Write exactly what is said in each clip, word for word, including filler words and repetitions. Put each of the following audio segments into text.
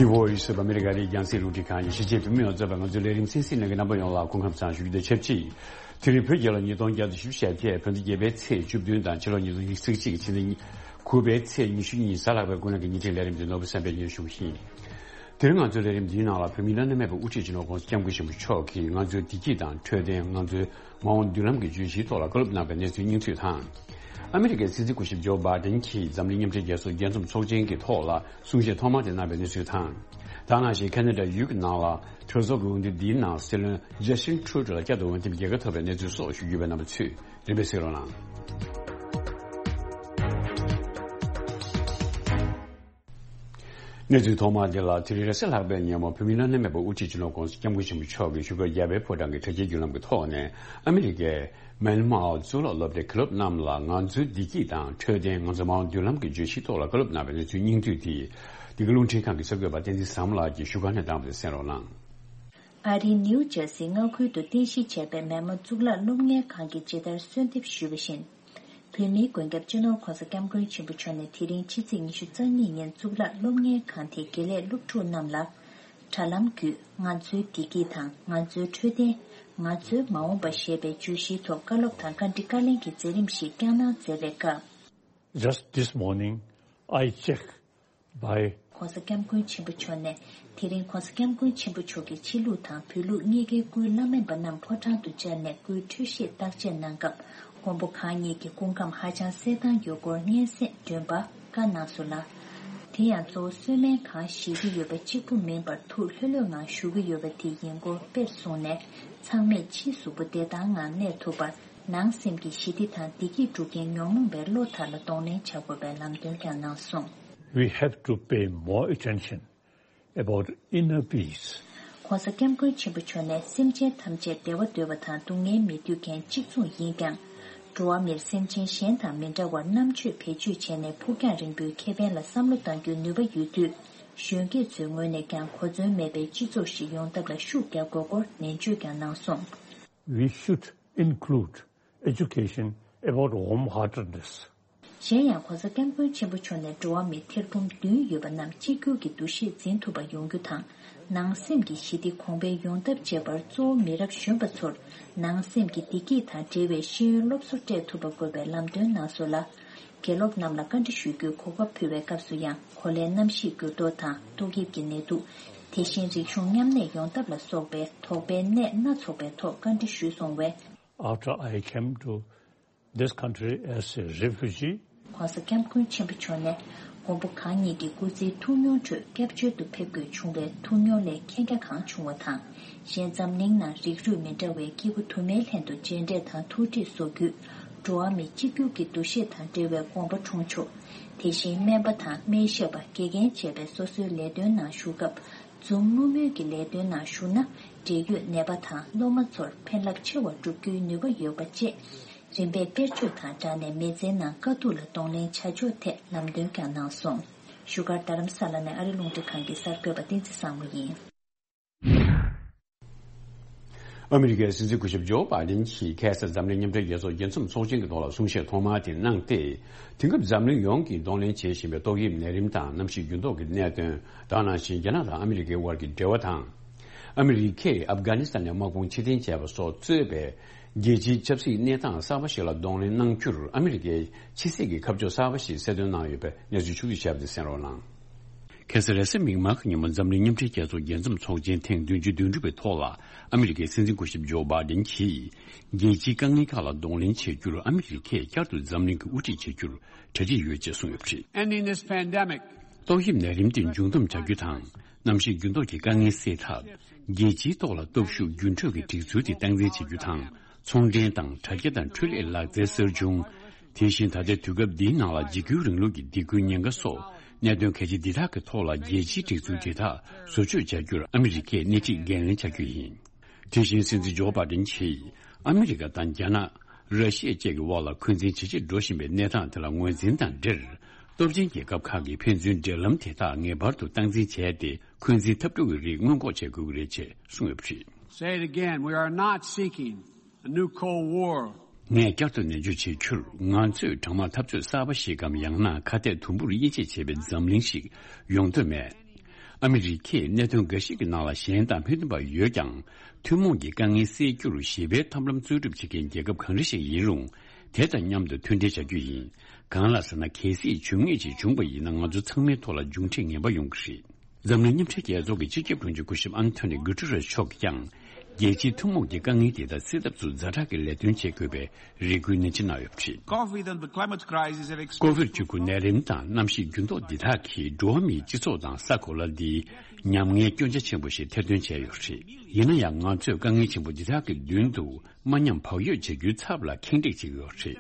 Voice of America རེད། རྒྱང་སྲིང་རླུང་འཕྲིན་ཁང་གི་གཞིས་བྱེས་བོད་མི་ཡོངས་གཙོས་པའི་ང་ཚོའི་ལས་རིམ་གསན་གཟིགས་གནང་མཁན་རྣམ་པ་ཡོངས་ལ་སྐུ་ཁམས་བཟང་ཞུ་རྒྱུ་དང་ཆབས་ཅིག་དེ་རིང་བོད་རྒྱལ་ལོ་ཉིས་སྟོང་བརྒྱ་དང་བཞི་བཅུ་ཞེ་བརྒྱད། བོད་ཟླ་བརྒྱད་པའི་ཚེས་བཅུ་བདུན་དང་ཕྱི་ལོ་ཉིས་སྟོང་ཉི་ཤུ་རྩ་གཅིག་གི་ཕྱི་ཟླ་དགུ་པའི་ཚེས་ཉི་ཤུ་གཉིས་གཟའ་ལྷག་པའི་དགུན་གནས་ཀྱི་ཉིན་རེའི་ལས་རིམ་དེ་ནོར་བུ་བསམ་འཕེལ་སྙན་ཞུ་ཞིང་། དེ་རིང་ང་ཚོའི་ལས་རིམ་འདིའི་ནང་ལ་བོད་མིའི་བླ་ན་མེད་པའི་དབུ་ཁྲིད་སྤྱི་ནོར་༸གོང་ས་༸སྐྱབས་མགོན་ཆེན་པོ་མཆོག་གིས་ང་ཚོའི་བདེ་སྐྱིད་དང་འཕྲོད་བསྟེན། ང་ཚོའི་མ་འོངས་མདུན་ལམ་གྱི་བརྗོད་གཞིའི་ཐོག་ལ་བཀའ་སློབ་གནང་བའི་གནས་ཚུལ་སྙིང་བསྡུས་དང་། ཨ་མི་རི་ཀའི་སྲིད་འཛིན་སྐུ་ཞབས་ཇོ་བྷའི་ཌེན་གྱིས་འཛམ་གླིང་མཉམ་འབྲེལ་རྒྱལ་ཚོགས་རྒྱས་འཛོམས་ཚོགས་ཆེན་གྱི་ཐོག་ལ་གསུང་བཤད་ཐོག་མ་དེ་གནང་བའི་གནས་ཚུལ་དང་། ད་ག་ནང་བཞིན་ཁ་ན་ཌ་ཡུལ་གྱི་ནང་ལ་གྲོས་ཚོགས་ཀྱི་འོས་བསྡུ་འདིའི་ནང་སྲིད་བློན་ཇ་སི་ཊིན་ཊུ་རུ་ཌོ་ལ་བསྐྱར་དུ་འོས་འདེམས་རྒྱལ་ཁ་ཐོབ་པའི་གནས་ཚུལ་སོགས་ཞུ་རྒྱུ་ཡོད་པས། རྣམ་པ་ཚོས་རིམ་པས་གཟིགས་རོགས་གནང་། གནས་ཚུལ་ཐོག་མ་འདི་ལ། དེ་རིང་རེས་གཟའ་ལྷག་པའི་ཉིན་མོ་བོད་མིའི་བླ་ན་མེད་པའི་དབུ་ཁྲིད་སྤྱི་ནོར་༸གོང་ས་༸སྐྱབས་མགོན་ཆེན་པོ་མཆོག་གིས་བཞུགས་སྒར་རྒྱལ་བའི་ཕོ་བྲང་གི་དྲ་རྒྱའི་བརྒྱུད་ལམ་གྱི་ཐོག་ནས་ཨ་མི་རི་ཀའི་མན་མའོ་གཙུག་ལག་སློབ་གྲྭའི་མཁན་སློབ་རྣམས་ལ་ང་ཚོའི་བདེ་སྐྱིད་དང་འཕྲོད་བསྟེན། ང་ཚོའི་མ་འོངས་མདུན་ལམ་གྱི་བརྗོད་གཞིའི་ཐོག་ལ་བཀའ་སློབ་གནང་བའི་གནས་ཚུལ་སྙིང་བསྡུས་དེ། འདི་ག་རླུང་འཕྲིན་ཁང་གི་གསར་འགོད་པ་བསྟན་འཛིན་བཟང་མོ་ལགས་ཀྱིས་བཞུགས་སྒར་ནས་བཏང་བ་དེ་གསན་རོགས་གནང་། ཨ་རིའི་ནིའུ་ཇར་སི་མངའ་ཁུལ་དུ་རྟེན་གཞི་བྱས་པའི་མན་མ་གཙུག་ལག་སློབ་གཉེར་ཁང་གིས་ཇི་ལྟར་གསོལ་འདེབས་ཞུས་པ་བཞིན། བོད་མིའི་མགོན་སྐྱབས་སྤྱི་ནོར་༸གོང་ས་༸སྐྱབས་མགོན་ཆེན་པོ་མཆོག་ནས་དེ་རིང་ཕྱི་ཚེས་ཉི་ཤུ་རྩ་གཉིས་ཉིན་གཙུག་ལག་སློབ་གཉེར་ཁང་དེའི་དགེ་ལས་སློབ་ཕྲུག་རྣམས་ལ། དྲ་ལམ་བརྒྱུད་ང་ཚོའི་བདེ་སྐྱིད་དང་ང་ཚོའི་འཕྲོད་བསྟེན། ང་ཚོའི་མ་འོངས་པ་ཞེས་པའི་བརྗོད་གཞིའི་ཐོག་བཀའ་སློབ་དང་བཀའ་འདྲི་བཀའ་ལན་གྱི་མཛད་རིམ་ཞིག་བསྐྱངས་གནང་མཛད་པའི་སྐབས། Just this morning, I checked by གོང་ས་སྐྱབས་མགོན་ཆེན་པོ་མཆོག་ནས། དེ་རིང་གོང་ས་སྐྱབས་མགོན་ཆེན་པོ་མཆོག་གིས་ཕྱི་ལུགས་དང་བོད་ལུགས་གཉིས་ཀའི་སྐུའི་བླ་སྨན་པ་རྣམས་ཕོ་བྲང་དུ་བཅར་ནས་སྐུའི་འཕྲོད་བཞེས་བརྟག་དཔྱད་གནང་སྐབས། མགོན་པོ་གང་ཉིད་ཀྱི་སྐུ་ཁམས་ཧ་ཅང་གསལ་ཐང་ཡོད་སྐོར་སྙན་སེང་འདོན་པ་བཀའ་གནང་སོང་ལ། དེ་ཡང་གཙོ་བོ་གསོལ་སྨན་ཁང་བཞེས་ཀྱི་ཡོད་པ་གཅིག་པུ་མིན་པར་ཐུགས་ལྷོད་ལྷོད་ངང་བཞུགས་ཀྱི་ཡོད་པ་དེ་ཡིན་སྐོར་དཔེར་བཟུང་ནས། ཚང་མས་ཕྱིའི་གཟུགས་པོ་བདེ་ཐང་ངང་གནས་ཐུབ་པར། ནང་སེམས་ཀྱི་ཞི་བདེ་དང་བདེ་སྐྱིད་སྒྲུབ་མཁན་ཉོན་མོངས་པའི་བློ་དག་ལ་གདོང་ལེན་བྱ་དགོས་པའི་ལམ་སྟོན་ཀྱང་གནང་སོང་། We have to pay more attention about inner peace. ༸གོང་ས་༸སྐྱབས་མགོན་ཆེན་པོ་མཆོག་ནས་སེམས་ཅན་ཐམས་ཅད་བདེ་བ་འདོད་པ་དང་སྡུག་བསྔལ་མི་འདོད་མཁན་གཅིག་མཚུངས་ཡིན་ཀྱང་། འགྲོ་བ་མིར་སེམས་ཅན་གཞན་དང་མི་འདྲ་བར་རྣམ་དཔྱོད་བེད་སྤྱོད་བྱས་ནས་ཕུགས་རྒྱང་རིང་པོའི་ཁེ་ཕན་ལ་བསམ་བློ་གཏང་རྒྱུའི་ནུས་པ་ཡོད་དུས། གཞོན་སྐྱེས་ཚོའི་ངོས་ནས་ཀྱང་གོ་མཚོན་མེད་པའི་སྤྱི་ཚོགས་ཤིག་ཡོང་ཐབས་ལ་ཤུགས་རྒྱག་དགོས་སྐོར་ནན་བརྗོད་ཀྱང་གནང་སོང་། We should include education about warm-heartedness. གཞན་ཡང་༸གོང་ས་༸སྐྱབས་མགོན་ཆེན་པོ་མཆོག་ནས་འགྲོ་བ་མི་ཐེར་འབུམ་བདུན་ཡོད་པ་རྣམས་གཅིག་གྱུར་གྱི་འདུ་ཤེས་འཛིན་ཐུབ་པ་ཡོང་རྒྱུ་དང་། ནང་སེམས་ཀྱི་ཞི་བདེ་གོང་འཕེལ་ཡོང་ཐབས་བྱེད་པར་གཙོ་བོ་མི་རབས་གཞོན་པ་ཚོར་ནང་སེམས་ཀྱི་བདེ་སྐྱིད་དང་འབྲེལ་བའི་ཤེས་ཡོན་སློབ་གསོ་སྤྲད་ཐུབ་པ་དགོས་པའི་ལམ་སྟོན་གནང་སོང་ལ། དགེ་སློབ་རྣམས་ལ་བཀའ་འདྲི་ཞུ་རྒྱུའི་གོ་སྐབས་ཕུལ་བའི་སྐབས་སུ་ཡང་གོ་ལའི་གནམ་གཤིས་འགྱུར་ལྡོག་དང་ཏོག་དབྱིབས་ཀྱི་ནད་དུག་དེ་བཞིན་རིག་གཞུང་མཉམ་གནས་ཡོང་ཐབས་ལ་སོགས་པའི་དོགས་པའི་གནད་སྣ་ཚོགས་པའི་ཐོག་བཀའ་འདྲི་ཞུས་སོང་བས། After I came to this country as a refugee, ༸གོང་ས་༸སྐྱབས་མགོན་ཆེན་པོ་མཆོག་ནས་མགོན་པོ་གང་ཉིད་ཀྱི་སྐུ་ཚེའི་ཐུགས་མྱོང་ཁྲོད་སྐྱབས་བཅོལ་དུ་ཕེབས་དགོས་བྱུང་བའི་ཐུགས་མྱོང་ལས་མཁྱེན་རྒྱ་གང་བྱུང་བ་དང་། གཞན་འཛམ་གླིང་ནང་རིགས་རུས་མི་འདྲ་བའི་སྐྱེ་རྒུ་དུ་མའི་ལྷན་དུ་མཇལ་འཕྲད་དང་ཐུག་འཕྲད་བཟོ་རྒྱུས། འགྲོ་བ་མི་གཅིག་གྱུར་གྱི་འདུ་ཤེས་དང་འབྲེལ་བའི་དགོངས་པ་འཁྲུངས་ཆོག་དེ་བཞིན་སྨན་པ་དང་སྨན་ཞབས་པ་དགེ་རྒན་བཅས་པའི་སོ་སོའི་ལས་དོན་ནང་ཞུགས་སྐབས། འཛུམ་དམུལ་དམུལ་གྱི་ལས་དོན་ནང་ཞུགས་ན། འབྲེལ་ཡོད་ནད་པ་དང་སློབ་མ་ཚོར་ཕན་རླབས་ཆེ་བ་བསྒྲུབ་རྒྱུའི་ནུས་པ་ཡོད་པ་བཅས། རིམ་པས་དཔེར་བརྗོད་དང་སྦྲགས་ནས་མི་ཚེའི་ནང་དཀའ་སྡུག་ལ་གདོང་ལེན་བྱ་ཕྱོགས་ཐད་ལམ་སྟོན་ཀྱང་གནང་སོང་། བཞུགས་སྒར་རྡ་རམ་ས་ལ་ནས་ཨ་རི་རླུང་འཕྲིན་ཁང་གི་གསར་འགོད་པ་བསྟན་འཛིན་བཟང་མོ་ཡིན། ཨ་མི་རི་ཀའི་སྲིད་འཛིན་སྐུ་ཞབས་ཇོ་བྷའི་ཌེན་གྱིས་ཁ་སང་འཛམ་གླིང་མཉམ་འབྲེལ་རྒྱལ་ཚོགས་རྒྱས་འཛོམས་ཚོགས་ཆེན་གྱི་ཐོག་ལ་གསུང་བཤད་ཐོག་མ་དེ་གནང་སྟེ། དེང་སྐབས་འཛམ་གླིང་ཡོངས་ཀྱིས་གདོང་ལེན་བྱེད་བཞིན་པའི་ཏོག་དབྱིབས་ནད་རིམས་དང་གནམ་གཤིས་འགྱུར་ལྡོག་གི་གནད་དོན། ད་ག་ནང་བཞིན་རྒྱ་ནག་དང་ཨ་མི་རི་ཀའི་དབར་གྱི་འབྲེལ་བ་དང་། ཨ་མི་རི་ཀས་ཨབ་གྷ་ནི་སི་ཐན་ནས་དམག་དཔུང་ཕྱིར་འཐེན་བྱས་པ་སོགས་གཙོས་པའི་རྒྱལ་སྤྱིའི་ཆབ་སྲིད་གནས་སྟངས་གསར་པ་ཞིག་ལ་གདོང་ལེན་གནང་རྒྱུར་ཨ་མི་རི་ཀས་ཕྱི་སྲིད་ཀྱི་ཁ་ཕྱོགས་གསར་པ་ཞིག་གསལ་སྟོན་གནང་ཡོད་པའི་གནས་ཚུལ་ཕྱོགས་བསྡུས་བྱས་པ་དེ་གསན་རོགས་གནང་། ཁ་སང་རེས་གཟའ་མིག་དམར་གྱི་ཉིན་མོ་འཛམ་གླིང་མཉམ་འབྲེལ་རྒྱལ་ཚོགས་རྒྱས་འཛོམས་ཚོགས་ཆེན་ཐེངས་བདུན་ཅུ་དོན་དྲུག་པའི་ཐོག་ལ་ཨ་མི་རི་ཀའི་སྲིད་འཛིན་སྐུ་ཞབས་ཇོ་བྷའི་ཌེན་གྱིས། རྒྱལ་སྤྱིའི་དཀའ་ངལ་ཁག་ལ་གདོང་ལེན་བྱེད་རྒྱུར་ཨ་མི་རི་ཀས་བསྐྱར་དུ་འཛམ་གླིང་གི་དབུ་ཁྲིད་བྱེད་རྒྱུར་གྲ་སྒྲིག་ཡོད་ཅེས་གསུངས་ཡོད་པ་རེད། Ending this pandemic ཏོག་དབྱིབས་ནད་རིམས་དེ་འབྱུང་སྡོམ་བྱ་རྒྱུ་དང་། གནམ་གཤིས་འགྱུར་ལྡོག་གི་དཀའ་ངལ་སེལ་ཐབས། རྒྱལ་སྤྱིའི་ཐོག་ལ་སྟོབས་ཤུགས་རྒྱུན་འཕྲོད་ཀྱི་སྒྲིག་འཛུགས་དེ་སྟངས་འཛིན་བྱེད་རྒྱུ་དང་། ཚོང་འབྲེལ་དང་དྲ་རྒྱ་དང་འཕྲུལ་ལས་ལག་རྩལ་གསར་བྱུང་། དེ་བཞིན་ད་ལྟའི་དུས་སྐབས་འདིའི་ནང་ལ་འཇིགས་སྐུལ་རིང་ལུགས་ཀྱི་སྡིགས་སྐུལ་ཉེན་ཁ་སོགས་གནད་དོན་གལ་ཆེ་འདི་དག་གི་ཐོག་ལ་རྒྱལ་སྤྱིའི་སྒྲིག་འཛུགས་དེ་དག་བཟོ་བཅོས་བྱ་རྒྱུར་ཨ་མི་རི་ཀས་སྣེ་ཁྲིད་འགན་ལེན་བྱ་རྒྱུ་ཡིན། དེ་བཞིན་སྲིད་འཛིན་ཇོ་བྷའི་ཌེན་གྱིས་ཨ་མི་རི་ཀ་དང་རྒྱ་ནག་ར་ཤི་ཡ་བཅས་ཀྱི་དབར་ལ་འཁོན་འཛིན་ཇེ་ཆེར་འགྲོ་བཞིན་པའི་གནས་སྟངས་དེ་ལ་ངོས་འཛིན་དང་འབྲེལ། སྟོབས་ཆེན་རྒྱལ་ཁབ་ཁག་གིས་ཕན་ཚུན་འབྲེལ་ལམ་དེ་དག་ངེས་པར་དུ་སྟངས་འཛིན་བྱས་ཏེ། འཁོན་འཛིན་འཐབ་འཁྲུག་གི་རིགས་སྔོན་འགོག་བྱེད་དགོས་ཀྱི་རེད་ཅེས་གསུངས་ཡོད་པ་རེད། Say it again, we are not seeking a new Cold War. ངས་བསྐྱར་དུ་ནན་བརྗོད་བྱེད་རྒྱུར། ང་ཚོས་གྲང་དམག་འཐབ་རྩོད་གསར་པ་ཞིག་གམ། ཡང་ན་ཁ་གཏད་དུམ་བུར་དབྱེ་འབྱེད་བྱེད་པའི་འཛམ་གླིང་ཞིག་ཡོང་འདོད་མེད། ཨ་མི་རི་ཀས་གནད་དོན་འགའ་ཞིག་གི་ནང་ལ་ཞེན་དང་མི་མཐུན་པ་ཡོད་ཀྱང་། ཐུན་མོང་གི་དཀའ་ངལ་སེལ་རྒྱུར་ཞི་བའི་ཐབས་ལམ་འཚོལ་སྒྲུབ་བྱེད་མཁན་རྒྱལ་ཁབ་གང་རེ་ཞིག་ཡིན་རུང་། དེ་དང་མཉམ་དུ་མཐུན་འབྲེལ་བྱ་རྒྱུ་ཡིན། གང་ལ་ཟེར་ན། གལ་སྲིད་ཇུས་ངན་ཅིག་བྱུང་བ་ཡིན་ན། ང་ཚོ་ཚང་མའི་ཐོག་ལ་མཇུག་འབྲས་ངན་པ་ཡོང་གི་རེད། འཛམ་གླིང་མཉམ་འབྲེལ་རྒྱལ་ཚོགས་ཀྱི་སྤྱི་ཁྱབ་དྲུང་ཆེ་སྐུ་ཞབས་ཨན་ཐོ་ནི་གུ་ཏུ་རེ་སི་མཆོག་གིས་ཀྱང་། རྒྱལ་སྤྱིའི་ཐུན་མོང་གི་དཀའ་ངལ་དེ་དག་སེལ་ཐབས་སུ་ཛ་དྲག་གི་ལས་དོན་བྱེད་དགོས་པའི་རེ་སྐུལ་ནན་ཆེ་གནང་ཡོད་པ་རེད། COVID and the climate crisis have exposed ཀོ་ཝིཌ་བཅུ་དགུ་ནད་རིམས་དང་གནམ་གཤིས་འགྱུར་ལྡོག་འདི་དག་གིས་འགྲོ་བ་མིའི་སྤྱི་ཚོགས་དང་ས་གོ་ལ་འདིའི་ཉམ་ངའི་སྐྱོན་ཆ་ཆེན་པོ་ཞིག་ཐེར་འདོན་བྱས་ཡོད་པ་རེད། ཡིན་ན་ཡང་། ང་ཚོས་དཀའ་ངལ་ཆེན་པོ་འདི་དག་གི་མདུན་དུ་མ་ཉམས་བག་ཡོད་བྱེད་རྒྱུའི་ཚབ་ལ་ཁེངས་དྲེགས་བྱེད་ཀྱི་ཡོད་པ་རེད།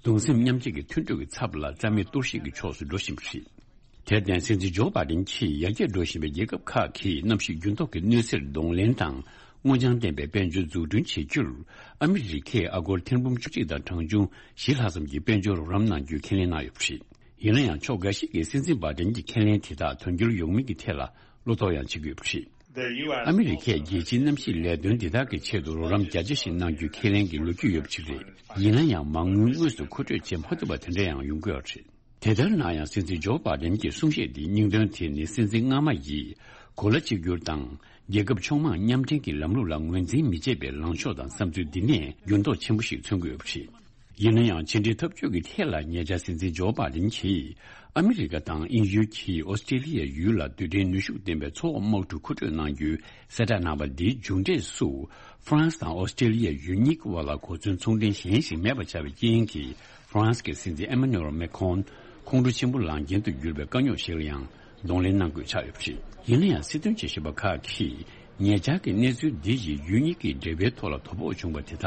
གདུང་སེམས་མཉམ་སྐྱེད་ཀྱི་མཐུན་གྲོས་ཀྱི་ཚབ་ལ་རྩ་མེད་གཏོར་བཤིག་གི་ཕྱོགས་སུ་འགྲོ་བཞིན་པ་རེད། དེར་བརྟེན། སྲིད་འཛིན་ཇོ་བྷའི་ཌེན་གྱིས་ཡར་རྒྱས་འགྲོ་བཞིན་པའི་རྒྱལ་ཁབ་ཁག་གིས་གནམ་གཤིས་འགྱུར་ལྡོག་གི་གནོད་འཚེར་གདོང་ལེན་དང་། སྔོ་ལྗང་ལྡན་པའི་དཔལ་འབྱོར་འཛུགས་སྐྲུན་བྱེད་རྒྱུར། ཨ་མི་རི་ཀས་ཨ་སྒོར་ཐེར་འབུམ་བཅུ་གཅིག་དང་གྲངས་ཆུང་བཞི་ལྷག་ཙམ་གྱི་དཔལ་འབྱོར་རོགས་རམ་གནང་རྒྱུའི་ཁས་ལེན་གནང་ཡོད་པ་རེད། ཡིན་ན་ཡང་། ཕྱོགས་འགའ་ཞིག་གིས་སྲིད་འཛིན་བྷའི་ཌེན་གྱི་ཁས་ལེན་དེ་དག་དོན་འཁྱོལ་ཡོང་མིན་གྱི་ཐད་ལ་བློ་དོགས་ཡང་བྱེད་ཀྱི་ཡོད་པ་རེད། ཨ་མི་རི་ཀས་རྒྱལ་སྤྱིའི་གནམ་གཤིས་ལས་དོན་དེ་དག་གི་ཆེད་དུ་རོགས་རམ་བརྒྱ་ཆ་ཞིག་གནང་རྒྱུའི་ཁས་ལེན་གྱི་ལོ་རྒྱུས་ཡོད་པ་ཞིག་རེད། ཡིན་ན་ཡང་། མ་དངུལ་དངོས་སུ་མཁོ་སྤྲོད་བྱེད་མ་ཐུབ་པ་དེ་འདྲ་ཡང་ཡོང་གི་ཡོད་པ་རེད། དེ་ལྟར་ན་ཡང་། སྲིད་འཛིན་ཇོ་བྷའི་ཌེན་གྱི་གསུང་བཤད་འདིའི་སྙིང་དོན་དེ་ནི། སྲིད་འཛིན་སྔ་མ་ཡིས་གོ་ལ་གཅིག་གྱུར་དང་རྒྱལ་ཁབ་ཕྱོགས་མང་མཉམ་འབྲེལ་གྱི་ལམ་ལུགས་ལ་ངོས་འཛིན་མི་བྱེད་པའི་ལངས་ཕྱོགས་དང་བསམ་ཚུལ་འདི་ནས་འགྱུར་ལྡོག་ཆེན་པོ་ཞིག་མཚོན་གྱི་ཡོད་པ་རེད། ཡིན་ན་ཡང་། ཕྱི་འབྲེལ་འཐབ་ཇུས་ཀྱི་ཐད་ལ་ཉེ་ཆར་སྲིད་འཛིན་ཇོ་བྷའི་ཌེན་གྱིས་ཨ་མི་རི་ཀ་དང་དབྱིན་ཡུལ་གྱིས་ཨོ་སི་ཀྲེ་ལི་ཡའི་ཡུལ་ལ་རྡུལ་ཕྲན་ནུས་ཤུགས་ལྡན་པའི་མཚོ་འོག་དམག་གྲུ་མཁོ་སྤྲོད་གནང་རྒྱུའི་གསལ་བསྒྲགས་གནང་བ་འདིའི་མཇུག་འབྲས་སུ། ཧྥ་རན་སི་དང་ཨོ་སི་ཀྲེ་ལི་ཡའི་ཡུལ་གཉིས་ཀྱི་དབར་ལ་གོ་མཚོན་ཚོང་འབྲེལ་གཞན་ཞིག་མེད་པ་ཆགས་པའི་རྐྱེན་གྱིས། ཧྥ་རན་སི་གི་སྲིད་འཛིན་ཨེ་མ་ནུ་ཨེལ་མེ་ཁོན་ཁོང་ཁྲོ་ཆེན་པོ་ལངས་རྐྱེན་དུ་གྱུར་པའི་དཀའ་རྙོག་ཞིག་ལ་ཡང་གདོང་ལེན་གནང་དགོས་ཆགས་ཡོད་པ་རེད། ཡིན་ན་ཡང་། སྲིད་དོན་དཔྱད་ཞིབ་པ་ཁག་གིས་ཉེ་ཆར་གྱི་གནས་ཚུལ་འདི་ཡིས་ཡུལ་གཉིས་ཀྱི་འབྲེལ་བའི་ཐོག་ལ་དོ་ཕོག་བྱུང་བ་དེ་དག་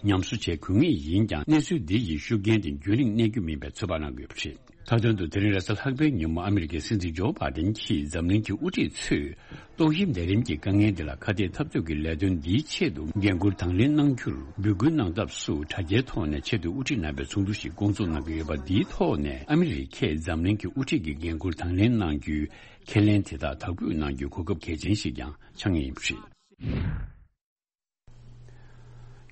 ཉམས་གསོ་བྱེད་དགོས་ངེས་ཡིན་ཀྱང་། གནས་ཚུལ་འདི་ཡི་ཤུགས་རྐྱེན་དེ་རྒྱུན་རིང་གནས་རྒྱུ་མིན་པའི་ཚོད་དཔག་གནང་དགོས་པ་རེད། མཐའ་དོན་དུ། དེ་རིང་རེས་གཟའ་ལྷག་པའི་ཉིན་མོ་ཨ་མི་རི་ཀའི་སྲིད་འཛིན་ཇོ་བྷའི་ཌེན་གྱིས་འཛམ་གླིང་གི་དབུ་ཁྲིད་ཚོས་ཏོག་དབྱིབས་ནད་རིམས་ཀྱི་དཀའ་ངལ་འདི་ལ་ཁ་གཏད་འཐབ་རྩོད་ཀྱི་ལས་དོན་འདིའི་ཆེད་དུ་འགན་འཁུར་དང་ལེན་གནང་རྒྱུར་འབོད་སྐུལ་གནང་ཐབས་སུ་དྲ་རྒྱའི་ཐོག་ནས་ཆེད་དུ་དབུ་ཁྲིད་གནང་བའི་ཚོགས་འདུ་ཞིག་བསྐོང་ཚོགས་གནང་གི་ཡོད་པ་འདིའི་ཐོག་ནས། ཨ་མི་རི་ཀས་འཛམ་གླིང་གི་དབུ་ཁྲིད་ཀྱི་འགན་འཁུར་དང་ལེན་གནང་རྒྱུའི་ཁས་ལེན་དེ་དག་དག་འབུད་གནང་རྒྱུའི་གོ་སྐབས་གལ་ཆེན་ཞིག་ཀྱང་ཆགས་ངེས་ཡིན་པ་རེད།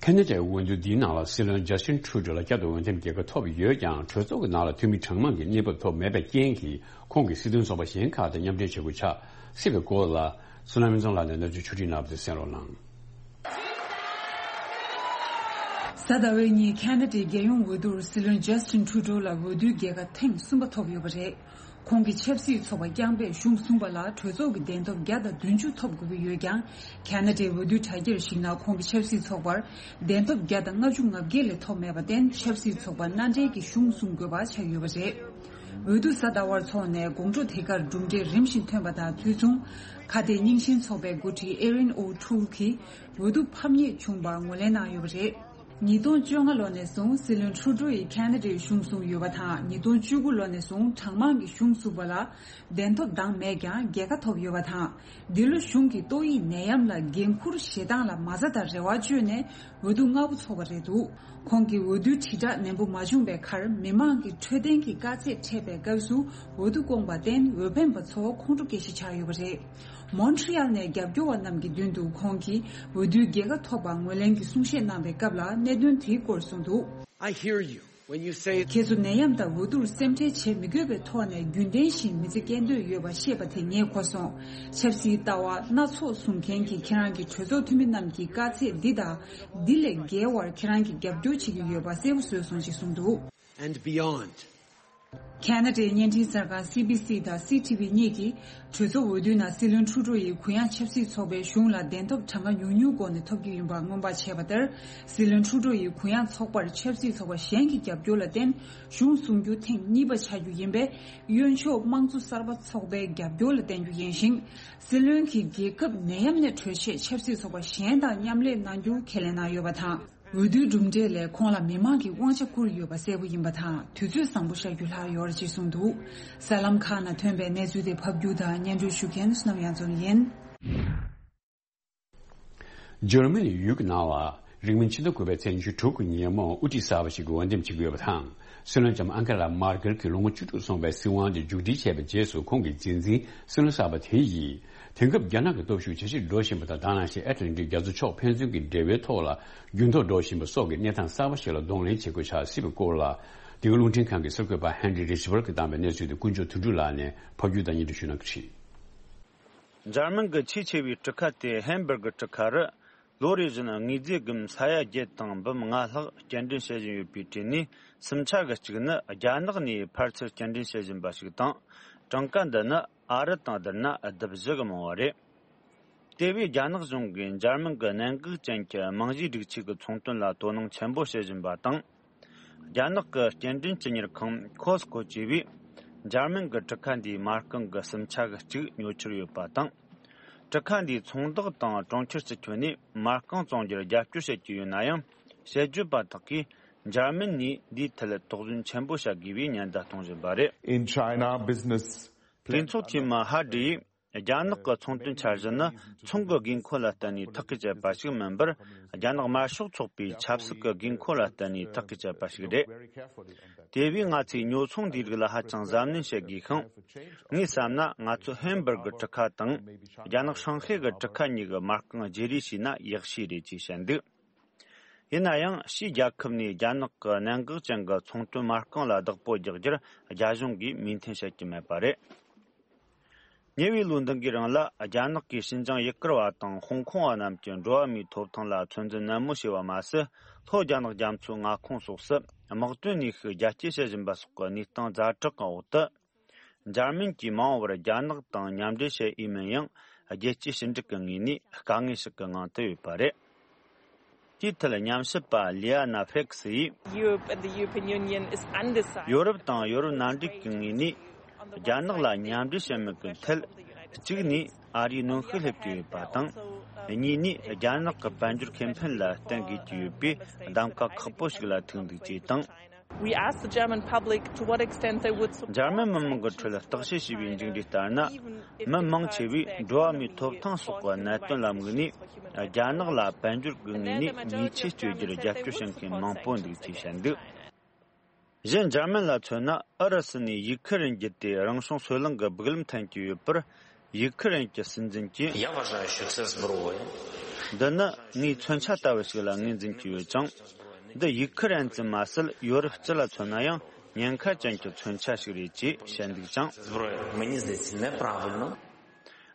ཁ་ན་ཌའི་འོས་བསྡུ་འདིའི་ནང་ལ་སྲིད་བློན་ཇ་སི་ཊིན་ཁྲུ་ཌོ་ལ་བསྐྱར་དུ་འོས་འདེམས་རྒྱལ་ཁ་ཐོབ་ཡོད་ཀྱང་། གྲོས་ཚོགས་ཀྱི་ནང་ལ་འཐུས་མི་གྲངས་མང་གི་གནས་བབ་ཐོབ་མེད་པའི་རྐྱེན་གྱིས། ཁོང་གིས་སྲིད་དོན་ཚོགས་པ་གཞན་ཁག་དང་མཉམ་འབྲེལ་བྱེད་དགོས་ཆགས་སྲིད་པའི་སྐོར་ལ། བསོད་ནམས་སྨན་ཚང་ལགས་ནས་གནས་ཚུལ་ཕྱོགས་སྒྲིག་གནང་བ་དེ་གསན་རོགས་གནང་། གཟའ་ཟླ་བའི་ཉིན་ཁ་ན་ཌའི་རྒྱལ་ཡོངས་འོས་བསྡུར་སྲིད་བློན་ཇ་སི་ཊིན་ཁྲུ་ཌོ་ལ་འོས་བསྡུའི་རྒྱལ་ཁ་ཐེངས་གསུམ་པ་ཐོབ་ཡོད་པ་རེད། ཁོང་གི་ཆབ་སྲིད་ཚོགས་པ་རྐྱང་པས་གཞུང་བཟུང་བ་ལ་གྲོས་ཚོགས་ཀྱི་གདན་ཐོབ་བརྒྱ་དང་བདུན་ཅུ་ཐོབ་དགོས་ཀྱི་ཡོད་ཀྱང་། ཁ་ན་ཌའི་འོས་བསྡུའི་དྲ་རྒྱར་གཞིགས་ན། ཁོང་གི་ཆབ་སྲིད་ཚོགས་པར་གདན་ཐོབ་བརྒྱ་དང་ལྔ་བཅུ་ང་བརྒྱད་ལས་ཐོབ་མེད་པར་བརྟེན། ཆབ་སྲིད་ཚོགས་པ་མནའ་འབྲེལ་གྱི་གཞུང་བཟུང་དགོས་པ་ཆགས་ཡོད་པ་རེད། འོས་བསྡུ་གཟའ་ཟླ་བར་འཚོགས་ནས། དགོང་དྲོ་དེ་གར་གྲུབ་འབྲས་རིམ་བཞིན་ཐོན་པ་དང་དུས་མཚུངས། ཁ་གཏད་རྙིང་ཞེན་ཚོགས་པའི་འགོ་ཁྲིད་ཨེ་རིན་ཨོ་ཁྲུལ་གྱིས་འོས་བསྡུ་ཕམ་ཉེས་བྱུང་བར་ངོས་ལེན་གནང་ཡོད་པ་རེད། ཉིས་སྟོང་བཅོ་ལྔ་ལོ་ནས་བཟུང་སྲིད་བློན་ཁྲུ་ཌོ་ཡིས་ཁ་ན་ཌའི་གཞུང་བཟུང་ཡོད་པ་དང་། ཉིས་སྟོང་བཅུ་དགུ་ལོ་ནས་བཟུང་གྲངས་མང་གི་གཞུང་བཟུང་བ་ལ་གདན་ཐོབ་འདང་མེད་ཀྱང་རྒྱལ་ཁ་ཐོབ་ཡོད་པ་དང་། འདི་ལོ་གཞུང་གི་ཏོག་དབྱིབས་ནད་ཡམས་ལ་འགན་འཁུར་བཞེས་སྟངས་ལ་མ་རྩ་དང་རེ་བ་བཅོལ་ནས་འོས་བསྡུ་སྔ་པོ་ཚོགས་པ་རེད་འདུག་ཁོང་གིས་འོས་བསྡུའི་དྲིལ་བསྒྲགས་ནན་པོ་མ་བྱུང་བའི་ཁར། མི་མང་གི་འཕྲོད་བསྟེན་གྱི་དཀའ་ཚེགས་འཕྲད་པའི་སྐབས་སུ་འོས་བསྡུ་བསྐོངས་པར་བརྟེན། འོས་འཕེན་པ་ཚོ་ཁོང་ཁྲོ་སྐྱེ་གཞི་ཆགས་ཡོད་པ་རེད། མོན་ཊི་རི་ཡལ་ནས་རྒྱབ་སྐྱོར་བ་རྣམས་ཀྱི་མདུན་དུ་ཁོང་གིས་འོས་བསྡུའི་རྒྱལ་ཁ་ཐོབ་པར་ངོས་ལེན་གྱི་གསུང་བཤད་གནང་བའི་སྐབས་ལ་གནད་དོན་དེའི་སྐོར་གསུངས་འདུག I hear you when you say ཁྱེད་ཚོ་ནད་ཡམས་དང་འོས་བསྡུར་སེམས་ཁྲལ་བྱེད་མི་དགོས་པའི་ཐོག་ནས་རྒྱུན་ལྡན་བཞིན་མི་ཚེ་སྐྱེལ་འདོད་ཡོད་པ་ཤེས་པ་དེ་ངས་གོ་སོང་། ཆབ་སྲིད་ལྟ་བ་སྣ་ཚོགས་བཟུང་མཁན་གྱི་ཁྱེད་རང་གི་གྲོས་ཚོགས་འཐུས་མི་རྣམས་ཀྱི་དཀའ་ཚེགས་འདི་དང་འདི་ལས་བརྒལ་བར་ཁྱེད་རང་གིས་རྒྱབ་སྐྱོར་བྱེད་ཀྱི་ཡོད་པ་གསལ་པོ་བཟོས་སོང་ཞེས་གསུངས་འདུག And beyond. ཁ་ན་ཌའི་བརྙན་འཕྲིན་གསར་ཁང་སི་བི་སི་དང་སི་ཊི་བི་གཉིས་ཀྱིས་གྲོས་ཚོགས་འོས་བསྡུའི་ནང་སྲིད་བློན་ཁྲུ་ཌོ་ཡིས་གུ་ཡངས་ཆབ་སྲིད་ཚོགས་པའི་གཞུང་ལ་གདན་ཐོབ་གྲངས་ཀ་ཉུང་ཉུང་སྒོ་ནས་ཐོབ་ཀྱི་ཡིན་པ་སྔོན་དཔག་བྱས་པ་ལྟར། སྲིད་བློན་ཁྲུ་ཌོ་ཡིས་གུ་ཡངས་ཚོགས་པར་ཆབ་སྲིད་ཚོགས་པ་གཞན་གྱི་རྒྱབ་སྐྱོར་ལ་བརྟེན་གཞུང་བཟུང་རྒྱུ་ཐེངས་གཉིས་པ་ཆགས་རྒྱུ་ཡིན་པས། གཡོན་ཕྱོགས་དམངས་གཙོ་གསར་པ་ཚོགས་པའི་རྒྱབ་སྐྱོར་ལ་བརྟེན་རྒྱུ་ཡིན་ཞིང་། སྲིད་བློན་གྱིས་རྒྱལ་ཁབ་ནད་ཡམས་ནས་གྲོལ་ཆེད་ཆབ་སྲིད་ཚོགས་པ་གཞན་དང་མཉམ་ལས་གནང་རྒྱུ་ཁས་ལེན་གནང་ཡོད་པ་དང་། འོས་བསྡུའི་གྲུབ་འབྲས་ལས་ཁོང་ལ་མི་མང་གིས་དབང་ཆ་བསྐུར་ཡོད་པ་གསལ་པོ་ཡིན་པ་དང་། དུས་ཚོད་བཟང་པོ་ཤར་རྒྱུ་ལྷག་ཡོད་རེད་ཅེས་གསུངས་འདུག་གསར་ལམ་ཁག་ནང་ཐོན་པའི་གནས་ཚུལ་དེ་ཕབ་སྒྱུར་དང་སྙན་སྒྲོན་ཞུ་མཁན་བསོད་ནམས་དབྱངས་འཛོམས་ཡིན། འཇར་མ་ནི་ཡུལ་གྱི་ནང་ལ་རིང་མིན་ཕྱི་ཟླ་དགུ་པའི་ཚེས་ཉི་ཤུ་དྲུག་གི་ཉིན་མོ་དབུ་ཁྲིད་གསར་པ་ཞིག་གི་འོས་འདེམས་བྱེད་ཀྱི་ཡོད་པ་དང་། སྲིད་བློན་ལྕམ་ཨང་ཀེ་ལ་མར་ཀེལ་གྱིས་ལོ་ངོ་བཅུ་དྲུག་སོང་བའི་སྲིད་དབང་དེ་མཇུག་སྒྲིལ་བྱས་པའི་རྗེས་སུ། ཁོང་གི་རྗེས་འཛིན་སྲིད་བློན་གསར་པ་དེ་ཡིས། དེང་སྐབས་རྒྱ་ནག་གི་སྟོབས་ཤུགས་ཇེ་ཆེར་འགྲོ་བཞིན་པ་དང་། ད་ནང་བཞིན་ཨེ་ཊ་ལན་ཊིག་རྒྱ་མཚོ་ཕྱོགས་ཕན་ཚུན་གྱི་འབྲེལ་བའི་ཐོག་ལ་འགྱུར་ལྡོག་འགྲོ་བཞིན་པ་སོགས་ཀྱི་གནས་སྟངས་གསར་པ་ཞིག་ལ་གདོང་ལེན་བྱེད་དགོས་ཆགས་སྲིད་པའི་སྐོར་ལ། འདི་ག་རླུང་འཕྲིན་ཁང་གི་གསར་འགོད་པ་ཧན་རི་རི་ཇི་བལ་གྱིས་བཏང་བའི་གནས་ཚུལ་དེ་ཀུན་མཆོག་དོན་གྲུབ་ལགས་ནས་ཕབ་སྒྱུར་དང་སྙན་སྒྲོན་ཞུ་གནང་གི་རེད། འཇར་མན་གྱི་ཆེས་ཆེ་བའི་གྲུ་ཁ་སྟེ་ཧན་སྦུར་གི་གྲུ་ཁ་རུ། ལོ་རེ་བཞིན་དངོས་རྫས་སྒམ་ས་ཡ་བརྒྱད་དང་འབུམ་ལྔ་ལྷག་སྐྱེལ་འདྲེན་བྱེད་བཞིན་ཡོད་པའི་གྲས་ནས། སུམ་ཆ་གི་གཅིག་ནི་རྒྱ་ནག་ནས་ཕར་ཚུར་སྐྱེལ་འདྲེན་བྱེད་བཞིན་པ་ཞིག་དང་། གྲངས་ཀ་འདི་ནི་ཨ་རི་དང་བསྡུར་ན་ལྡབ་བཞི་གི་མང་བ་རེད། དེ་བས་རྒྱ་ནག་གཞུང་གིས་འཇར་མན་གྱི་གནད་འགག་ཅན་གྱི་རྨང་གཞིའི་སྒྲིག་ཆས་ཀྱི་ཚོང་དོན་ལ་དོ་སྣང་ཆེན་པོ་བྱེད་བཞིན་པ་དང་། རྒྱ་ནག་གི་སྐྱེལ་འདྲེན་ཇི་མྱུར་ཁང་ཁོ་སི་ཀོ་བཅས་པས། འཇར་མན་གྱི་གྲུ་ཁ་འདིའི་མ་རྐང་གི་སུམ་ཆ་གི་གཅིག་ཉོ་འཆར་ཡོད་པ་དང་། གྲུ་ཁ་འདིའི་ཚོང་བདག་དང་གྲོང་ཁྱེར་སྤྱི་ཁྱོན་ནས་མ་རྐང་བཙོང་རྒྱུར་རྒྱབ་སྐྱོར་བྱེད་ཀྱི་ཡོད་ན་ཡང་། ཞལ་བརྗོད་པ་དག་གིས་འཇར་མན་ནས་འདིའི་ཐད་དོགས་ཟོན་ཆེན་པོ་བྱ་དགོས་པའི་ཉེན་བརྡ་གཏོང་བཞིན་པ་རེད། In China, business གྲོས་ཚོགས་འཐུས་མི་ཧ་ཌི་ཡིས། རྒྱ་ནག་གི་ཚོང་དོན་འཆར་གཞི་ནི་ཚོང་གི་དགོས་མཁོ་ལ་བརྟེན་ནས་ཐག་གིས་བཅད་པ་ཞིག་མིན་པར། རྒྱ་ནག་དམར་ཤོག་ཚོགས་པའི་ཆབ་སྲིད་ཀྱི་དགོས་མཁོ་ལ་བརྟེན་ནས་ཐག་གིས་བཅད་པ་ཞིག་རེད། དེ་བས་ང་ཚོས་ཉོ་ཚོང་འདིའི་རིགས་ལ་ཧ་ཅང་གཟབ་ནན་བྱེད་དགོས་ཤིང་། ངས་བསམ་ན་ང་ཚོ་ཧན་སྦུར་གི་གྲུ་ཁ་དང་། རྒྱ་ནག་ཧྲང་ཧའེ་གི་གྲུ་ཁ་གཉིས་ཀྱི་མ་རྐང་བརྗེ་རེས་བྱས་ན་ཡག་ཤོས་རེད་ཅེས་བཤད་འདུག་ཡིན་ན་ཡང་། ཕྱིའི་རྒྱལ་ཁབ་ནས་རྒྱ་ནག་གི་གནད་འགག་ཅན་གྱི་ཚོང་དོན་མ་རྐང་ལ་བདག་པོ་རྒྱག་རྒྱུར་རྒྱ་གཞུང་གིས་མོས་མཐུན་བྱེད་ཀྱི་མེད་པ་རེད། ཉེ་བའི་ལོ་འདི་གའི་རིང་ལ། རྒྱ་ནག་གིས་ཞིན་ཅང་ཡུ་གུར་བ་དང་ཧོང་ཀོང་བ་རྣམས་ཀྱི་འགྲོ་བ་མིའི་ཐོབ་ཐང་ལ་ཚོད་འཛིན་ནན་མོ་བྱས་པ་མ་ཟད། ལྷོ་རྒྱ་ནག་རྒྱ་མཚོའི་མངའ་ཁོངས་སོགས་སུ། དམག་དོན་ནུས་ཤུགས་རྒྱ་སྐྱེད་བྱེད་བཞིན་པ་སོགས་ཀྱི་གནས་སྟངས་ཛ་དྲག་གི་འོག་ཏུ། འཇར་མན་གྱིས་མ་འོངས་པར་རྒྱ་ནག་དང་མཉམ་འབྲེལ་བྱེད་འོས་མིན་ཡང་། རྒྱལ་སྤྱིའི་ཞི་འགྲིག་གི་ངོས་ནས་དཀའ་ངལ་ཞིག་གི་ངང་དུ་ཡོད་པ་རེད། དེའི་ཐད་ཉམས་ཞིབ་པ་ལི་ཨ་ན་ཧྥེག་སི་ཡིས། Europe and the European Union is undecided. ཡོ་རོབ་དང་ཡོ་རོབ་མནའ་འབྲེལ་གྱི་ངོས་ནས་རྒྱ་ནག་ལ་མཉམ་འབྲེལ་བྱེད་མུས་ཀྱི་ཐད། གཅིག་ནས་ཨ་རིའི་གནོན་ཤུགས་སླེབས་ཀྱི་ཡོད་པ་དང་། གཉིས་ནས་རྒྱ་ནག་གི་དཔལ་འབྱོར་ཁེ་ཕན་ལ་བརྟེན་དགོས་ཀྱི་ཡོད་པའི་གདམ་ག་ཁག་པོ་ཞིག་ལ་ཐུག་འདུག་ཅེས་དང་། We asked the German public to what extent they would support འཇར་མན་མི་མང་གི་ཁྲོད་བརྟག་དཔྱད་བྱས་པའི་མཇུག་འབྲས་ལྟར་ན། མི་མང་ཆེ་བས་འགྲོ་བ་མིའི་ཐོབ་ཐང་སོགས་ཀྱི་གནད་དོན་ལ་དམིགས་ནས། རྒྱ་ནག་ལ་དཔལ་འབྱོར་གྱི་ངོས་ནས་ཉེས་ཆད་གཅོད་རྒྱུར་རྒྱབ་སྐྱོར་བྱེད་མཁན་མང་པོ་འདུག་ཅེས་བཤད་འདུག་གཞན། འཇར་མན་ལ་མཚོན་ན། ཨུ་རུ་སུ་ནས་ཡུ་ཁུ་རེན་བརྒྱུད་དེ་རང་བྱུང་སོལ་རླངས་ཀྱི་སྦུག་ལམ་འཐེན་གྱི་ཡོད་པར། ཡུ་ཁུ་རེན་གྱི་སྲིད་འཛིན་གྱིས། Я вважаю, що це зброя. འདི་ནི་ངའི་མཚོན་ཆ་ལྟ་བུ་ཞིག་ལ་ངོས་འཛིན་གྱི་ཡོད་ཅིང་། འདི་ཡུ་ཁུ་རེན་ཙམ་མ་ཟད། ཡོ་རོབ་སྤྱི་ལ་མཚོན་ན་ཡང་ཉེན་ཁ་ཅན་གྱི་མཚོན་ཆ་ཞིག་རེད་ཅེས་བཤད་འདུག་ཅིང་། Зброя, мені здається, неправильно.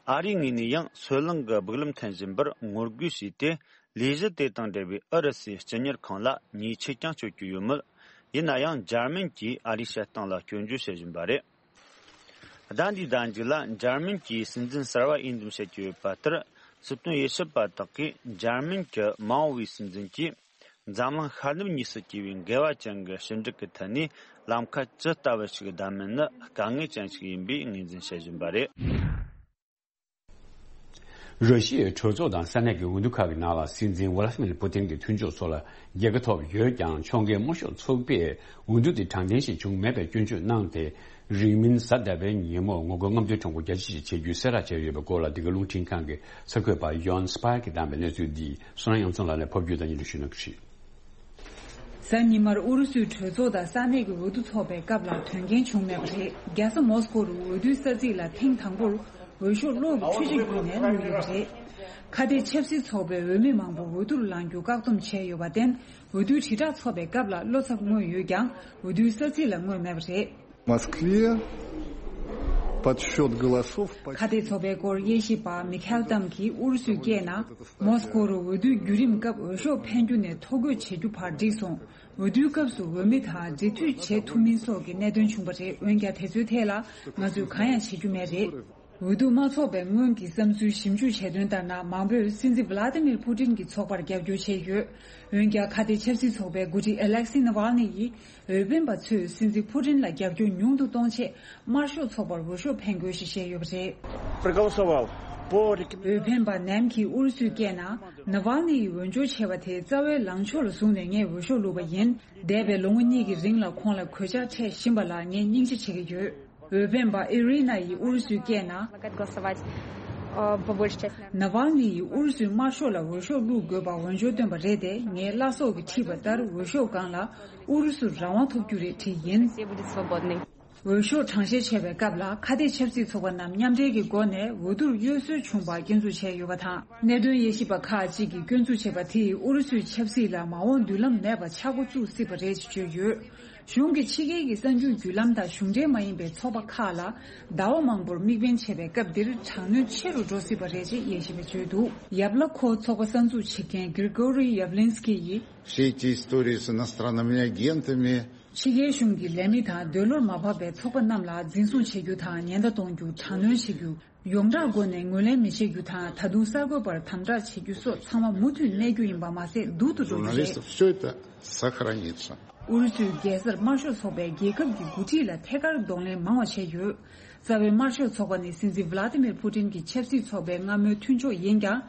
ཨ་རིའི་ངོས་ནས་ཡང་སོལ་རླངས་ཀྱི་སྦུག་ལམ་འཐེན་བཞིན་པར་ངོ་རྒོལ་བྱས་ཏེ། ལས་གཞི་དེ་དང་འབྲེལ་བའི་ཨུ་རུ་སུའི་སྤྱི་གཉེར་ཁང་ལ་ཉེས་ཆད་ཀྱང་གཅོད་ཀྱི་ཡོད་མོད། ཡིན་ན་ཡང་འཇར་མན་གྱིས་ཨ་རིའི་བཤད་སྟངས་ལ་སྐྱོན་བརྗོད་བྱེད་བཞིན་པ་རེད། ཟླ་འདིའི་ཟླ་མཇུག་ལ་འཇར་མན་གྱི་སྲིད་འཛིན་གསར་བ་འོས་འདེམས་བྱེད་ཀྱི་ཡོད་པ་ལྟར། སྲིད་དོན་དབྱེ་ཞིབ་པ་དག་གིས་འཇར་མན་གྱི་མ་འོངས་པའི་སྲིད་འཛིན་གྱིས། འཛམ་གླིང་ཤར་ནུབ་གཉིས་སུ་སྐྱེས་པའི་འགལ་བ་ཅན་གྱི་ཞི་འགྲིག་གི་ཐད་ནས་ལམ་ཁ་ཇི་ལྟ་བུ་ཞིག་བདམས་མིན་ནི་དཀའ་ངལ་ཅན་ཞིག་ཡིན་པའི་ངོས་འཛིན་བྱེད་བཞིན་པ་རེད། ར་ཤི་ཡའི་གྲོས་ཚོགས་དང་ས་གནས་ཀྱི་འོས་བསྡུ་ཁག་གི་ནང་ལ་སྲིད་འཛིན་ཝ་ལ་ཧི་མིར་པུ་ཏིན་གྱི་མཐུན་ཕྱོགས་ཚོ་ལ་རྒྱལ་ཁ་ཐོབ་ཡོད་ཀྱང་། ཕྱོགས་འགལ་དམར་ཤོག་ཚོགས་པས་འོས་བསྡུ་དེ་དྲང་བདེན་ཞིག་བྱུང་མེད་པའི་སྐྱོན་བརྗོད་གནང་སྟེ། རིང་མིན་གཟའ་ཟླ་བའི་ཉིན་མོ་ངོ་རྒོལ་རྔམ་སྟོན་ཁྲོམ་སྐོར་རྒྱ་ཆེ་ཞིག་བྱེད་རྒྱུའི་གསལ་བསྒྲགས་བྱས་ཡོད་པའི་སྐོར་ལ། འདི་ག་རླུང་འཕྲིན་ཁང་གི་གསར་འགོད་པ་ཡོན་སི་པར་གྱིས་བདམས་པའི་གནས་ཚུལ་འདི་བསོད་ནམས་གཡུ་ལྷ་ལགས་ནས་ཕབ་སྒྱུར་དང་སྙན་སྒྲོན་ཞུ་གནང་གི་རེད། གཟའ་ཉི་མར་ཨུ་རུ་སུའི་གྲོས་ཚོགས་དང་ས་གནས་ཀྱི་འོས་བསྡུ་འཚོགས་པའི་སྐབས་ལ་དོན་རྐྱེན་བྱུང་མེད་པ་རེད། རྒྱལ་ས་མོ་སྐོ་རུ་འོས་བསྡུའི་ས་ཚིགས་ལ་ཐེངས་དང་པོར་འོས་ཤོག་གློག་གི་འཕྲུལ་ཆས་བརྒྱུད་ནས་བླུགས་ཡོད་པ་རེད། ཁ་གཏད་ཆབ་སྲིད་ཚོགས་པས་འོས་མི་མང་པོ་འོས་བསྡུར་ལངས་རྒྱུ་བཀག་སྡོམ་བྱས་ཡོད་པར་བརྟེན། འོས་བསྡུའི་དྲིལ་བསྒྲགས་ཚོགས་པའི་སྐབས་ལ་བློ་འཚབ་མངོན་ཡོད་ཀྱང་། འོས་བསྡུའི་ས་ཚིགས་ལ་མངོན་མེད་པ་རེད། В Москве подсчёт голосов по- ཁ་གཏད་ཚོགས་པའི་སྐོར་དབྱེ་ཞིབ་པ་མི་ཁེལ་ཏམ་གྱིས་ཨུ་རུ་སུའི་སྐད་ནང་། མོ་སྐོ་རུ་འོས་བསྡུའི་བརྒྱུད་རིམ་སྐབས་འོས་ཤོག་འཕེན་རྒྱུ་ནས་ཐོ་འགོད་བྱེད་རྒྱུ་བར་འགྲིག་སོང་། འོས་བསྡུའི་སྐབས་སུ་འོས་མི་དང་འབྲེལ་མཐུད་བྱེད་ཐུབ་མིན་སོགས་ཀྱི་གནད་དོན་བྱུང་བ་རེད། འོན་ཀྱང་དེ་ཚོའི་ཐད་ལ་ང་ཚོས་གང་ཡང་བྱེད་རྒྱུ་མེད་རེད། འོས་བསྡུ་མ་ཚོགས་པའི་སྔོན་གྱི་བསམ་ཚུལ་ཞིབ་འཇུག་བྱས་དོན་ལྟར་ན། མང་པོས་སྲིད་འཛིན་ཝ་ལ་ཏི་མིར་པུ་ཏིན་གྱི་ཚོགས་པར་རྒྱབ་སྐྱོར་བྱས་ཡོད། འོན་ཀྱང་ཁ་གཏད་ཆབ་སྲིད་ཚོགས་པའི་འགོ་ཁྲིད་ཨ་ལེག་སི་ནཱ་ཝལ་ནི་ཡིས། འོས་འཕེན་པ་ཚོས་སྲིད་འཛིན་པུ་ཏིན་ལ་རྒྱབ་སྐྱོར་ཉུང་དུ་གཏོང་ཆེད་དམར་ཤོག་ཚོགས་པར་འོས་ཤོག་འཕེན་དགོས་ཞེས་བཤད་ཡོད་པ་རེད། Проголосовал по рекомен- འོས་འཕེན་པ་ནེམ་གྱིས་ཨུ་རུ་སུའི་སྐད་ནང་། ནཱ་ཝལ་ནི་ཡི་འོས་སྦྱོར་བྱས་པ་དེ་རྩ་བའི་ལངས་ཕྱོགས་ལ་བཟུང་ནས་ངས་འོས་ཤོག་བླུགས་པ་ཡིན། འདས་པའི་ལོ་ངོ་གཉིས་ཀྱི་རིང་ལ་ཁོང་ལ་གོད་ཆག་འཕྲད་བཞིན་པ་ལ་ངས་སྙིང་རྗེ་བྱེད་ཀྱི་ཡོད། འོས་འཕེན་པ་ཨི་རི་ན་ཡིས་ཨུ་རུ་སུའི་སྐད་ནང་། Предлагать голосовать, э, по большей части, наверное, ནཱ་ཝལ་ནི་ཡིས་ཨུ་རུ་སུའི་དམར་ཤོག་ལ་འོས་ཤོག་བླུགས་དགོས་པར་འོས་སྦྱོར་བཏོན་པ་རེད་དེ། ངའི་བླ་སྲོག་གིས་ཁྲིད་པ་ལྟར་འོས་ཤོག་སྒང་ལ་ཨུ་རུ་སུར་རང་དབང་ཐོབ་རྒྱུ་རེད་བྲིས་ཡིན། Россия будет свободной. འོས་ཤོག་གྲངས་བཤེར་བྱས་པའི་སྐབས་ལ་ཁ་གཏད་ཆབ་སྲིད་ཚོགས་པ་རྣམས་མཉམ་འབྲེལ་གྱི་སྒོ་ནས་འོས་བསྡུར་གཡོ་ཟོལ་བྱུང་བར་སྐྱོན་འཛུགས་བྱས་ཡོད་པ་དང་། གནད་དོན་དབྱེ་ཞིབ་པ་ཁག་ཅིག་གིས་སྐྱོན་འཛུགས་བྱས་པ་དེས་ཨུ་རུ་སུའི་ཆབ་སྲིད་ལ་མ་འོངས་མདུན་ལམ་མེད་པ་ཆགས་འགོ་བཙུགས་སྲིད་པ་རེད་ཅེས་བརྗོད་ཡོད། གཞུང་གིས་ཕྱི་རྒྱལ་གྱི་གསར་འགྱུར་བརྒྱུད་ལམ་དང་གཞུང་འབྲེལ་མ་ཡིན་པའི་ཚོགས་པ་ཁག་ལ་ཟླ་བ་མང་པོར་དམིགས་འབེན་བྱས་པའི་སྐབས་འདིར་དྲག་གནོན་ཆེ་རུ་འགྲོ་སྲིད་པ་རེད་ཅེས་དབྱེ་ཞིབ་པས་བརྗོད་འདུག། ཡབ་ལ་ཁོ་ཚོགས་པ་གསར་འཛུགས་བྱེད་མཁན་གིར་གོ་རི་ཡབ་ལིན་སྐི་ཡིས། Все эти истории с иностранными агентами. ཕྱི་རྒྱལ་གཞུང་གི་ལས་མི་དང་འདོད་བློར་མ་བབ་པའི་ཚོགས་པ་རྣམས་ལ་འཛིན་བཟུང་བྱེད་རྒྱུ་དང་ཉེན་བརྡ་གཏོང་རྒྱུ། དྲག་གནོན་བྱེད་རྒྱུ། ཡོངས་གྲགས་སྒོ་ནས་ངོས་ལེན་མི་བྱེད་རྒྱུ་དང་། ད་དུང་གསར་འགོད་པར་དམ་དྲག་བྱེད་རྒྱུ་སོགས་ཚང་མ་མུ་མཐུད་གནས་རྒྱུ་ཡིན་པ་མ་ཟད། སྡུག་ཏུ་འགྲོ་རྒྱུ་རེད། Журналистов, все это сохранится. ཨུ་རུ་སུའི་རྒྱལ་སར་དམར་ཤོག་ཚོགས་པས་རྒྱལ་ཁབ་ཀྱི་འགོ་ཁྲིད་ལ་ཐད་ཀར་གདོང་ལེན་མང་བ་བྱས་ཡོད། རྩ་བའི་དམར་ཤོག་ཚོགས་པ་ནི་སྲིད་འཛིན་ཝ་ལ་ཏི་མིར་ཕུ་ཏིན་གྱི་ཆབ་སྲིད་ཚོགས་པའི་སྔ་མོའི་མཐུན་ཕྱོགས་ཡིན་ཀྱང་།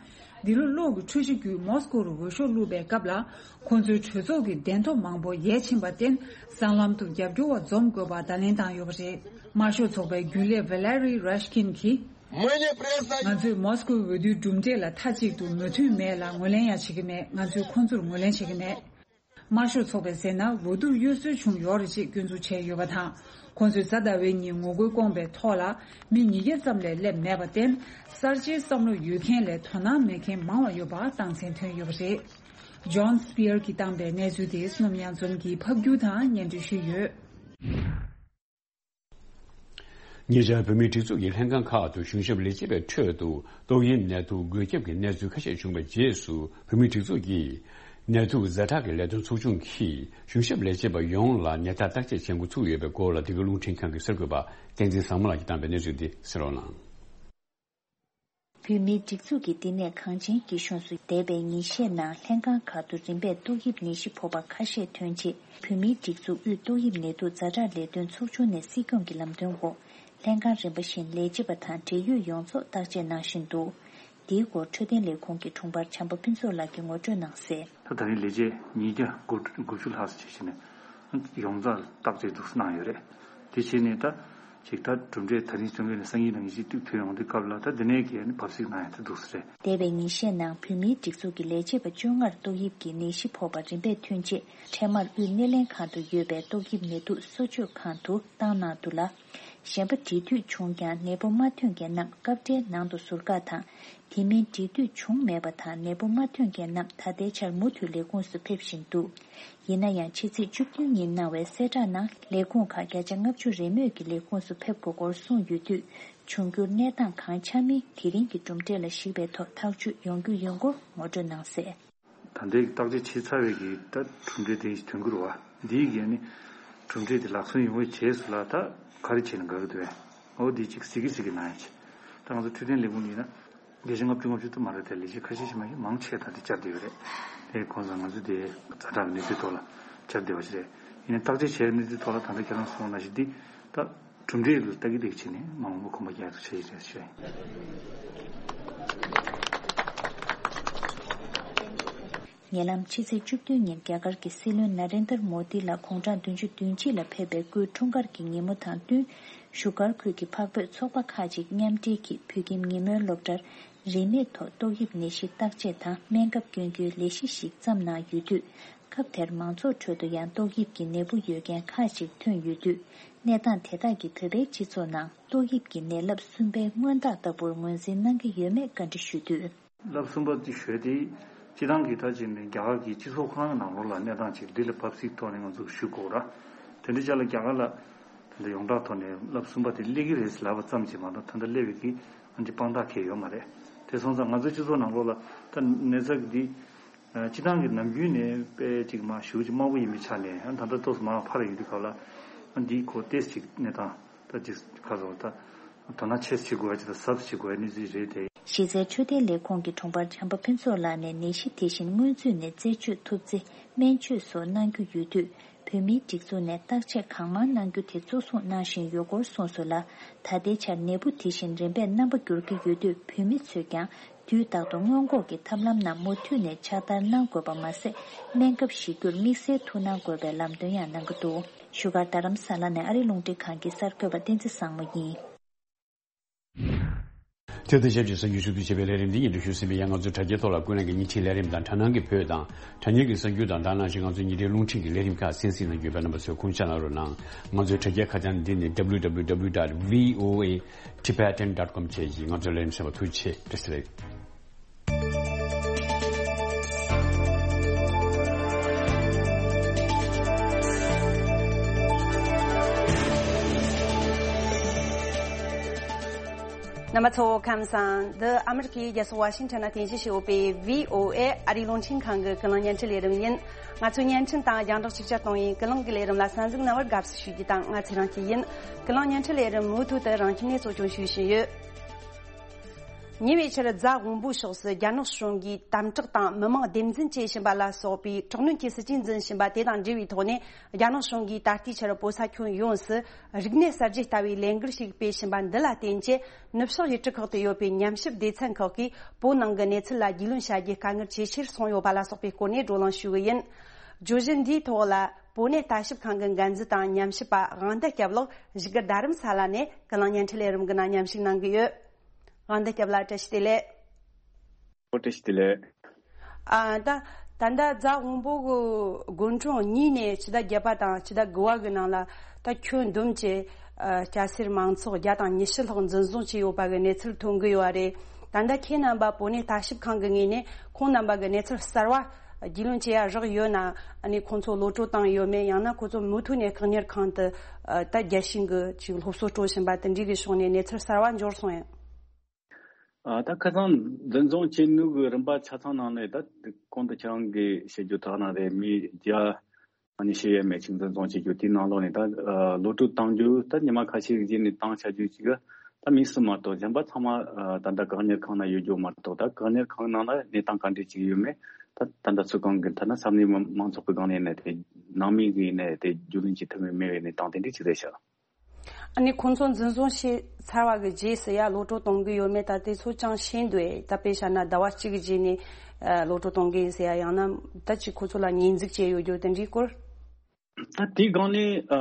འདི་ལོ་གློག་གི་འཕྲུལ་ཆས་བརྒྱུད་མོ་སི་ཀོ་རུ་འོས་ཤོག་བླུགས་པའི་སྐབས་ལ། ཁོང་ཚོའི་གྲོས་ཚོགས་ཀྱི་གདན་ཐོབ་མང་པོ་ཡལ་ཕྱིན་པར་བརྟེན། སྲང་ལམ་དུ་རྒྱབ་སྐྱོར་བ་འཛོམས་དགོས་པ་བརྡ་ལན་བཏང་ཡོད་པ་རེད། དམར་ཤོག་ཚོགས་པའི་རྒྱུན་ལས་ཝེ་ལེ་རི་རེ་ཤ་ཀིན་གྱིས། Мы не признаны. ང་ཚོས་མོ་སི་ཀོའི་འོས་བསྡུའི་གྲུབ་འབྲས་ལ་མཐའ་གཅིག་ཏུ་མོས་མཐུན་མེད་ལ་ངོས་ལེན་ཡང་བྱེད་ཀྱི་མེད། ང་ཚོས་ཁོང་ཚོར་ངོས་ལེན་བྱེད་ཀྱི་མེད། དམར་ཤོག་ཚོགས་པས་ཟེར་ན། འོས་བསྡུར་གཡོ་ཟོལ་བྱུང་ཡོད་རེད་ཅེས་སྐྱོན་འཛུགས་བྱས་ཡོད་པ་དང་། ཁོང་ཚོས་གཟའ་ཟླ་བའི་ཉིན་ངོ་རྒོལ་བསྐོང་པའི་ཐོག་ལ་མི་ཉིས་བརྒྱ་ཙམ་ལས་སླེབས་མེད་པར་བརྟེན། གསར་བརྗེའི་བསམ་བློ་ཡོད་མཁན་ལས་དོ་སྣང་མེད་མཁན་མང་བ་ཡོད་པ་རྟགས་མཚན་ཐོན་ཡོད་པ་རེད། ཇོན་སི་པི་ཡར་གྱིས་བཏང་པའི་གནས་ཚུལ་དེ་བསོད་ནམས་དབྱངས་འཛོམས་ཀྱིས་ཕབ་སྒྱུར་དང་སྙན་སྒྲོན་ཞུས་ཡོད། ཉེ་ཆར་བོད་མིའི་སྒྲིག་འཛུགས་ཀྱི་ལྷན་ཁང་ཁག་ཏུ་གཞུང་ཞབས་ལས་བྱེད་པའི་ཁྲོད་དུ་ཏོག་དབྱིབས་ནད་དུག་འགོས་ཁྱབ་ཀྱི་གནས་ཚུལ་ཁ་ཤས་བྱུང་བའི་རྗེས་སུ། བོད་མིའི་སྒྲིག་འཛུགས་ཀྱིས་ནད་དུག་ཛ་དྲག་གི་ལས་དོན་ཚོགས་ཆུང་གིས་གཞུང་ཞབས་ལས་བྱེད་པ་ཡོངས་ལ་ནད་རྟགས་བརྟག་དཔྱད་བྱེད་འགོ་ཚུགས་ཡོད་པའི་སྐོར་ལ། འདི་ག་རླུང་འཕྲིན་ཁང་གི་གསར་འགོད་པ་བསྟན་འཛིན་བཟང་མོ་ལགས་ཀྱིས་བཏང་པའི་གནས་ཚུལ་འདི་གསན་རོགས་གནང་། བོད་མིའི་སྒྲིག་འཛུགས་ཀྱིས་འདི་ནས་གངས་ཅན་སྐྱིད་གཤོངས་སུ་འདས་པའི་ཉིན་ཤས་ནང་ལྷན་ཁང་ཁག་ཏུ་རིམ་པས་ཏོག་དབྱིབས་ནད་གཞི་ཕོག་པ་ཁ་ཤས་ཐོན་རྗེས། བོད་མིའི་སྒྲིག་འཛུགས་དབུས་ཏོག་དབྱིབས་ནད་དུག་ཛ་དྲག་ལས་དོན་ཚོགས་ཆུང་ནས་སྲིད་སྐྱོང་གི་ལམ་སྟོན་འོག་ལྷན་ཁང་རིམ་པ་བཞིན་ལས་བྱེད་པ་དང་འབྲེལ་ཡོད་ཡོངས་རྫོགས་བརྟག་དཔྱད་གནང་བཞིན་འདུག། འདིའི་སྐོར་འཕྲོད་བསྟེན་ལས་ཁུངས་ཀྱི་དྲུང་འཕར་བྱམས་པ་ཕུན་ཚོགས་ལགས་ཀྱིས་ངོ་སྤྲོད་གནང་གསལ། ད་ད་རིང་ལས་བྱེད་ཉིས་བརྒྱ་དགུ་བཅུ་ལྷག་ཙམ་བྱས་བྱས་ནས་ཡོངས་རྫོགས་བརྟག་དཔྱད་འདུག་སེ་གནང་ཡོད་རེད། དེ་བྱས་ནས་ད་ཅིག་ད་གྲུབ་འབྲས་ད་རིང་བྱུང་བའི་སང་ཉིན་གནངས་ཉིན་ཅིག་ཐོན་ཡོང་དུས་སྐབས་ལ། ད་འདི་ནས་གི་བབས་སིག་གནང་ཡ་ད་འདུག་སེ་རེད། འདས་པའི་ཉིན་ཤས་ནང་བོད་མིའི་སྒྲིག་འཛུགས་ཀྱི་ལས་བྱེད་པ་བཅོ་ལྔར་ཏོག་དབྱིབས་ཀྱི་ནད་གཞི་ཕོག་པ་རིམ་པས་ཐོན་རྗེས། འཕྲལ་མར་དབུས་སྣེ་ལེན་ཁང་དུ་ཡོད་པའི་ཏོག་དབྱིབས་ནད་དུག་གསོ་བཅོས་ཁང་དུ་བཏང་གནང་འདུག་ལ། གཞན་པ་འབྲེལ་མཐུད་བྱུང་ཀྱང་ནད་འབུ་མ་ཐོན་མཁན་རྣམས་སྐབས་འཕྲལ་ནང་དུ་ཟུར་བཀག་དང་། དེ་མིན་འབྲེལ་མཐུད་བྱུང་མེད་པ་དང་ནད་འབུ་མ་ཐོན་མཁན་རྣམས་ད་ལྟའི་ཆར་མུ་མཐུད་ལས་ཁུངས་སུ་ཕེབས་བཞིན་འདུག། ཡིན་ན་ཡང་ཕྱི་ཚེས་བཅུ་བདུན་ཉིན་གནང་བའི་གསལ་བསྒྲགས་ནང་ལས་ཁུངས་ཁག་བརྒྱ་ཆ་ལྔ་བཅུ་རེས་མོས་ཀྱིས་ལས་ཁུངས་སུ་ཕེབས་དགོས་སྐོར་གསུངས་ཡོད་དུས། འབྱུང་འགྱུར་གནས་སྟངས་གང་ཆགས་མིན་དེ་རིང་གི་གྲུབ་འབྲས་ལ་གཞིགས་པའི་ཐོག་ཐག་གཅོད་ཡོང་རྒྱུ་ཡིན་སྐོར་ངོ་སྤྲོད་གནང་གསལ། ད་ལྟའི་བརྟག་དཔྱད་བྱས་ཚར་བའི་གི་ད་གྲུབ་འབྲས་དེ་ཐོན་གྱི་རེད་བ། འདིའི་གི་ནི་གྲུབ་འབྲས་དེ་ལག་སོན་ཡོང་བའི་རྗེས་སུ་ལ་ད་ག་རེ་བྱས་ན་དགའ་གི་འདུག་བས། འོ་འདི་ཅིག་གཟིགས་གི་གཟིགས་གི་གནང་ཡ་ཆེ། ད་ང་ཚོ་འཕྲོད་བསྟེན་ལས་ཁུངས་ཡིན་ན་བརྒྱ་ཆ་ལྔ་བཅུ་ལྔ་བཅུ་ད་མ་རེད་དེ། ལས་བྱེད་ཁ་ཤས་ཤིག་མ་ཡིན་མང་ཆེ་ད་དེ་བཅར་བསྡད་ཡོད་རེད། དེ་གོང་ས་ང་ཚོ་དེ་ཛ་དྲག་གི་གནས་ཚུལ་ཐོག་ལ་བཅར་བསྡད་པ་ཞིག་རེད། ཡིན་ནའི་བརྟག་དཔྱད་བྱས་གནས་ཚུལ་ཐོག་ལ་ད་ལྟ་ཁྱེད་རང་གསུངས་ནང་བཞིན་འདི་ད། གྲུབ་འབྲས་ལ་ལྟ་གི་ལྟ་གི་བྱས་ནས་མ་འོངས་པ་གོམ་པ་རྒྱག་ཐུབ་ཆ་ཡི་རེད་ཞུ་ཡ་ཡིན། ཉེ་ལམ་ཕྱི་ཚེས་བཅུ་བདུན་ཉིན་རྒྱ་གར་གྱི་སྲིད་བློན་ན་རེན་དར་མོ་དི་ལགས་དགུང་གྲངས་བདུན་ཅུ་དོན་གཅིག་ལ་ཕེབས་པའི་སྐུའི་འཁྲུངས་སྐར་གྱི་ཉིན་མོ་དང་བསྟུན། བཞུགས་སྒར་ཁུལ་གྱི་འཕགས་བོད་ཚོགས་པ་ཁག་ཅིག་མཉམ་འབྲེལ་གྱིས་བོད་ཁྱིམ་ཉིན་མོའི་སློབ་གྲྭར་རིན་མེད་ཐོག་ཏོག་དབྱིབས་ནད་གཞི་བརྟག་དཔྱད་དང་སྨན་ཁབ་སྐྱོན་རྒྱུའི་ལས་གཞི་ཞིག་བརྩམས་གནང་ཡོད་དུས། སྐབས་དེར་མང་ཚོགས་ཁྲོད་དུ་ཡང་ཏོག་དབྱིབས་ཀྱི་ནད་འབུ་ཡོད་མཁན་ཁག་ཅིག་ཐོན་ཡོད་དུས། གནས་སྟངས་དེ་དག་གིས་བོད་པའི་སྤྱི་ཚོགས་ནང་ཏོག་དབྱིབས་ཀྱི་ནད་རླབས་གསུམ་པའི་སྔོན་རྟགས་ལྟ་བུར་ངོས་འཛིན་གནང་གི་ཡོད་མེད་བཀའ་འདྲི་ཞུས་དུས། རླབས་གསུམ་པ་དེ་ཞུས་ཏེ། སྤྱི་བཏང་གི་ད་ཅིག་ནས་རྒྱ་གར་གྱི་སྤྱི་ཚོགས་ཁང་གི་ནང་ལོགས་ལ་གནས་སྟངས་ཅིག་འདི་ལ་བབས་སིག་ཐོག་ནས་ང་ཚོ་ཞུ་དགོས་ར། དེ་འདྲ་ཅག་ལ་རྒྱ་གར་ལ་ད་ལྟ་ཡོངས་གྲགས་ཐོག་ནས་རླབས་གསུམ་པ་དེ་སླེབས་ཀྱི་རེད་ལབ་པ་ཙམ་གྱིས་མ་གཏོགས་ད་ལྟ་སླེབས་པའི་གི་ཨ་འདི་དཔང་རྟགས་གང་ཡང་ཡོད་མ་རེད། དེ་སོང་ཙང་ང་ཚོའི་སྤྱི་ཚོགས་ནང་ལོགས་ལ་ད་ནད་ཚབས་འདི། སྤྱི་བཏང་གི་ནམ་རྒྱུན་ནས་དཔེ་ཅིག་མ་ཞེ་པོ་ཅིག་དམའ་པོ་ཡིན་པའི་ཆ་ནས་ད་ལྟ་ཏོག་ཙམ་མར་འཕར་ཡོང་དུས་སྐབས་ལ་འདི་ཁོ་ཏོག་ཙམ་ཅིག་གནས་སྟངས་ད་ཅིག་ཁ་སོ་ད་དོ་སྣང་ཆེ་ཙམ་བྱེད་དགོས་ཡ་ཅིག་དང་གཟབ་ཙམ་བྱེད་དགོས་ཡ་གནས་ཚུལ་རེད་དེ། གཞི་རྩའི་འཕྲོད་བསྟེན་ལས་ཁུངས་ཀྱི་དྲུང་འཕར་བྱམས་པ་ཕུན་ཚོགས་ལགས་ནས་ནད་གཞི་དེ་བཞིན་སྔོན་ཚུད་ནས་རྩད་གཅོད་ཐུབ་ཚེ་སྨན་བཅོས་སོགས་གནང་རྒྱུ་ཡོད་དུས། བོད་མིའི་སྒྲིག་འཛུགས་ནས་བརྟག་དཔྱད་གང་མང་གནང་རྒྱུ་དེ་གཙོ་བཟུང་གནང་བཞིན་ཡོད་སྐོར་གསུངས་སོང་ལ། ད་ལྟའི་ཆར་ནད་འབུ་དེ་བཞིན་རིམ་པས་རྣམ་པ་འགྱུར་གྱི་ཡོད་དུས་བོད་མི་ཚོས་ཀྱང་དུས་རྟག་ཏུ་སྔོན་འགོག་གི་ཐབས་ལམ་རྣམས་མུ་མཐུད་ནས་ཕྱག་བསྟར་གནང་དགོས་པ་མ་ཟད། སྨན་ཁབ་བཞེས་རྒྱུར་དམིགས་བསལ་ཐུགས་སྣང་དགོས་པའི་ལམ་སྟོན་ཡང་གནང་གི་འདུག། བཞུགས་སྒར་རྡ་རམ་ས་ལ་ནས་ཨ་རི་རླུང་འཕྲིན་ཁང་གི་གསར་འགོད་པ་བསྟན་འཛིན་བཟང་མོ་ཡིན། དེ་དང་ཆབས་ཅིག་གསར་འགྱུར་ཞུ་གཏུག་བྱེད་པའི་ལས་རིམ་འདི་ཡིན་དུ་ཞུ་ཟིན་པའི་ཡང་ང་ཚོའི་དྲ་རྒྱའི་ཐོག་ལ་ཀུན་གླེང་གི་ཉིན་ཕྱེད་ལས་རིམ་དང་དྲ་སྣང་གི་བོད་དང་དྲ་བརྙན་གྱི་གསར་འགྱུར་དང་དེ་ནང་བཞིན་ང་ཚོའི་ཉིན་རེའི་རླུང་འཕྲིན་གྱི་ལས་རིམ་ཁག་གསན་གཟིགས་གནང་རྒྱུ་ཡོད་པས་རྣམ་པ་ཚོས་དགོངས་འཇགས་གནང་རོགས་གནང་། ང་ཚོའི་དྲ་རྒྱའི་ཁ་བྱང་འདི་ནི W W W dot V O A Tibetan dot com བཅས་ཀྱིས། ང་ཚོའི་ལས་རིམ་གསན་པར་ཐུགས་རྗེ་ཆེ། བཀྲ་ཤིས་བདེ་ལེགས། རྣམ་པ་ཚོ་ཁམས་བཟང་། འདི་ཨ་མི་རི་ཀའི་རྒྱལ་ས་ཝ་ཤིང་ཊོན་ན་རྟེན་གཞི་བྱས་ཡོད་པའི་V O A ཨ་རིའི་རླུང་འཕྲིན་ཁང་གི་ཀུན་གླེང་བརྙན་འཕྲིན་ལས་རིམ་ཡིན། ང་ཚོའི་བརྙན་འཕྲིན་དང་རྒྱང་བསྒྲགས་ཅིག་ཅར་གཏོང་བའི་ཀུན་གླེང་གི་ལས་རིམ་ལ་གསན་གཟིགས་གནང་བར་དགའ་བསུ་ཞུ་རྒྱུ་དང་། ང་ཚེ་རིང་སྐྱིད་ཡིན། ཀུན་གླེང་བརྙན་འཕྲིན་ལས་རིམ་མུ་མཐུད་དུ་རང་ཁྱིམ་ནས་གཙོ་སྐྱོང་ཞུ་བཞིན་ཡོད། ཉེ་བའི་ཆར་རྫ་དབོན་པོའི་ཕྱོགས་སུ་རྒྱ་ནག་གཞུང་གིས་དམ་དྲག་དང་མི་མང་སྡེ་འཛིན་བྱེད་བཞིན་པ་ལ་སོགས་པའི་དྲག་གནོན་གྱི་སྲིད་ཇུས་འཛིན་བཞིན་པ་དེ་དང་འབྲེལ་བའི་ཐོག་ནས། རྒྱ་ནག་གཞུང་གིས་ད་ལྟའི་ཆར་བོད་ས་ཁྱོན་ཡོངས་སུ་རིག་གནས་གསར་བརྗེ་ལྟ་བུའི་ལས་འགུལ་ཞིག་སྤེལ་བཞིན་པ་འདི་ལ་བརྟེན་ཆེད། ནུབ་ཕྱོགས་ཡུལ་གྲུ་ཁག་ཏུ་ཡོད་པའི་ཉམས་ཞིབ་སྡེ་ཚན་ཁག་གིས་བོད་ནང་གི་གནས་ཚུལ་ལ་རྒྱུས་ལོན་བྱ་རྒྱུའི་དཀའ་ངལ་ཇེ་ཆེར་སོང་ཡོད་པ་ལ་སོགས་པའི་སྐོར་ནས་བགྲོ་གླེང་ཞུ་གི་ཡིན། བརྗོད་གཞི་འདིའི་ཐོག་ལ་བོད་གནས་ལྟ་ཞིབ་ཁང་གི་འགན་འཛིན་དང་ཉམས་ཞིབ་པ་དབང་ཟླ་སྐྱབས་ལགས་བཞུགས་སྒར་རྡ་རམ་ས་ལ་ནས་ཀུན་གླེང་བརྙན་འཕྲིན་ལས་རིམ་གྱི་ནང་མཉམ་ཞུགས་གནང་གི་ཡོད། དབང་ཟླ་སྐྱབས་ལགས་བཀྲ་ཤིས་བདེ་ལེགས། ཨོ་བཀྲ་ཤིས་བདེ་ལེགས། ཨ་ད་ད་ལྟ་རྫ་དབོན་པོ་གི་དགོན་གྲོང་གཉིས་ནས་ཕྱི་ཟླ་བརྒྱད་པ་དང་ཕྱི་ཟླ་དགུ་པ་གི་ནང་ལ་ད་ཁྱོན་བསྡོམས་ཀྱི་ཨ་སྐྱ་སེར་མང་ཚོགས་བརྒྱ་དང་ཉི་ཤུ་ལྷག་འཛིན་བཟུང་བྱས་ཡོད་པ་གི་གནས་ཚུལ་ཐོན་གི་ཡོད་པ་རེད། ད་ལྟ་ཁྱེད་རྣམ་པ་བོད་གནས་ལྟ་ཞིབ་ཁང་གི་ངོས་ནས་ཁོང་རྣམ་པ་གི་གནས་ཚུལ་གསར་བ་རྒྱུས་ལོན་བྱེད་ཡ་རག་ཡོད་ན། ཨ་ནི་ཁོང་ཚོ་གློད་གྲོལ་བཏང་ཡོད་མེད། ཡང་ན་ཁོང་ཚོ་མུ་མཐུད་ནས་བཀག་ཉར་ཁང་དུ་ཨ་ད་རྒྱལ་ཞེན་གྱི་ཅིག་སློབ་གསོ་སྤྲོད་བཞིན་པ་དེ་འདྲའི་གི་ཕྱོགས་ནས་གནས་ཚུལ་གསར་བ་འབྱོར་སོང་ཡང་། ཨ་ད་ཁ་སང་འཛིན་བཟུང་བྱས་ནོ་གི་རིམ་པ་ཆ་ཚང་ནང་ནས་ད་གོང་དུ་ཁྱེད་རང་གིས་བཤད་རྒྱུ་དག་ན་རེད། མི་བརྒྱ་ཉི་ཤུ་ཡས་མས་ཅིག་འཛིན་བཟུང་བྱེད་རྒྱུ་དེའི་ནང་ལོགས་ནས་ད་ཨ་གློད་གྲོལ་བཏང་རྒྱུ་ད་ཉི་མ་ཁ་ཤས་རྗེས་ནས་བཏང་བྱ་རྒྱུ་ཅིག་ད་མི་གསུམ་མ་གཏོགས་གཞན་པ་ཚང་མ་ཨ་ད་ལྟ་བཀག་ཉར་ཁང་ན་ཡོད་རྒྱུ་མ་གཏོགས། ད་བཀག་ཉར་ཁང་ནང་ལ་གནས་སྟངས་ག་འདྲས་ཅིག་ཡོད་མེད་ད་ད་ལྟ་ཚོད་བགམ་གི་ཐད་ན་ས་གནས་མང་ཚོགས་ཀྱི་སྒང་ནས་ནས་དེ་ནང་མི་གིས་ནས་དེ་རྒྱུས་ལོན་བྱེད་ཐུབ་མེད་མེད་པའི་གནས་སྟངས་དེ་འདྲས་ཅིག་རེད་ཤག་ཨ་ནི་ཁོང་ཚོ་འཛིན་བཟུང་བྱས་ཚར་བ་གི་རྗེས་སུ་ཡ་གློད་གྲོལ་གཏོང་གི་ཡོད་མེད་ད་དེ་ཚོ་ཅང་ཤེས་འདུག་ཨེ། ད་དཔེ་བཞག་ན་ཟླ་བ་གཅིག་གི་རྗེས་ནས་ཨ་གློད་གྲོལ་གཏོང་གི་ཡིན་ཟེར་ཡ། ཡང་ན་ད་ཅིག་ཁོ་ཚོ་ལ་ཉེས་འཛུགས་བྱས་ཡོད་རྒྱུ་དེ་འདྲའི་སྐོར། ད་དེའི་སྒང་ནས་ཨ་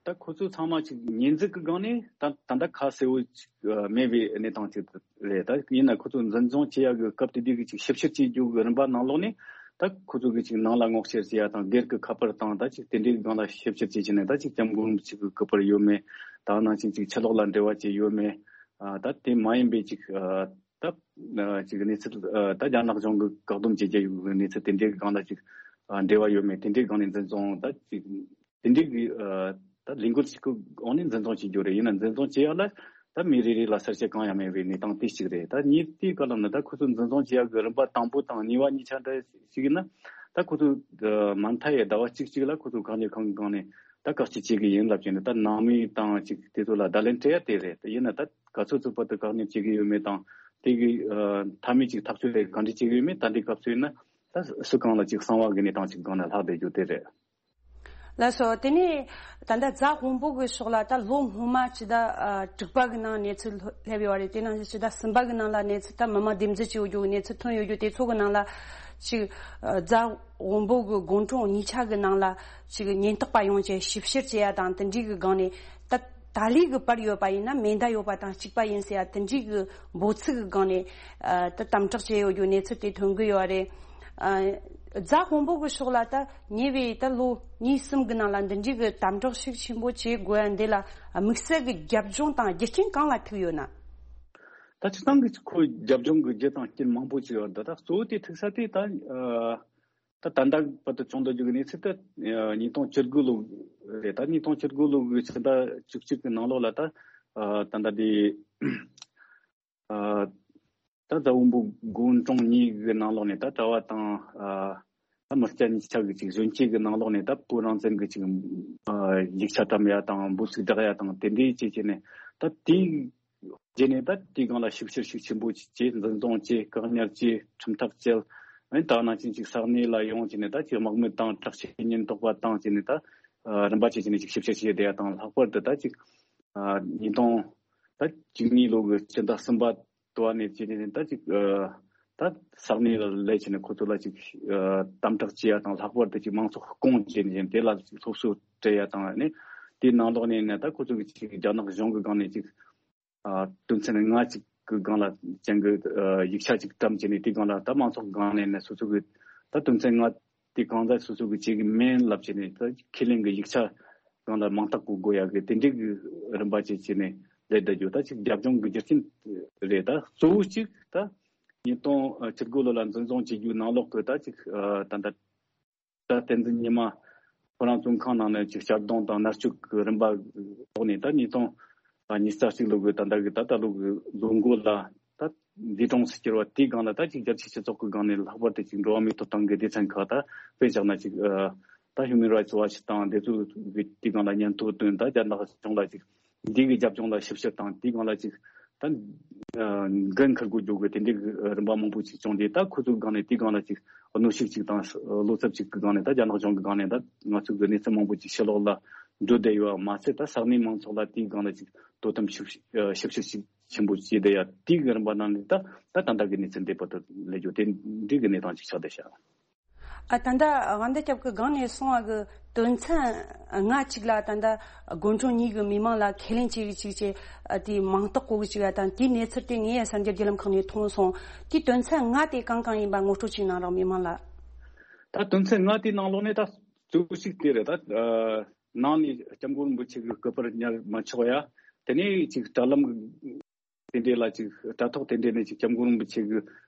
ད་ཁོ་ཚོ་ཚང་མ་ཅིག་ཉེས་འཛུགས་ཀྱི་སྒང་ནས་ད་ད་ལྟ་ཁ་གསལ་བོ་ཅིག་ཨ་མེད་པའི་གནས་སྟངས་ཅིག་རེད། ད་ཡིན་ན་ཁོ་ཚོ་འཛིན་བཟུང་བྱེད་ཡ་གི་སྐབས་དེ་དུས་ཀྱི་ཅིག་ཞིབ་བཤེར་བྱེད་རྒྱུ་གི་རིམ་པ་ནང་ལོགས་ནས། ད་ཁོ་ཚོ་གི་ཅིག་ནང་ལ་སྔོག་བཤེར་བྱེད་ཡ་དང་སྒེར་གྱི་ཁ་པར་དང་ད་ཅིག་དེ་འདྲའི་སྒང་ལ་ཞིབ་བཤེར་བྱེད་ཕྱིན་ནས་ད་ཅིག་སྐྱབས་མགོན་ཅིག་གི་ཁ་པར་ཡོད་མེད། ད་ནང་བཞིན་ཅིག་ཕྱི་ལོགས་ལ་འབྲེལ་བ་བྱས་ཡོད་མེད། ཨ་ད་དེ་མ་ཡིན་པའི་ཅིག་ཨ་ད་ཨ་ཅིག་གནས་ཚུལ་ཨ་ད་རྒྱ་ནག་གཞུང་གི་བཀག་སྡོམ་བྱེད་རྒྱུ་ཡོད་གནས་ཚུལ་དེ་འདྲའི་སྒང་ལ་ཅིག་ཨ་འབྲེལ་བ་ཡོད་མེད། དེ་འདྲའི་སྒང་ནས་འཛིན་བཟུང་ད་ཅིག་དེ་འདྲའི་གི་ཨ་ད་ལས་འགུལ་ཞིག་གི་འོག་ནས་འཛིན་བཟུང་བྱེད་རྒྱུ་རེད། ཡིན་ན་འཛིན་བཟུང་བྱེད་ཡ་ལ་ད་མི་རེ་རེ་ལ་གསལ་བཤད་གང་ཡང་མེད་པའི་གནས་སྟངས་དེ་གཅིག་རེད། ད་གཉིས་དེའི་སྐབས་ལ་ནི་ད་ཁོ་ཚོ་འཛིན་བཟུང་བྱེད་ཡ་གི་རིམ་པ་དང་པོ་དང་གཉིས་པ་གཉིས་ཆ་འདྲ་ཞིག་ཡིན་ན། ད་ཁོ་ཚོ་ཨ་མ་མཐའ་ཡས་ཟླ་བ་གཅིག་གཅིག་ལ་ཁོ་ཚོ་བཀག་ཉར་ཁང་གི་སྒང་ནས་ད་བཀག་སྐྱིལ་བྱེད་གི་ཡིན་ལབ་ཀྱི་ནི་ད་ནང་མི་དང་ཅིག་དེ་ཚོ་ལ་བརྡ་ལན་སྤྲད་ཡ་དེ་རེད། ཡིན་ན་ད་ག་ཚོད་ཚོད་བར་དུ་བཀག་ཉར་བྱེད་གི་ཡོད་མེད་དང་དེ་གི་ཨ་མཐའ་མའི་ཅིག་ཐག་གཅོད་རེ་གང་འདྲ་བྱེད་གི་ཡོད་མེད་ད་འདི་སྐབས་སུ་ཡིན་ན་ད་སུ་གང་ལ་ཅིག་གསང་བ་གི་གནས་སྟངས་ཅིག་སྒང་ན་ལྷག་བསྡད་རྒྱུ་དེ་རེད། ལགས་སོ། དེ་ནས་ད་ལྟ་རྫ་དབོན་པོ་གི་ཕྱོགས་ལ་ད་ལོ་སྔོན་མ་ཕྱི་ཟླ་ཨ་དྲུག་པ་གི་ནང་གནས་ཚུལ་སླེབས་ཡོད་རེད། དེ་ནང་བཞིན་ཕྱི་ཟླ་གསུམ་པ་གི་ནང་ལ་གནས་ཚུལ་ད་མི་མང་སྡེབ་འཛུལ་བྱས་ཡོད་རྒྱུ་གི་གནས་ཚུལ་ཐོན་ཡོད་རྒྱུ་དེ་ཚོ་གི་ནང་ལ་ཅིག་ཨ་རྫ་དབོན་པོ་གི་དགོན་གྲོང་གཉིས་ཆ་གི་ནང་ལ་ཅིག་ཉེན་རྟོག་པ་ཡོང་བྱས་ཞིབ་བཤེར་བྱེད་ཡ་དང་དེ་འདྲའི་གི་སྒང་ནས་ད་ད་ལོའི་གི་བར་ཡོད་པ་ཡིན་ན་མེ་མདའ་ཡོད་པ་དང་གཅིག་པ་ཡིན་ཟེར་ཡ་དེ་འདྲའི་གི་འབོད་ཚིག་གི་སྒང་ནས་ཨ་ད་དམ་དྲག་བྱས་ཡོད་རྒྱུ་གནས་ཚུལ་དེ་ཐོན་གི་ཡོད་རེད། ཨ་རྫ་དཔོན་པོ་གི་ཕྱོགས་ལ་ད་ཉེ་བའི་ད་ལོ་གཉིས་གསུམ་གི་ནང་ལ་འདི་འདྲའི་གི་དམ་དྲག་ཤུགས་ཆེན་པོ་བྱེད་དགོས་ཡ་འདི་ལ་དམིགས་བསལ་གི་རྒྱབ་ལྗོངས་དང་རྒྱུ་རྐྱེན་གང་ལ་ཐུག་ཡོད་ན། ད་སྤྱིར་བཏང་གི་ཁོའི་རྒྱབ་ལྗོངས་གི་རྒྱུ་དང་རྐྱེན་མང་པོ་ཅིག་ཡོད་རེད། ད་གཙོ་བོ་དེ་ཐུག་ས་དེ་ད་ཨ་ད་ད་ལྟ་བར་དུ་བྱུང་འདུག་རྒྱུ་གི་གནས་ཚུལ་དེ་ཨ་ཉིས་སྟོང་བཅུ་དགུ་ལོ་རེད། ད་ཉིས་སྟོང་བཅུ་དགུ་ལོ་གི་ཕྱི་ཟླ་བཅུ་གཅིག་གི་ནང་ལོགས་ལ་ད་ཨ་ད་ལྟ་དེ། ཨ་ད་རྫ་དཔོན་པོ་དགོན་གྲོང་གཉིས་ཀྱི་ནང་ལོགས་ནས་ད་གྲྭ་བ་དང་ཨ་ད་མི་སྐྱ་གཉིས་ཆ་གི་ཅིག་གཞོན་སྐྱེས་ཀྱི་ནང་ལོགས་ནས་ད་བོད་རང་བཙན་གྱི་ཅིག་ཨ་ཡིག་ཆ་བཀྲམ་ཡ་དང་འབོད་ཚིག་བསྒྲགས་ཡ་དང་དེ་འདྲའི་བྱས་བྱས་ནས་ད་དེའི་རྗེས་ནས་ད་དེའི་སྒང་ལ་ཞིབ་བཤེར་ཤུགས་ཆེན་པོ་ཅིག་བྱས། འཛིན་བཟུང་བྱས། བཀག་ཉར་བྱས། ཁྲིམས་ཐག་བཅད། ཨ་ནི་ད་ནང་བཞིན་ཅིག་ས་གནས་ལ་ཡོང་བྱས་ནས་ད་ཅིག་དམག་མི་དང་དྲག་ཆས་ཉེན་རྟོག་པ་དང་བྱས་ནས་ད་ཨ་རིམ་པ་བྱས་བྱས་ནས་ཅིག་ཞིབ་བཤེར་བྱས་བསྡད་ཡ་དང་། ལྷག་པར་དུ་ད་ཅིག་ཨ་ཉིས་སྟོང་ད་བཅུ་གཉིས་ལོ་གི་ཕྱི་ཟླ་གསུམ་པ་དུ་བ་ནས་བྱས་ནས་ད་ཅིག་ཨ་ད་ས་གནས་ལ་སླེབས་བྱས་ནས་ཁོ་ཚོ་ལ་ཅིག་ཨ་དམ་དྲག་བྱེད་ཡ་དང་། ལྷག་པར་དུ་ཅིག་མང་ཚོགས་སྐོང་བྱས་ནས་དེ་ལ་ཅིག་སློབ་གསོ་སྤྲད་ཡ་དང་། ཨ་ནི་དེའི་ནང་ལོགས་ནས་ནས་ད་ཁོ་ཚོ་གི་ཅིག་རྒྱ་ནག་གཞུང་གི་སྒང་ནས་ཅིག་ཨ་དོན་ཚན་ལྔ་ཅིག་ གི་སྒང་ལ་ཅན་གི་ཡིག་ཆ་ཅིག་བཀྲམ་བྱས་ནས། དེའི་སྒང་ལ་ད་མང་ཚོགས་སྒང་ནས་ནས་སོ་སོ་གི་ད་དོན་ཚན་ལྔ་དེ་གང་ཟག་སོ་སོ་གི་བྱེད་གི་མིན་ལབ་བྱས་ནས། ད་ཁས་ལེན་གི་ཡིག་ཆ་སྒང་ལ་མིང་རྟགས་བཀོད་དགོས་ཡ་གི་དེ་འདྲའི་གི་རིམ་པ་ཅིག་བྱས་ནས་ལས་བསྡད་རྒྱུ། ད་ཅིག་རྒྱབ་ལྗོངས་གི་རྒྱུ་རྐྱེན་རེད། ད་གཙོ་བོ་གཅིག་ད་ཉིས་སྟོང་བཅུ་དགུ་ལོ་ལ་འཛིན་བཟུང་བྱེད་རྒྱུའི་ནང་ལོགས་གི་ད་ཅིག་ད་ད་ད་བསྟན་འཛིན་ཉི་མ་ཁོ་རང་བཙོན་ཁང་ནང་ནས་ཅིག་གཅར་རྡུང་དང་མནར་གཅོད་ཀྱི་རིམ་པ་ཐོག་ནས། ད་ཉིས་སྟོང་ཉི་ཤུ་རྩ་གཅིག་ལོ་གི་ད་ལྟ་གི་ད་ལྟ་ལོ་གི་ལོ་འགོ་ལ་ད་འདས་གྲོངས་སུ་གྱུར་བ་དེའི་སྒང་ལ། ད་ཅིག་རྒྱལ་སྤྱིའི་སྤྱི་ཚོགས་ཀྱི་སྒང་ནས་ལྷག་པར་དུ་ཅིག་འགྲོ་བ་མིའི་ཐོབ་ཐང་གི་སྡེ་ཚན་ཁག་ད་དཔེ་བཞག་ན་ཅིག་ད་Human Rights Watch དང་དེ་ཚོ་གི་དེའི་སྒང་ལ་སྙན་ཐོ་བཏོན། ད་རྒྱ་ནག་གཞུང་ལ་ཅིག་འདི་གི་རྒྱབ་ལྗོངས་ལ་ཞིབ་བཤེར་དང་། དེའི་སྒང་ལ་ཅིག་ད་འགན་འཁུར་དགོས་རྒྱུ་གི་དེ་འདྲའི་གི་རིམ་པ་མང་པོ་ཅིག་བྱུང་རྗེས། ད་ཁོ་ཚོའི་སྒང་ནས་དེའི་སྒང་ལ་ཅིག་གནོན་ཤུགས་ཅིག་དང་བློ་འཚབ་ཅིག་གི་སྒང་ནས། ད་རྒྱ་ནག་གཞུང་གི་སྒང་ནས་ད་ང་ཚོ་གི་གནས་ཚུལ་མང་པོ་ཅིག་ཕྱི་ལོགས་ལ་འགྲོ་བསྡད་ཡོད་པ་མ་ཟད། ད་ས་གནས་མང་ཚོགས་ལ་དེའི་སྒང་ལ་ཅིག་དོ་དམ་ཞིབ་ཞིབ་བཤེར་ཅིག་ཆེན་པོ་བྱས་བསྡད་ཡ། དེའི་གི་རིམ་པ་ནང་ནས་ད་ད་ད་ལྟ་གི་གནས་ཚུལ་འདི་བར་དུ་སླེབས་རྒྱུ་དེ་འདྲའི་གི་གནས་སྟངས་ཅིག་ཆགས་བསྡད་ཤག་ཨ། ད་ལྟ་དབང་ཟླ་སྐྱབས་ཀྱིས་སྒང་ནས་གསུངས་པ་གི་དོན་ཚན་ལྔ་གཅིག་ལ་ད་ལྟ་དགོན་གྲོང་གཉིས་ཀྱི་མི་མང་ལ་ཁས་ལེན་བྱེད་ཀྱི་ཅིག་བྱས། ཨ། དེའི་མིང་རྟགས་བཀོད་ཀྱི་ཅིག་ཡ་དང་། དེའི་གནས་ཚུལ་དེ་ངས་ཡ་གསར་འགྱུར་བརྒྱུད་ལམ་ཁག་ནས་མཐོང་སོང་། དེའི་དོན་ཚན་ལྔ་དེ་གང་གང་ཡིན་པ་ངོ་སྤྲོད་ཅིག་གནང་རོགས། མི་མང་ལ། ད་དོན་ཚན་ལྔ་དེའི་ནང་ལོགས་ནས་ད་གཙོ་བོ་གཅིག་དེ་རེད། ད་ནང་ནས་སྐྱབས་མགོན་རིན་པོ་ཆེ་གི་སྐུ་པར་ཉར་མ་ཆོག་ཡ། དེ་ནས་ཅིག་དྲ་ལམ་དེ་འདྲས་ལ་ཅིག་དྲ་ཐོག་དེ་འདྲས་ནས་ཅིག་སྐྱབས་མགོན་རིན་པོ་ཆེ་གི་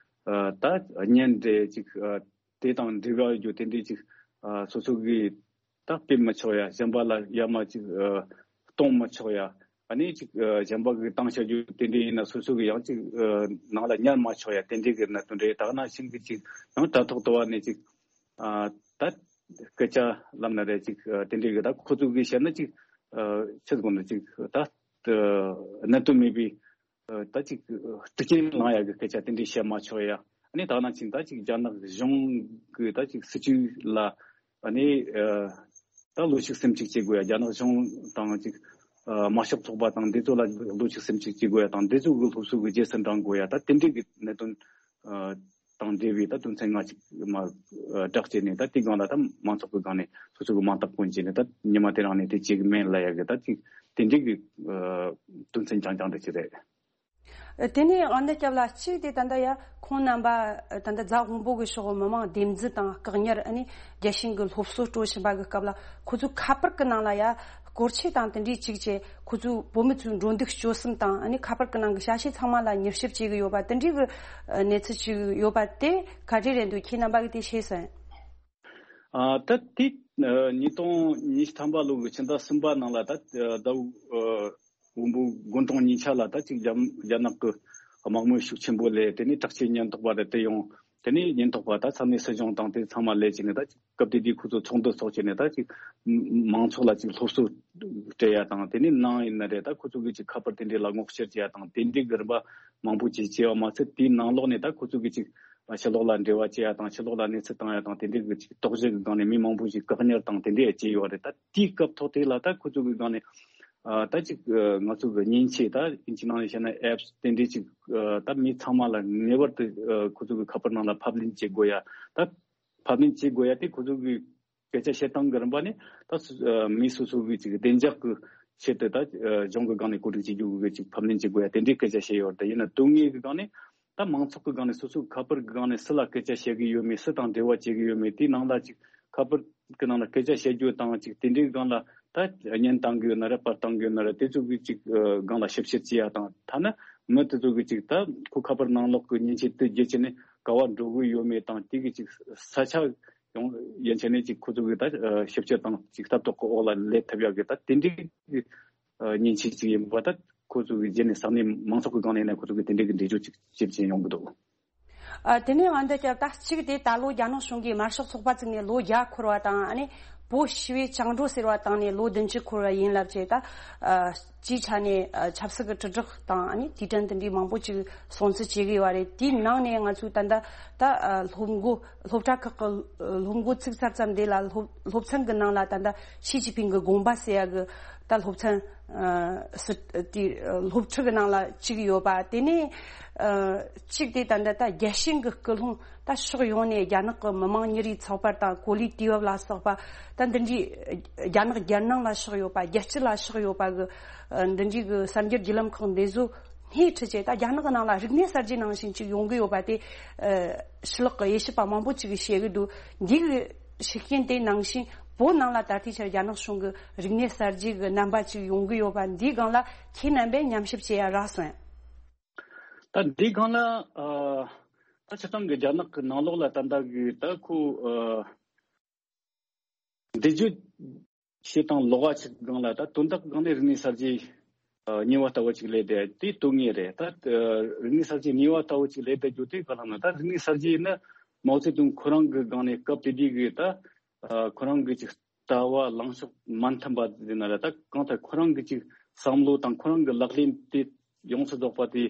ཨ་ད་བརྙན་འདྲས་ཅིག་ཨ་དེ་དང་འབྲེལ་བ་ཡོད་རྒྱུ་དེ་འདྲས་ཅིག་ཨ་སོ་སོ་གི་ད་སྤེལ་མི་ཆོག་ཡ། གཞན་པ་ལ་ཡ་མ་ཅིག་ཨ་གཏོང་མི་ཆོག་ཡ། ཨ་ནི་ཅིག་ཨ་གཞན་པ་གི་བཏང་བཞག་རྒྱུ་དེ་འདྲས་ཡིན་ན་སོ་སོ་གི་ཡང་ཅིག་ཨ་ནང་ལ་ཉར་མ་ཆོག་ཡ། དེ་འདྲས་གི་གནད་དོན་རེད། ད་ག་ནང་བཞིན་གི་ཅིག་ཡང་དྲ་ཐོག་ཏུ་བ་ནས་ཅིག་ཨ་ད་སྐད་ཆ་ལབ་ན་རེད། ཅིག་ཨ་དེ་འདྲས་གི་ད་ཁོ་ཚོ་གི་བཤད་ན་ཅིག་ཨ་ཆི་ཟེར་དགོས་ན། ཅིག་ད་ཨ་གནད་དོན་མེད་པའི་ཨ་ད་ཅིག་ཨ་གྲི་རྐྱེན་ལངས་ཡ་གི་སྐད་ཆ་དེ་འདྲས་བཤད་མ་ཆོག་ཡ། ཨ་ནི་ད་ནང་བཞིན་ད་ཅིག་རྒྱ་ནག་གཞུང་གི་ད་ཅིག་སྲིད་བྱུས་ལ་ཨ་ནི་ཨ་ད་བློ་ཞིབ་སེམས་གཅིག་བྱེད་དགོས་ཡ། རྒྱ་ནག་གཞུང་དང་ཅིག་ཨ་དམར་ཤོག་ཚོགས་པ་དང་དེ་ཚོ་ལ་བློ་ཞིབ་སེམས་གཅིག་བྱེད་དགོས་ཡ་དང་། དེ་ཚོ་གི་སློབ་གསོ་གི་རྗེས་སུ་འབྲང་དགོས་ཡ། ད་དེ་འདྲས་གི་གནད་དོན་ཨ་དང་འབྲེལ་བའི་ད་དོན་ཚན་ལྔ་གཅིག་མར་ཨ་བསྒྲགས་བྱས་ནས། ད་དེའི་སྒང་ལ་ད་མང་ཚོགས་ཀྱི་སྒང་ནས་སོ་སོ་གི་མིང་རྟགས་བཀོད་བྱས་ནས། ད་ཉི་མ་དེ་རང་ནས་དེ་བྱེད་གི་མིན་ལབ་ཡ་གི་ད་ཅིག་དེ་འདྲས་གི་ཨ་དོན་ཚན་རྐྱང་རྐྱང་དེ་ཅིག་རེད། ཨ། དེ་ནས་དབང་ཟླ་སྐྱབས་ལགས། གཅིག་དེ་ད་ལྟ་ཡ་ཁོང་རྣམ་པ་ད་ལྟ་རྫ་དབོན་པོ་གི་ཕྱོགས་མི་མང་སྡེབ་འཛུལ་དང་བཀག་ཉར། ཨ་ནི་རྒྱལ་ཞེན་གི་སློབ་གསོ་སྤྲོད་བཞིན་པ་གི་སྐབས་ལ། ཁོ་ཚོའི་ཁ་པར་གི་ནང་ལ་ཡ་སྐོར་ཆས་དང་དེ་འདྲས་ཅིག་བྱས། ཁོ་ཚོའི་བོད་མི་ཚོའི་འགྲོ་འདུག་སྤྱོད་གསུམ་དང་། ཨ་ནི་ཁ་པར་གི་ནང་གི་ཞ་ཞི་ཚང་མ་ལ་མྱུལ་ཞིབ་བྱེད་གི་ཡོད་པ། དེ་འདྲས་གི་གནས་ཚུལ་ཅིག་ཡོད་པ་དེ་ག་འདྲས་རེད་འདུག། ཁྱེད་རྣམ་པ་གི་དེ་ཤེས་སོང་། ཨ། ད་དེ་ཨ་ཉིས་སྟོང་ཉི་ཤུ་ཐམ་པ་ལོ་གི་ཕྱི་ཟླ་གསུམ་པ་ནང་ལ། ད་ཨ་ཟླ་ཝུ་ཨ་དབོན་པོ་དགོན་གྲོང་གཉིས་ཆ་ལ་ད་ཅིག་རྒྱ་རྒྱ་ནག་གི་དམག་མི་ཤུགས་ཆེན་པོ་སླེབས། དེ་ནས་དྲག་ཆས་ཉེན་རྟོག་པ་རེ་དེ་ཡོང་། དེ་ནས་ཉེན་རྟོག་པ་ད་ས་གནས་སྲིད་གཞུང་དང་དེ་ཚང་མ་སླེབས་བྱས་ནས། ད་ཅིག་སྐབས་དེ་དུས་ཁོ་ཚོ་ཚོགས་འདུ་ཚོགས་བྱས་ནས། ད་ཅིག་མང་ཚོགས་ལ་ཅིག་སློབ་གསོ་སྤྲད་ཡ་དང་། དེ་ནས་ནང་ཡིན་ན་རེད། ད་ཁོ་ཚོ་གི་ཅིག་ཁ་པར་དེ་འདྲས་ལ་ངོ་བཤེར་བྱེད་ཡ་དང་། དེ་འདྲས་གི་རིམ་པ་མང་པོ་ཅིག་བྱས་པ་མ་ཟད། དེའི་ནང་ལོགས་ནས་ད་ཁོ་ཚོ་གི་ཅིག་ཕྱི་ལོགས་ལ་འབྲེལ་བ་བྱེད་ཡ་དང་། ཕྱི་ལོགས་ལ་གནས་ཚུལ་བཏང་ཡ་དང་། དེ་འདྲའི་གི་ཅིག་དོགས་གཞི་གི་སྒང་ནས་མི་མང་པོ་ཞིག་བཀག་ཉར་དང་དེ་འདྲའི་བྱས་ཡོད་རེད། ད་དེའི་སྐབས་ཐོག་དེ་ལ་ད་ཁོ་ཚོ་གི་སྒང་ནས་ཨ་ད་ཅིག་ཨ་ང་ཚོ་གི་མཉེན་ཆས། ད་ཨིན་ཇི་ནང་ནས་བཤད་ན་ཨེབ་སི་དེ་འདྲའི་ཅིག་ཨ་ད་མི་ཚང་མ་ལ་ངེས་པར་དུ་ཨ་ཁོ་ཚོ་གི་ཁ་པར་ནང་ལ་ཕབ་ལེན་བྱེད་དགོས་ཡ། ད་ཕབ་ལེན་བྱེད་དགོས་ཡ་དེ་ཁོ་ཚོ་གི་སྐད་ཆ་བཤད་སྟངས་ཀྱི་རིམ་པ་ནི། ད་སུ་ཨ་མི་སོ་སོ་གི་ཅིག་བདེ་འཇགས་ཀྱི་ཆེད་དུ། ད་ཨ་གཞུང་གི་སྒང་ནས་གོ་སྒྲིག་བྱེད་རྒྱུ་གི་ཅིག་ཕབ་ལེན་བྱེད་དགོས་ཡ་དེ་འདྲའི་སྐད་ཆ་བཤད་ཡོད་རེད། ཡིན་ན་དོན་དངོས་ཀྱི་སྒང་ནས་ད་མང་ཚོགས་ཀྱི་སྒང་ནས་སོ་སོའི་ཁ་པར་གྱི་སྒང་ནས་སུ་ལ་སྐད་ཆ་བཤད་ཀྱི་ཡོད་མེད། སུ་དང་འབྲེལ་བ་བྱེད་ཀྱི་ཡོད་མེད། དེའི་ནང་ལ་ཅིག་ཁ་པར་གྱི་ནང་ལ་སྐད་ཆ་བཤད་རྒྱུ་དང་། ཅིག་དེ་འདྲའི་སྒང་ལ་ད་བརྙན་བཏང་གི་ཡོད་ན་རེད། པར་བཏང་གི་ཡོད་ན་རེད། དེ་ཚོ་གི་ཅིག་ཨ་སྒང་ལ་ཞིབ་བཤེར་བྱེད་ཡ་དང་། ཐ་ན་མི་དེ་ཚོ་གི་ཅིག་ད་ཁོ་ཁ་པར་ནང་ལོགས་ཀྱི་མཉེན་ཆས་དེ་བརྒྱུད་བྱས་ནས་ག་བ་འགྲོ་གི་ཡོད་མེད་དང་། དེ་གི་ཅིག་ས་ཆ་ཡོང་ཡན་ཆད་ནས་ཅིག་ཁོ་ཚོ་གི་ད་ཨ་ཞིབ་བཤེར་དང་ཅིག་ལྟ་རྟོག་གི་འོག་ལ་སླེབས་ཐུབ་ཡག་གི་ད་དེ་འདྲའི་གི་ཨ་མཉེན་ཆས་ཅིག་ཡིན་པ། ད་ཁོ་ཚོ་གི་རྗེས་ནས་ས་གནས་མང་ཚོགས་ཀྱི་སྒང་ནས་ནས་ཁོ་ཚོ་གི་དེ་འདྲའི་གི་འགྲེལ་བརྗོད་ཅིག་ཅིག་བྱེད་ཀྱིན་ཡོང་གི་འདུག། ཨ། དེ་ནས་ཨ་འདི་སྐབས་ད་གཅིག་དེ་ད་ལོ་རྒྱ་ནག་གཞུང་གིས་དམར་ཤོག་ཚོགས་པ་བཙུགས་ནས་ལོ་བརྒྱ་འཁོར་བ་དང་། ཨ་ནི་བོད་ཞི་བའི་བཅིངས་འགྲོལ་ཟེར་བ་བཏང་ནས་ལོ་བདུན་ཅུ་འཁོར་བ་ཡིན་ལབ་བྱས། ད་ཨ་སྤྱིའི་ཆ་ནས་ཨ་ཆབ་སྲིད་ཀྱི་དྲིལ་བསྒྲགས་དང་། ཨ་ནི་དུས་དྲན་དེ་འདྲའི་མང་པོ་ཅིག་སྲུང་བརྩི་བྱེད་ཀྱི་ཡོད་རེད། དེའི་ནང་ནས་ང་ཚོས་ད་ལྟ་ད་ཨ་སློབ་འགོ་སློབ་གྲྭ་ཁག་གི་སློབ་འགོ་ཚུགས་ཚར་ཙམ་དེ་ལ་སློབ་སློབ་ཚན་གྱི་ནང་ལ་ད་ལྟ་ཞི་ཅིན་ཕིང་གི་དགོངས་པ་ཟེར་ཡ་གི་ད་སློབ་ཚན་ཨ་སི་དེ་སློབ་ཁྲིད་ཀྱི་ནང་ལ་བཅུག་ཡོད་པ། དེ་ནས་ཨ་གཅིག་དེ་ད་ལྟ་ད་རྒྱལ་ཞེན་གྱི་སྐུལ་སློང་ད་ཕྱོགས་ཡོངས་ནས་རྒྱ་ནག་གི་མི་མང་ཉིན་རེའི་ཚགས་པར་དང་གོ་ལའི་དུས་བབ་ལ་སོགས་པ། ད་འདི་འདྲའི་རྒྱ་ནག་རྒྱལ་ནང་ལ་ཕྱོགས་ཡོད་པ། རྒྱལ་སྤྱི་ལ་ཕྱོགས་ཡོད་པ་གི་ཨ་འདི་འདྲའི་གི་གསར་འགྱུར་བརྒྱུད་ལམ་ཁག་འདི་ཚོ་ སྣེ་ཁྲིད་བྱས་ད་རྒྱ་ནག་གི་ནང་ལ་རིག་གནས་གསར་བརྗེ་ནང་བཞིན་ཅིག་ཡོང་གི་ཡོད་པ་དེ། ཨ། ཕྱི་ལོགས་ཀྱི་དབྱེ་ཞིབ་པ་མང་པོ་ཅིག་གིས་བཤད་གི་འདུག་འདི་གི་ཤུགས་རྐྱེན་དེ་ནང་བཞིན་བོད་ནང་ལ་ད་ལྟའི་ཆར་རྒྱ་ནག་གཞུང་གི་རིག་གནས་གསར་བརྗེ་གི་རྣམ་པ་ཅིག་ཡོང་གི་ཡོད་པ་འདིའི་སྒང་ལ་ཁྱེད་རྣམ་པས་ཉམས་ཞིབ་བྱེད་ཡ་རག་སོང་ཡ། ད་འདིའི་སྒང་ལ་ཨ། ད་སྤྱིར་བཏང་གི་རྒྱ་ནག་གི་ནང་ལོགས་ལ་ད་ལྟ་གི་ད་ཁོ་ཨ། འདི་བརྗོད་བྱེད་སྟངས་ལོགས་ཀ་ཅིག་སྒང་ལ་ད་དོན་དག་སྒང་ནས་རིག་གནས་གསར་བརྗེ་ཨ། ཉེས་པ་ལྟ་བུ་ཅིག་ལས་དེ་དེ་དོན་ངེས་རེད། ད་ཨ། རིག་གནས་གསར་བརྗེ་ཉེས་པ་ལྟ་བུ་ཅིག་ལས་དེ་རྒྱུ་དེ་ག་ལ་ན་ད་རིག་གནས་གསར་བརྗེ་ནི་མའོ་ཙེ་ཏུང་ཁོ་རང་གི་སྒང་ནས་སྐབས་དེ་དུས་གི་ད་ཨ། ཁོ་རང་གི་ཅིག་ལྟ་བ་ལངས་ཕྱོགས་མ་མཐུན་པ་དེ་ན་ར་ད་གང་ལྟར་ཁོ་རང་གི་ཅིག་བསམ་བློ་དང་ཁོ་རང་གི་ལག་ལེན་དེ་ཡོངས་སུ་རྫོགས་པ་དེ་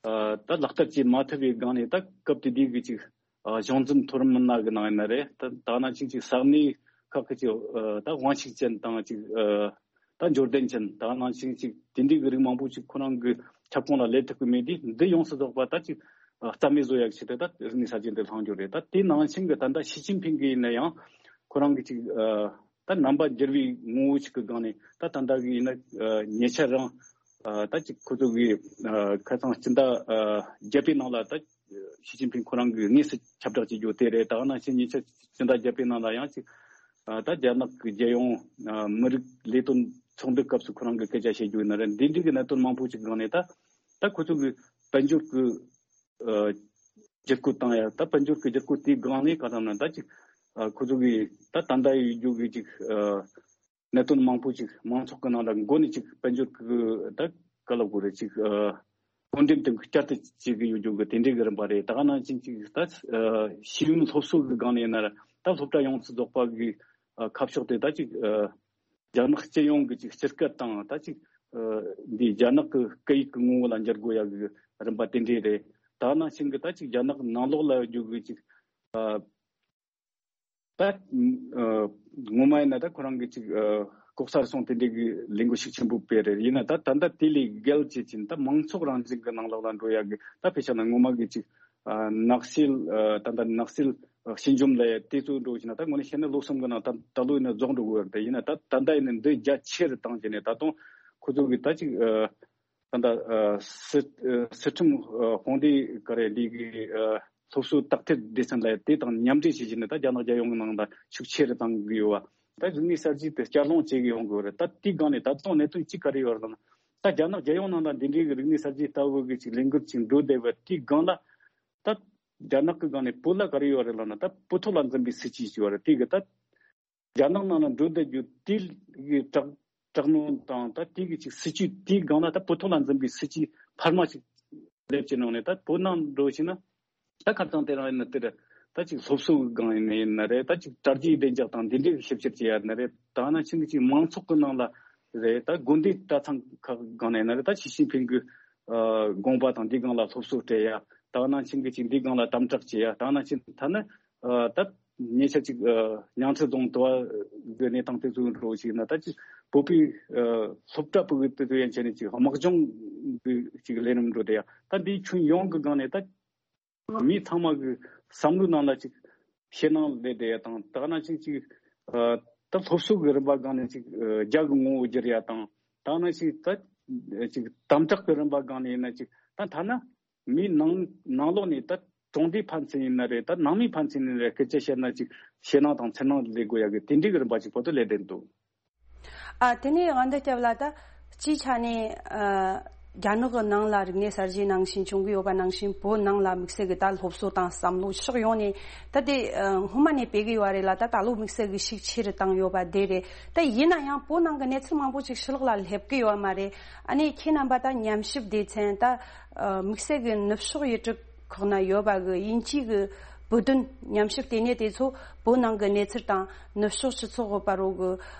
ཨ། ད་ལག་བསྟར་བྱེད་མ་ཐུབ་པའི་སྒང་ནས་ད་སྐབས་དེ་དུས་ཀྱི་ཅིག་ཨ། གཞུང་འཛིན་མཐོ་རིམ་མི་སྣ་གི་ནང་ཡིན་ན་རེད། ད་ད་ནང་བཞིན་ཅིག་ས་གནས་ཁག་གི་ཅིག་ཨ། ད་དབང་ཤུགས་ཅན་དང་ཅིག་ཨ། ད་འབྱོར་ལྡན་ཅན་ད་ནང་བཞིན་ཅིག་དེ་འདྲའི་གི་རིགས་མང་པོ་ཅིག་ཁོ་རང་གི་ཁྱབ་ཁོངས་ལ་སླེབས་ཐུབ་ཀྱི་མེད་དུས་འདི་ཡོངས་སུ་རྫོགས་པ་ད་ཅིག་ཨ། རྩ་མེད་བཟོ་ཡག་ཆེད་དུ་ད་རིག་གནས་གསར་བརྗེ་འདི་བསླངས་རྒྱུ་རེད། ད་དེ་ནང་བཞིན་གི་ད་ལྟ་ཞི་ཅིན་ཕིང་གི་ཡིན་ན་ཡང་ཁོ་རང་གི་ཅིག་ཨ། ད་རྣམ་པ་འགྱུར་བའི་ངོ་བོ་ཅིག་གི་སྒང་ནས་ད་ད་ལྟ་གི་ཡིན་ན་ཨ། ཉེ་ཆར་རང་ཨ། ད་ཅིག་ཁོ་ཚོ་གི་ཨ། ཁ་སང་སྤྱི་ཟླ་ཨ། བརྒྱད་པའི་ནང་ལ་ད་ཞི་ཅིན་ཕིང་ཁོ་རང་གི་དངོས་སུ་ཁྱབ་བསྒྲགས་བྱེད་རྒྱུ་དེ་རེད། ད་ག་ནང་བཞིན་ཉེ་ཆར་སྤྱི་ཟླ་བརྒྱད་པའི་ནང་ལ་ཡང་ཅིག་ཨ། ད་རྒྱ་ནག་གི་རྒྱལ་ཡོངས་ཨ། མི་རིགས་ལས་དོན་ཚོགས་འདུ་སྐབས་སུ་ཁོ་རང་གི་སྐད་ཆ་བཤད་རྒྱུ་ཡིན་ན་རེད། འདི་འདྲའི་གི་གནད་དོན་མང་པོ་ཅིག་སྒང་ནས་ད་ད་ཁོ་ཚོ་གི་དཔལ་འབྱོར་གི་ཨ། བསྒྱུར་བཀོད་བཏང་ཡ། ད་དཔལ་འབྱོར་གྱི་བསྒྱུར་བཀོད་དེའི་སྒང་ནས་ག་རེ་ལབ་ན་ད་ཅིག་ཨ། ཁོ་ཚོ་གིས་ད་ད་ལྟ་ཡོད་རྒྱུ་གི་ཅིག་ཨ། གནད་དོན་མང་པོ་ཅིག་མང་ཚོགས་ཀྱི་ནང་ལ་མགོ་ནས་ཅིག་དཔལ་འབྱོར་གྱི་ད་ག་ལབ་དགོས་རེད། ཅིག་ཨ། བགོ་འགྲེམས་དེ་བསྐྱར་དུ་བྱེད་ཀྱི་ཡོད་རྒྱུ་གི་དེ་འདྲའི་གི་རིམ་པ་རེད། ད་ག་ནང་བཞིན་ཅིག་ད་ཨ། ཤེས་ཡོན་སློབ་གསོ་གི་སྒང་ནས་ཡིན་ན་ད་སློབ་གྲྭ་ཡོངས་སུ་རྫོགས་པ་གི་ཨ། ཁ་ཕྱོགས་དེ་ད་ཅིག་ཨ། རྒྱ་ནག་སྤྱི་ཡོངས་ཀྱི་ཅིག་སྤྱི་སྐད་དང་ད་ཅིག་ཨ། འདི་རྒྱ་ནག་གི་སྐད་ཡིག་གི་ངོ་བོ་ལ་འགྱུར་དགོས་ཡ་གི་རིམ་པ་དེ་འདྲས་རེད། ད་ནང་བཞིན་གི་ད་ཅིག་རྒྱ་ནག་ནང་ལོགས་ལ་ཡོད་རྒྱུ་གི་ཅིག་ཨ། ད་ཨ། ངོ་མ་ཡིན་ན་ད་ཁོ་རང་གི་ཅིག་ཨ། ལྐོག་ཟ་རུལ་སུངས་དེ་འདྲས་གི་ལས་འགུལ་ཤུགས་ཆེན་པོ་སྤེལ་རེད། ཡིན་ན་ད་ད་ལྟ་དེ་ལས་བརྒལ་བྱེད་ཅིང་ད་མང་ཚོགས་རང་བཞིན་གི་ནང་ལོགས་ལ་འགྲོ་ཡ་གི་ད་དཔེ་བཞག་ན་ངོ་མ་གི་ཅིག་ཨ། ནག་སེལ་ཨ། ད་ལྟ་ནག་སེལ་ཨ། ཞི་འཇམ་ལ་ཡ་དེ་ཚོ་འགྲོ་བཞིན་ན་ད་དངོས་གནས་བཤད་ན་ལོ་གསུམ་གི་ནང་ད་ད་ལོ་ཡིན་ན་རྫོགས་འགྲོ་གི་ཡོད་རེད། ཡིན་ན་ད་ད་ལྟ་ཡིན་ན་འདི་རྒྱ་ཆེ་རུ་བཏང་བྱས་ནས་ད་དུང་ཁོ་ཚོ་གི་ད་ཅིག་ཨ། ད་ལྟ་ཨ། སི་ཨ། སི་ཁྲོན་ཨ། དཔུང་སྡེ་ག་རེ་འདི་གི་ཨ། སློབ་གསོ་དག་ཐེར་སྡེ་ཚན་ལ་ཡ་དེ་དང་མཉམ་འབྲེལ་བྱེད་བཞིན་ན་ད་རྒྱ་ནག་རྒྱལ་ཡོངས་ཀྱི་ནང་ད་ཤུགས་ཆེ་རུ་བཏང་གི་ཡོད་བ། ད་རིག་གནས་གསར་བརྗེ་དེ་བསྐྱར་སློང་བྱེད་གི་ཡོང་གི་ཡོད་རེད། ད་དེའི་སྒང་ནས་ད་དུང་གནད་དོན་གཅིག་ག་རེ་ཡོད་རེད་ལབ་ན། ད་རྒྱ་ནག་རྒྱལ་ཡོངས་ནང་ལ་འདི་འདྲའི་གི་རིག་གནས་གསར་བརྗེ་ལྟ་བུ་གི་ཅིག་ལས་འགུལ་ཅིག་འགྲོ་བསྡད་པ་དེའི་སྒང་ལ། ད་རྒྱ་ནག་གི་སྒང་ནས་བོད་ལ་ག་རེ་ཡོད་རེད་ལབ་ན། ད་བོད་ཐོག་ལ་འཛིན་པའི་སྲིད་ཇུས་ཅིག་ཡོད་རེད། དེ་གི་ད་རྒྱ་ནག་ནང་ལ་འགྲོ་བསྡད་རྒྱུ་དེ་གི་དྲག་དྲག་གནོན་དང་ད་དེ་གི་ཅིག་སྲིད་ཇུས་དེའི་སྒང་ལ་ད་བོད་ཐོག་ལ་འཛིན་པའི་སྲིད་ཇུས་འཕར་མ་ཅིག་སླེབས་ཀྱི་ནང་ནས་ད་བོད་ནང་འགྲོ་ཕྱིན་ན། ད་ཁ་སང་དེ་རིང་ཡིན་ན་དེར་ད་ཅིག་སློབ་གསོ་གི་སྒང་ཡིན་ན་ཡིན་ན་རེད། ད་ཅིག་དྲ་རྒྱའི་བདེ་འཇགས་དང་འདི་འདྲའི་ཞིབ་བཤེར་བྱེད་ཡ་ཡིན་ན་རེད། ད་ནང་བཞིན་གྱི་ཅིག་མང་ཚོགས་ཀྱི་ནང་ལ་རེད། ད་དགོན་སྡེ་གྲྭ་ཚང་ཁག་སྒང་ནས་ཡིན་ན་རེད། ད་ཞི་ཅིན་ཕིང་གི་ཨ། དགོངས་པ་དང་འདི་སྒང་ལ་སློབ་གསོ་སྤྲད་ཡ། ད་ནང་བཞིན་གྱི་ཅིག་འདི་སྒང་ལ་དམ་དྲག་བྱེད་ཡ། ད་ནང་བཞིན་ད་ནི་ཨ། ད་ཉེ་ཆར་ཅིག་ཨ། ཉང་ཚེ་རྫོང་དུ་བ་གི་གནས་སྟངས་དེ་ཚོ་འགྲོ་ཞིག་ན་ད་ཅིག་བོད་པའི་ཨ། སློབ་གྲྭ་ཕྲུ་གུ་དེ་ཚོ་ཡན་ཆད་ནས་ཅིག་དམག་སྦྱོང་གི་ཅིག་ལས་རིམ་འགྲོ་དེ་ཡ། ད་འདིའི་ཁྱོན་ཡོངས་ཀྱི་སྒང་ནས་ད་མི་ཚང་མ་གི་བསམ་བློའི་ནང་ལ་ཅིག་ཞེད་སྣང་སླེབས་བསྡད་ཡ་དང་། ད་ག་ནང་བཞིན་ཅིག་ཨ། ད་སློབ་གསོ་གི་རིམ་པ་སྒང་ནས་ཅིག་ཨ། རྒྱ་གི་ངོ་བོ་བསྒྱུར་ཡ་དང་། ད་ག་ནང་བཞིན་ད་ཅིག་དམ་དྲག་གི་རིམ་པ་སྒང་ནས་ཡིན་ན་ཅིག་ད་ཐ་ན་མིའི་ནང་ནང་ལོགས་ནས་ད་གྲོང་སྡེ་ཕན་ཚུན་ཡིན་ན་རེད། ད་ནང་མི་ཕན་ཚུན་ཡིན་ན་རེད། སྐད་ཆ་བཤད་ན་ཅིག་ཞེད་སྣང་དང་འཚེར་སྣང་སླེབས་དགོས་ཡ་གི་དེ་འདྲའི་གི་རིམ་པ་ཅིག་བོད་དུ་སླེབས་བསྡད་འདུག་ཨ། དེ་ནས་དབང་འདུས་སྐྱབས་ལགས། ད་སྤྱིའི་ཆ་ནས་ཨ། རྒྱ་ནག་གི་ནང་ལ་རིག་གནས་གསར་བརྗེ་ནང་བཞིན་བྱུང་གི་ཡོད་པ་ནང་བཞིན་བོད་ནང་ལ་དམིགས་བསལ་གྱི་ད་སློབ་གསོ་དང་བསམ་བློ་ཕྱོགས་ཡོངས་ནས་ད་དེ་ཨ། སྔོན་མ་ནས་སྤེལ་གི་ཡོད་རེད་ལ། ད་ད་ལོ་དམིགས་བསལ་གྱི་ཤུགས་ཆེ་རུ་བཏང་ཡོད་པ་དེ་རེད། ད་ཡིན་ན་ཡང་བོད་ནང་གི་གནས་ཚུལ་མང་པོ་ཅིག་ཕྱི་ལོགས་ལ་སླེབས་གི་ཡོད་མ་རེད། ཨ་ནི་ཁྱེད་རྣམ་པ་ད་ཉམས་ཞིབ་སྡེ་ཚན་ད་ཨ། དམིགས་བསལ་གྱི་ནུབ་ཕྱོགས་ཡུལ་གྲུ་ཁག་ན་ཡོད་པ་གི་དབྱིན་ཇིའི་གི་བོད་དོན་ཉམས་ཞིབ་ལྟེ་གནས་དེ་ཚོ་བོད་ནང་གི་གནས་ཚུལ་དང་ནུབ་ཕྱོགས་སྤྱི་ཚོགས་ཀྱི་བར་རུ་གི་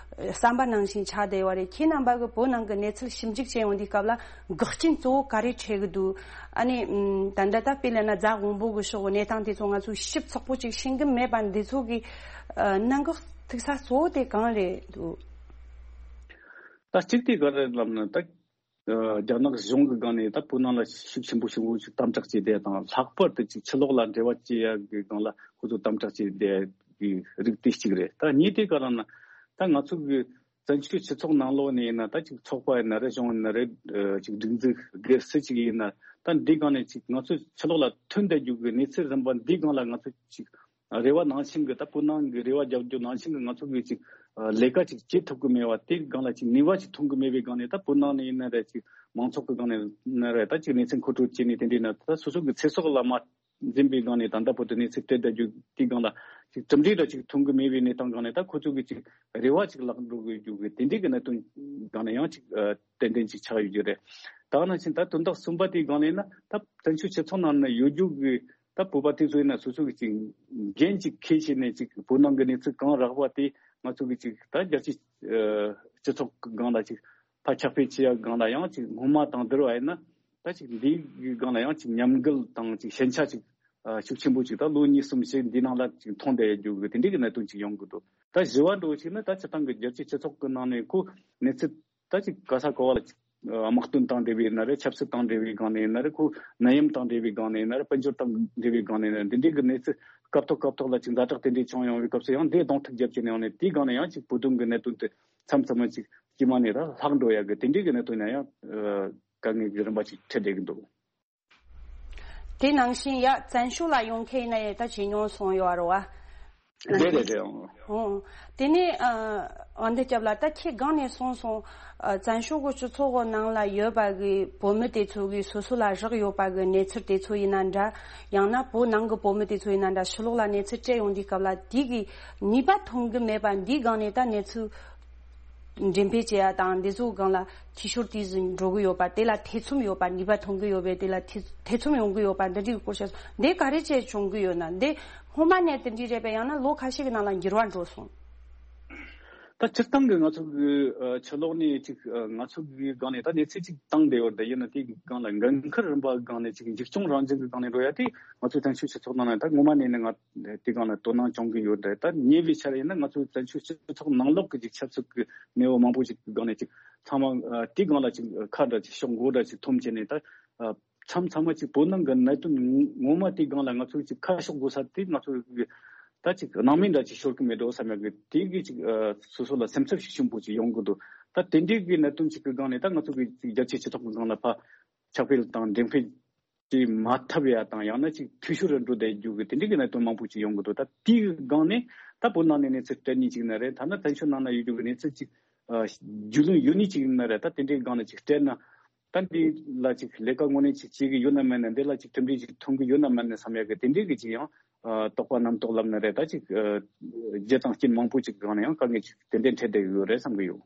བསམ་པ་ནང་བཞིན་ཆགས་བསྡད་ཡོད་རེད། ཁྱེད་རྣམ་པ་གི་བོད་ནང་གི་གནས་ཚུལ་ཞིབ་འཇུག་བྱེད་ཡོང་དུས་སྐབས་ལ་འགག་རྐྱེན་གཙོ་བོ་ག་རེ་འཕྲད་ཀྱི་འདུག་ཨ་ནི་ད་ལྟ་ད་དཔེ་ལབ་ན་རྫ་དབོན་པོ་གི་ཕྱོགས་གི་གནས་སྟངས་དེ་ཚོ་ང་ཚོས་ཞིབ་ཚགས་པོ་ཅིག་ཤེས་ཀྱི་མེད་པ་འདི་ཚོ་གི་གནད་འགག་ཐུག་ས་གཙོ་བོ་དེ་གང་རེད་འདུག་ད་གཅིག་དེ་ག་རེ་ལབ་ན་ད། ཨ། རྒྱ་ནག་གཞུང་གི་སྒང་ནས་ད་བོད་ནང་ལ་ཤུགས་ཆེན་པོ་ཞེ་པོ་ཅིག་དམ་དྲག་བྱས་ཏེ་དང་། ལྷག་པར་དུ་ཅིག་ཕྱི་ལོགས་ལ་འབྲེལ་བ་བྱེད་ཡ་གི་སྒང་ལ་ཁོ་ཚོ་དམ་དྲག་བྱས་ཏེ་གི་རིགས་དེ་གཅིག་རེད། ད་གཉིས་དེ་ག་རེ་ན་ད་ང་ཚོ་གི་ བཙན་བྱོལ་སྤྱི་ཚོགས་ནང་ལོགས་ནས་ཡིན་ན། ད་ཅིག་ཚོགས་པ་ཡིན་ན་རེད། གཞུང་ཡིན་ན་རེད། ཅིག་སྒྲིག་འཛུགས་སྒེར་སུ་ཅིག་ཡིན་ན། ད་འདི་སྒང་ནས་ཅིག་ང་ཚོ་ཕྱི་ལོགས་ལ་ཐོན་བསྡད་རྒྱུ་གི་གནས་ཚུལ་རིམ་པ་འདི་སྒང་ལ་ང་ཚོ་ཅིག་རེ་བ་ནང་བཞིན་གི། ད་བོད་ནང་གི་རེ་བ་རྒྱབ་རྒྱུ་ནང་བཞིན་གི་ང་ཚོ་གི་ཅིག་ལས་ཀ་ཅིག་བྱེད་ཐུབ་གི་མེད་པ། དེ་སྒང་ལ་ཅིག་ནུས་པ་ཅིག་ཐོན་གི་མེད་པའི་སྒང་ནས། ད་བོད་ནང་ནས་ཡིན་ན་རེད། ཅིག་མང་ཚོགས་གི་སྒང་ནས་ཡིན་ན་རེད། ད་ཅིག་གནས་ཚུལ་མཁོ་སྤྲོད་བྱས་ནས། དེ་འདྲའི་ན་ད་སོ་སོ་གི་ཚེ་སྲོག་ལ་མ་འཛེམ་པའི་སྒང་ནས་ད་ལྟ་བར་དུ་གནས་ཚུལ་སྤྲད་བསྡད་རྒྱུ་དེའི་སྒང་ལ་ཅིག་གྲུབ་འབྲས་འདྲ་ཅིག་ཐོན་གི་མེད་པའི་གནས་སྟངས་སྒང་ནས། ད་ཁོ་ཚོ་གི་ཅིག་རེ་བ་ཅིག་བརླག་འགྲོ་གི་ཡོད་རྒྱུ་གི་དེ་འདྲའི་གི་གནད་དོན་སྒང་ནས་ཡང་ཅིག་ཨ་ཏན་ཏན་ཅིག་ཆགས་ཡོད་རྒྱུ་རེད། ད་ག་ནང་བཞིན་ད་དོན་དག་གསུམ་པ་དེའི་སྒང་ནས་ན། ད་བཙན་བྱོལ་སྤྱི་ཚོགས་ནང་ན་ཡོད་རྒྱུ་གི་ད་བོད་པ་དེ་ཚོ་ཡིན་ན་སོ་སོ་གི་ཅིག་འགན་ཅིག་འཁྱེར་བྱས་ནས། ཅིག་བོད་ནང་གི་གནས་ཚུལ་གང་རག་པ་དེ་ང་ཚོ་གི་ཅིག་ད་རྒྱལ་སྤྱིའི་ཨ་སྤྱི་ཚོགས་གི་སྒང་ལ་ཅིག་ཕར་ཁྱབ་སྤེལ་བྱེད་ཡ་སྒང་ལ་ཡང་ཅིག་སྔོན་མ་དང་བསྡུར་བ་ཡིན་ན། ད་ཅིག་འདིའི་སྒང་ལ་ཡང་ཅིག་མཉམ་འགུལ་དང་ཅིག་ཞན་ཆ་ཅིག་ཨ་ཤུགས་ཆེན་པོ་ཅིག་ད་ལོ་གཉིས་གསུམ་ཞིག་འདི་ནང་ལ་ཅིག་མཐོང་བསྡད་ཡོད་རྒྱུ་གི་དེ་འདྲའི་གི་གནད་དོན་ཅིག་ཡོང་གི་འདུག་ད་བཞི་བ་འདྲ་བོ་ཅིག་ནི། ད་སྤྱིར་བཏང་གི་རྒྱལ་སྤྱིའི་སྤྱི་ཚོགས་ཀྱི་ནང་ནས་ཁོ་གནས་ཚུལ་ད་ཅིག་ག་ས་ག་བ་ལ་ཅིག་ཨ་དམག་དོན་དང་འབྲེལ་བའི་ཡིན་ན་རེད། ཆབ་སྲིད་དང་འབྲེལ་བའི་སྒང་ནས་ཡིན་ན་རེད། ཁོ་ནད་ཡམས་དང་འབྲེལ་བའི་སྒང་ནས་ཡིན་ན་རེད། དཔལ་འབྱོར་དང་འབྲེལ་བའི་སྒང་ནས་ཡིན་ན་རེད། འདི་འདྲའི་གི་གནས་ཚུལ་སྐབས་ཐོག་སྐབས་ཐོག་ལ་ཅིག་ཛ་དྲག་དེ་འདྲའི་བྱུང་ཡོང་བའི་སྐབས་སུ་ཡང་འདི་གདོང་ཐུག་རྒྱབ་བྱས་ནས་ཡོང་ནས། དེའི་སྒང་ནས་ཡང་ཅིག་བོད་དོན་གི་གནད་དོན་དེ་མཚམས་མཚམས་མ་ཅིག་དཀྱུས་མ་ནས་ད་ལྷག་འགྲོ་ཡ་གི་དེ་འདྲའི་གི་གནད་དོན་ཡང་ཡང་ཨ་དཀའ་ངལ་གི་རིམ་པ་ཅིག་འཕྲད་བསྡད་གི་འདུག་དེ་ནང་བཞིན་ཡ་བཙན་བྱོལ་ལ་ཡོང་མཁན་ཡིན་ན་ཡང་ད་ཇེ་ཉུང་སོང་ཡོད་རེད་བ། རེད་རེད་རེད། ཨང་། ཨོ། དེ་ནས་ཨ་དབང་འདུས་སྐྱབས་ལགས། ད་ཁྱེད་སྒང་ནས་གསུངས་སོང་། ཨ་བཙན་བྱོལ་གྱི་སྤྱི་ཚོགས་ནང་ལ་ཡོད་པ་གི་བོད་མི་དེ་ཚོ་གི་སོ་སོ་ལ་རག་ཡོད་པ་གི་གནས་ཚུལ་དེ་ཚོ་ཡིན་ན་འདྲ། ཡང་ན་བོད་ནང་གི་བོད་མི་དེ་ཚོ་ཡིན་ན་འདྲ། ཕྱི་ལོགས་ལ་གནས་ཚུལ་སྤྲད་ཡོང་དུས་སྐབས་ལ་དེ་གི་ནུས་པ་ཐོན་གི་མེད་པ། འདིའི་སྒང་ནས་ད་གནས་ཚུལ་འགྲེམས་སྤེལ་བྱེད་ཡ་དང་འདི་ཚོའི་སྒང་ལ་འཐུས་ཤོར་དེ་ཚོ་འགྲོ་གི་ཡོད་པ། དེ་ལ་ཐེ་ཚོམ་ཡོད་པ། ནུས་པ་ཐོན་གི་ཡོད་པས་དེ་ལ་ཐེ་ཐེ་ཚོམ་ཡོང་གི་ཡོད་པ། འདི་འདྲའི་སྐོར་བཤད་སོང་། འདི་ག་རེ་བྱས་བྱུང་གི་ཡོད་ན། འདི་སྔོན་མ་ནས་དེ་འདྲའི་རེད་པས། ཡང་ན་ལོ་ཁ་ཤས་ཀྱི་ནང་ལ་འགྱུར་བ་འགྲོ་སོང་། ད་སྤྱིར་བཏང་གི་ང་ཚོ་གི་ཨ་ཕྱི་ལོགས་ནས་ཅིག་ཨ་ང་ཚོ་གི་སྒང་ནས་ད་གནས་ཚུལ་ཅིག་བཏང་བསྡད་ཡོད་རེད། ཡིན་ན་དེའི་སྒང་ལ་འགན་འཁུར་རིམ་པ་སྒང་ནས་ཅིག་འཇིགས་སྐྱོང་རང་བཞིན་གི་སྒང་ནས་འགྲོ་ཡ་དེ་ང་ཚོའི་བཙན་བྱོལ་སྤྱི་ཚོགས་ནང་ན་ད་སྔོན་མ་ནས་ནི་ང་དེ་སྒང་ལ་དོ་སྣང་བྱུང་གི་ཡོད་རེད། ད་ཉེ་བའི་ཆར་ཡིན་ན་ང་ཚོའི་བཙན་བྱོལ་སྤྱི་ཚོགས་ནང་ལོགས་ཀྱི་ཅིག་ཆབ་སྲིད་ཀྱི་གནས་བབ་མང་པོ་ཅིག་གི་སྒང་ནས་ཅིག་ཚང་མ་ཨ་དེའི་སྒང་ལ་ཅིག་ཁ་འདྲ་ཅིག་ཕྱོགས་མགོ་འདྲ་ཅིག་འཐོམ་བྱས་ནས། ད་ཨ་མཚམས་མཚམས་མ་ཅིག་བོད་ནང་གི་གནད་དོན་ངོ་མ་དེའི་སྒང་ལ་ང་ཚོ་ཅིག་ཁ་ཕྱོགས་དགོས་ས་དེ་ང་ཚོ་གི་ད་ཅིག་སྣང་མེད་འདྲ་ཅིག་ཤོར་གི་མེད་འགྲོ་བསམ་ཡག་གི་དེ་གི་ཅིག་ཨ་སོ་སོ་ལ་སེམས་འཚབ་ཤུགས་ཆེན་པོ་ཅིག་ཡོང་གི་འདུག་ད་དེ་འདྲའི་གི་གནད་དོན་ཅིག་གི་སྒང་ནས་ད་ང་ཚོ་གི་ཅིག་རྒྱལ་སྤྱིའི་སྤྱི་ཚོགས་ཀྱི་སྒང་ལ་ཕར་ཁྱབ་སྤེལ་དང་འགྲེམས་སྤེལ་བྱེད་མ་ཐུབ་ཡ་དང་། ཡང་ན་ཅིག་འཐུས་ཤོར་རུ་འགྲོ་བསྡད་རྒྱུ་གི་དེ་འདྲའི་གི་གནད་དོན་མང་པོ་ཅིག་ཡོང་གི་འདུག་ད་དེའི་སྒང་ནས་ད་བོད་ནང་ནས་གནས་ཚུལ་སྤྲད་ནི་ཅིག་ཡིན་ན་རེད། ཐ་ན་བཙན་བྱོལ་ནང་ན་ཡོད་རྒྱུ་གི་གནས་ཚུལ་ཅིག་ཨ་རྒྱུས་ལོན་ཡོད་ནི་ཅིག་ཡིན་ན་རེད། ད་དེ་འདྲའི་སྒང་ནས་ཅིག་སྤྲད་ན། ད་འདི་ལ་ཅིག་ལས་ཀ་དངོས་གནས་ཅིག་བྱེད་ཀྱི་ཡོད་ན་མེད་ན། འདི་ལ་ཅིག་གྲུབ་འབྲས་ཅིག་ཐོན་གྱི་ཡོད་ན་མེད་ན་བསམ་ཡག་གི་དེ་འདྲའི་གི་ཅིག་ཡང་ཨ་དོགས་པ་རྣམ་རྟོག་ལབ་ན་རེད། ད་ཅིག་ཨ་རྒྱུ་དང་རྐྱེན་མང་པོ་ཅིག་སྒང་ནས་ཡང་དཀའ་ངལ་ཅིག་ཏན་ཏན་འཕྲད་བསྡད་ཡོད་རེད་བསམ་གི་ཡོད།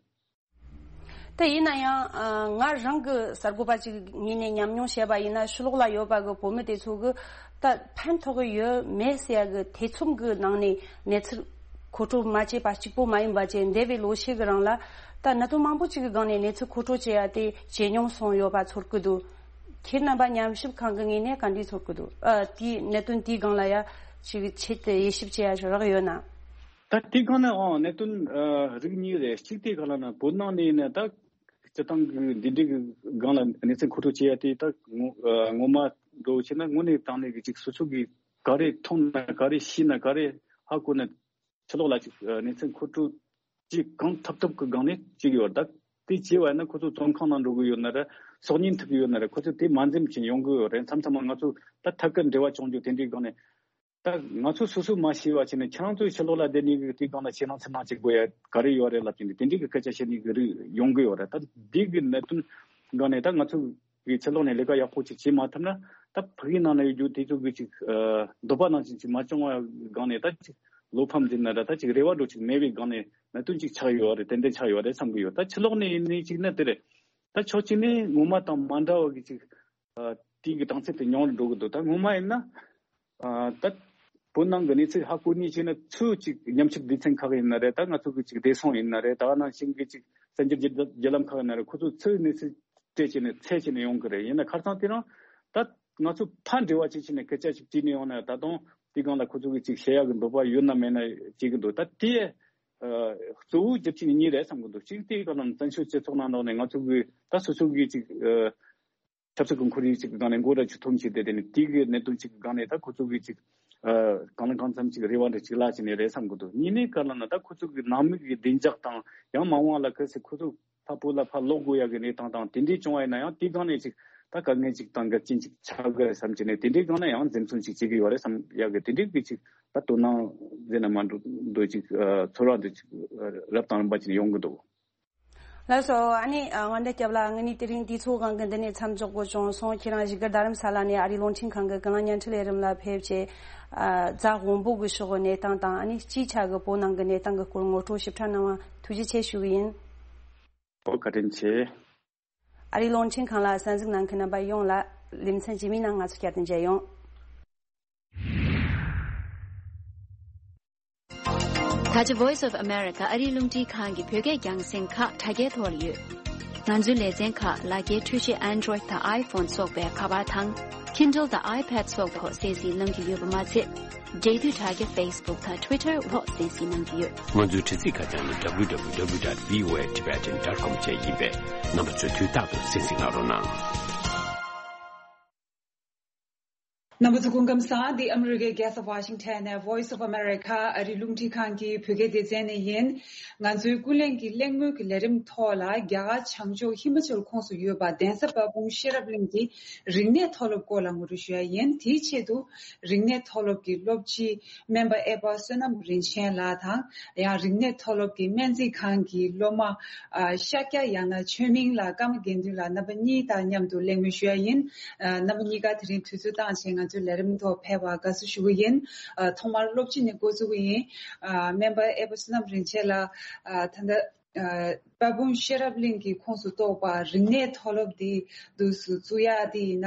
ད་ཡིན་ན་ཡང་ཨ་ང་རང་གི་གསར་འགོད་པ་ཅིག་ངོས་ནས་ཉམས་མྱོང་བཤད་པ་ཡིན་ན། ཕྱི་ལོགས་ལ་ཡོད་པ་གི་བོད་མི་དེ་ཚོ་གི་ད་ཕན་ཐོགས་ཀྱི་ཡོད་མེད་ཟེར་ཡ་གི་ཐེ་ཚོམ་གི་ནང་ནས་གནས་ཚུལ་མཁོ་སྤྲོད་མ་བྱས་པ་གཅིག་པོ་མ་ཡིན་པ་བྱས། འདས་པའི་ལོ་ཤས་ཀྱི་རིང་ལ་ད་གནད་དོན་མང་པོ་ཅིག་གི་སྒང་ནས་གནས་ཚུལ་མཁོ་སྤྲོད་བྱེད་ཡ་དེ་ཇེ་ཉུང་སོང་ཡོད་པ་ཚོར་གི་འདུག་ཁྱེད་རྣམ་པ་ཉམས་ཞིབ་ཁང་གི་ངོས་ནས་ག་འདྲས་ཚོར་གི་འདུག་ཨ་དེའི་གནད་དོན་དེའི་སྒང་ལ་ཡ་ཅིག་ཆེད་དུ་དབྱེ་ཞིབ་བྱེད་ཡ་ཞིག་རག་ཡོད་ན། ད་དེའི་སྒང་ནས་ཨང་གནད་དོན་ཨ་རིགས་གཉིས་རེད། གཅིག་དེ་ག་ལ་ན་བོད་ནང་ནས་ཡིན་ན་ད་སྤྱི་བཏང་གི་འདི་འདྲའི་གི་སྒང་ལ་གནས་ཚུལ་མཁོ་སྤྲོད་བྱེད་ཡ་དེ་ད་ངོ་ཨ་ངོ་མ་འགྲོ་བྱས་ན་དངོས་གནས་དྲང་གནས་ཀྱི་ཅིག་སོ་སོ་གི་ག་རེ་མཐོང་ན་ག་རེ་ཤེས་ན་ག་རེ་ཧ་གོ་ན་ཕྱི་ལོགས་ལ་ཅིག་ཨ་གནས་ཚུལ་མཁོ་སྤྲོད་ཅིག་གང་ཐུབ་ཐུབ་ཀྱི་སྒང་ནས་བྱེད་ཀྱི་ཡོད་རེད། ད་དེ་བྱས་པ་ཡིན་ན་ཁོ་ཚོ་བཙོན་ཁང་ནང་འགྲོ་གི་ཡོད་ན་རེད། སྲོག་ཉེན་ཐེབས་ཀྱི་ཡོད་ན་རེད། ཁོ་ཚོ་དེ་མ་འཛེམ་བྱས་ཡོང་གི་ཡོད་རེད། མཚམས་མཚམས་མ་ང་ཚོ་ད་ཐད་ཀར་འབྲེལ་བ་བྱུང་རྒྱུ་དེ་འདྲའི་སྒང་ནས། ད་ང་ཚོ་སོ་སོས་མ་ཤེས་པ་བྱས་ནས་ཁྱེད་རང་ཚོའི་ཕྱི་ལོགས་ལ་བསྡད་ནས་དེའི་སྒང་ལ་ཁྱེད་རང་ཚོ་ནང་བྱེད་དགོས་ཡ་ག་རེ་ཡོད་རེད་ལབ་ཀྱི་འདུག་དེ་འདྲའི་གི་སྐད་ཆ་བཤད་ནས་གི་རིགས་ཡོང་གི་ཡོད་རེད། ད་འདི་གི་གནད་དོན་སྒང་ནས་ད་ང་ཚོ་གི་ཕྱི་ལོགས་ནས་ལས་ཀ་ཡག་པོ་ཅིག་བྱེད་མ་ཐུབ་ན། ད་ཕ་གིའི་ནང་ན་ཡོད་རྒྱུ་དེ་ཚོ་གི་ཅིག་ཨ་འདོད་པ་ནང་བཞིན་ཅིག་མ་བྱུང་བ་སྒང་ནས་ད་ཅིག་བློ་ཕམ་ཟེར་ན་ར། ད་ཅིག་རེ་བ་འདྲ་ཅིག་མེད་པའི་སྒང་ནས་གནད་དོན་ཅིག་ཆགས་ཡོད་རེད། ཏན་ཏན་ཆགས་ཡོད་རེད་བསམ་གི་ཡོད། ད་ཕྱི་ལོགས་ནས་ཡིན་ནའི་ཅིག་ན་དེ་རེད། ད་ཕྱོགས་གཅིག་ནས་ངོ་མ་དང་མ་འདྲ་བ་གི་ཅིག་ཨ་དེའི་གི་གྲངས་ཚད་དེ་ཉུང་རུ་འགྲོ་གི་འདུག་ད་ངོ་མ་ཡིན་ན། ཨ་ད་བོད་ནང་གི་གནས་ཚུལ་ཧ་གོ་ནི་བྱས་ན་ཚུར་ཅིག་ཉམས་ཞིབ་སྡེ་ཚན་ཁག་ཡིན་ན་རེད། ད་ང་ཚོ་གི་ཅིག་བདེ་སྲུང་ཡིན་ན་རེད། ད་ག་ནང་བཞིན་གི་ཅིག་གསར་འགྱུར་བརྒྱུད་བརྒྱུད་ལམ་ཁག་ཡིན་ན་རེད། ཁོ་ཚོ་ཚུར་གནས་ཚུལ་སྤྲད་བྱས་ནས་འཚོལ་བྱས་ནས་ཡོང་གི་རེད། ཡིན་ན་ཁ་སང་དེ་རིང་ད་ང་ཚོ་ཕར་འབྲེལ་བ་བྱེད་བྱས་ནས་སྐད་ཆ་ཅིག་དྲིས་ནས་ཡོང་ན། ད་དུང་དེའི་སྒང་ལ་ཁོ་ཚོ་གི་ཅིག་བཤད་ཡག་གི་འདོད་པ་ཡོད་ན་མེད་ན་བྱེད་གི་འདུག་ད་དེ་ཨ་གཙོ་བོ་རྒྱུ་རྐྱེན་གཉིས་རེད་བསམ་གི་འདུག་གཅིག་དེའི་སྒང་ལ་བཙན་བྱོལ་སྤྱི་ཚོགས་ནང་ལོགས་ནས་ང་ཚོ་གི་ད་སོ་སོ་གི་ཅིག་ཨ་ཆབ་སྲིད་ཀྱི་ཁོར་ཡུག་ཅིག་གི་སྒང་ནས་མགོ་འདྲ་ཅིག་འཐོམ་བྱས་ཏེ། དེ་ནས་དེ་གི་གནད་དོན་ཅིག་གི་སྒང་ནས་ད་ཁོ་ཚོ་གི་ཅིག་ ཨ་གང་ལ་གང་འཚམ་ཅིག་རེ་བ་འདྲ་ཅིག་ལ་ཅིག་ནས་རེད་བསམ་གི་འདུག། གཉིས་ནས་ག་ལ་ན་ད་ཁོ་ཚོ་གི་ནང་མི་གི་བདེ་འཇགས་དང་ཡང་མ་འོངས་ལ་གལ་སྲིད་ཁོ་ཚོ་ཕ་བུ་ལ་ཕར་ལོག་དགོས་ཡག་གི་གནས་སྟངས་དང་དེ་འདྲས་བྱུང་བ་ཡིན་ན་ཡང་དེ་སྒང་ནས་ཅིག་ད་དཀའ་ངལ་ཅིག་དང་འགལ་རྐྱེན་ཅིག་ཆགས་གི་རེད་བསམ་གྱི་ནས། དེ་འདྲས་སྒང་ན་ཡང་འཛེམ་ཟོན་ཅིག་བྱེད་ཀྱི་ཡོད་རེད་བསམ་ཡག་གི་དེ་འདྲས་གི་ཅིག་ད་དོ་སྣང་མཛད་ན་མ་འགྲོ་འདོད་ཅིག་ཨ་ཚོར་བ་འདོད་ཅིག་རབ་དང་རིམ་པ་ཅིག་ཡོང་གི་འདུག། ལགས་སོ། ཨ་ནི་ཨ་དངོས་གནས་སྐྱབས་ལགས། ངས་ནི་དེ་རིང་དུས་ཚོད་སྒང་གི་འདི་ནས་མཚམས་འཇོག་དགོས་བྱུང་སོང་། ཁྱེད་རང་བཞུགས་སྒར་རྡ་རམ་ས་ལ་ནས་ཨ་རིའི་རླུང་འཕྲིན་ཁང་གི་ཀུན་གླེང་བརྙན་འཕྲིན་ལས་རིམ་ལ་ཕེབས་བྱས་ཨ་རྫ་དབོན་པོ་གི་ཕྱོགས་ཀྱི་གནས་སྟངས་དང་ཨ་ནི་སྤྱིའི་ཆ་གི་བོད་ནང་གི་གནས་སྟངས་ཀྱི་སྐོར་ངོ་སྤྲོད་ཞིབ་ཕྲ་གནང་བ་ཐུགས་རྗེ་ཆེ་ཞུ་གི་ཡིན། ཨོ་བཀའ་དྲིན་ཆེ། ཨ་རིའི་རླུང་འཕྲིན་ཁང་ལ་གསན་གཟིགས་གནང་མཁན་རྣམ་པ་ཡོངས་ལ་ལེ་ཚན་རྗེས་མའི་ནང་ང་ཚོ་བསྐྱར་དུ་མཇལ་ཡོང་། ད་ཆ་Voice of America ཨ་རིའི་རླུང་འཕྲིན་ཁང་གི་བོད་སྐད་རྒྱང་སྲིང་ཁག་དྲ་རྒྱའི་ཐོག་ལ་ཡོད། ང་ཚོའི་ལེ་ཚན་ཁག་ལག་འཁྱེར་འཕྲུལ་ཆས་Android དང་iPhone སོགས་པའི་ཁ་པར་དང་། Kindle དང་iPad སོགས་པའི་ཐོག་གསན་གཟིགས་གནང་རྒྱུ་ཡོད་པ་མ་ཚད། འབྲེལ་མཐུད་དྲ་རྒྱ་Facebook དང་Twitter འོག་གསན་གཟིགས་གནང་རྒྱུ་ཡོད། ང་ཚོའི་དྲ་ཚིགས་ཁ་བྱང་ནི་W W W dot V O A Tibetan dot com བཅས་ཡིན་པས། རྣམ་པ་ཚོས་དུས་རྟག་ཏུ་གསན་གཟིགས་གནང་རོགས་གནང་། རྣམ་པ་ཚོ་སྐུ་ཁམས་བཟང་། འདི་ཨ་མི་རི་ཀའི་རྒྱལ་ས་ཝ་ཤིང་ཊོན་ནས་Voice of America ཨ་རིའི་རླུང་འཕྲིན་ཁང་གི་བོད་སྐད་སྡེ་ཚན་ནས་ཡིན། ང་ཚོའི་ཀུན་གླེང་གི་གླེང་མོལ་གྱི་ལས་རིམ་ཐོག་ལ་རྒྱ་གར་བྱང་ཕྱོགས་ཧི་མ་ཅལ་ཁོངས་སུ་ཡོད་པ་གདན་ས་དཔལ་སྤུངས་ཤེས་རབ་གླིང་གི་རིག་གནས་མཐོ་སློབ་སྐོར་ལ་ངོ་སྤྲོད་ཞུ་ཡ་ཡིན། དེའི་ཆེད་དུ་རིག་གནས་མཐོ་སློབ་ཀྱི་སློབ་སྤྱི་སྨན་པ་ཨེ་པ་བསོད་ནམས་རིན་ཆེན་ལགས་དང་། ཡང་རིག་གནས་མཐོ་སློབ་ཀྱི་སྨན་རྩིས་ཁང་གི་སློབ་མ་ཨ་ཤཱཀྱ་ཡང་ན་ཆོས་མིང་ལགས་ཀརྨ་དགེ་འདུན་ལགས་རྣམ་པ་གཉིས་དང་མཉམ་དུ་གླེང་མོལ་ཞུ་ཡ་ཡིན། ཨ་རྣམ་པ་གཉིས་ཀ་དེ་རིང་དུས་ཚོད་བཏང་བྱས་ང་ཚོའི་ལས་རིམ་ཐོག་ཕེབས་པར་དགའ་བསུ་ཞུ་གི་ཡིན། ཨ་ཐོག་མར་སློབ་སྤྱི་ནས་འགོ་བཙུགས་ཀྱི་ཡིན། ཨ་སྨན་པ་ཨེ་པ་བསོད་ནམས་རིན་ཆེན་ལགས། ཨ་ད་ལྟ་ཨ་དཔལ་སྤུངས་ཤེས་རབ་གླིང་གི་ཁོངས་སུ་གཏོགས་པ་རིག་གནས་མཐོ་སློབ་འདི་འདུག་སུ་བཙུགས་ཡ་དེ་ཡིན་ན།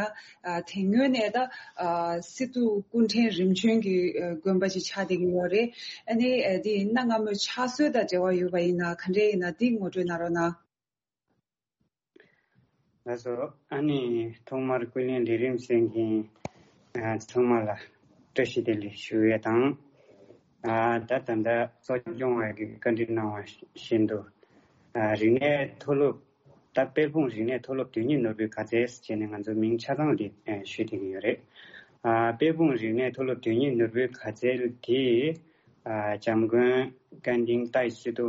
ཨ་དེ་སྔོན་ནས་ད་ཨ་སི་ཏུ་སྐུ་ཕྲེང་རིམ་བྱོན་གྱི་ཨ་དགོན་པ་ཅིག་ཆགས་བསྡད་ཀྱི་ཡོད་རེད། ཨ་ནི་ཨ་དེ་ཡིན་ན་སྔ་མོའི་ཕྱག་སྲོལ་དང་འབྲེལ་བ་ཡོད་པ་ཡིན་ན་ག་འདྲས་ཡིན་ན་འདི་ངོ་སྤྲོད་གནང་རོགས་གནང་། ལགས་སོ། ཨ་ནི་ཐོག་མར་ཀུན་གླེང་ལས་རིམ་གསན་མཁན་ཨ་ཚང་མ་ལ་བཀྲ་ཤིས་བདེ་ལེགས་ཞུ་ཡས་དང་། ཨ་ད་ད་ལྟ་གཙོ་སྐྱོང་བ་གིས་བཀའ་འདྲི་གནང་བ་བཞིན་དུ། ཨ་རིག་གནས་མཐོ་སློབ། ད་དཔལ་སྤུངས་རིག་གནས་མཐོ་སློབ་དོན་གཉེར་ནོར་བུའི་དགའ་ཚལ་ཟེར་བྱས་ནས་ང་ཚོ་མིང་ཆ་ཚང་འདི་ཨ་ཞུས་བསྡད་ཀྱི་ཡོད་རེད། ཨ་དཔལ་སྤུངས་རིག་གནས་མཐོ་སློབ་དོན་གཉེར་ནོར་བུའི་དགའ་ཚལ་དེ་ཨ་འཇམ་མགོན་ཀན་ཌིང་ཏའི་སི་ཏུ་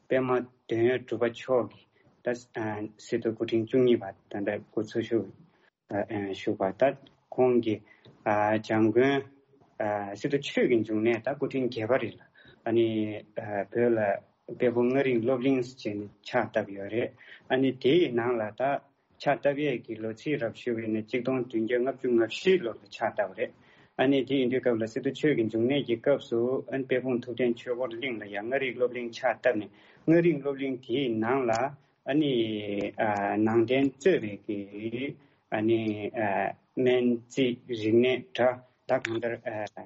པདྨ་དོན་ཡོད་གྲུབ་པ་མཆོག་གིས་ད་ཨ་སི་ཏུ་སྐུ་ཕྲེང་བཅུ་གཉིས་པ་ད་ལྟ་སྐུ་འཚོ་བཞུགས་ཨ་ཨ་བཞུགས་པ། ད་ཁོང་གིས་ཨ་འཇམ་མགོན་ཨ་སི་ཏུ་ཆོས་ཀྱི་འབྱུང་གནས་ད་སྐུ་ཕྲེང་བརྒྱད་པ་རེད་ལ། ཨ་ནི་ཨ་བོད་ལ་དཔལ་སྤུངས་ལྔ་རིག་སློབ་གླིང་ཟེར་ནས་ཕྱག་བཏབ་ཡོད་རེད། ཨ་ནི་དེའི་ནང་ལ་ད་ཕྱག་བཏབ་ཡས་ཀྱི་ལོ་ཚིགས་རབ་ཞུ་བ་ཡིན་ན་གཅིག་སྟོང་བདུན་བརྒྱ་ལྔ་བཅུ་ང་བཞི་ལོ་ལ་ཕྱག་བཏབ་པ་རེད། ཨ་ནི་དེ་ཡིན་དུས་སྐབས་ལ་སི་ཏུ་ཆོས་ཀྱི་འབྱུང་གནས་ཀྱི་སྐབས་སུ་ཨ་ནི་དཔལ་སྤུངས་ཐུབ་བསྟན་ཆོས་འཁོར་གླིང་ལ་ཡང་ལྔ་རིག་སློབ་གླིང་ཕྱག་བཏབ་ནས་ལྔ་རིག་སློབ་གླིང་དེའི་ནང་ལ་ཨ་ནི་ཨ་ནང་རྟེན་གཙོས་པའི་གི་ཨ་ནི་ཨ་སྨན་རྩིས་རིག་གནས་སྒྲ་ད་གང་ལྟར་ཨ་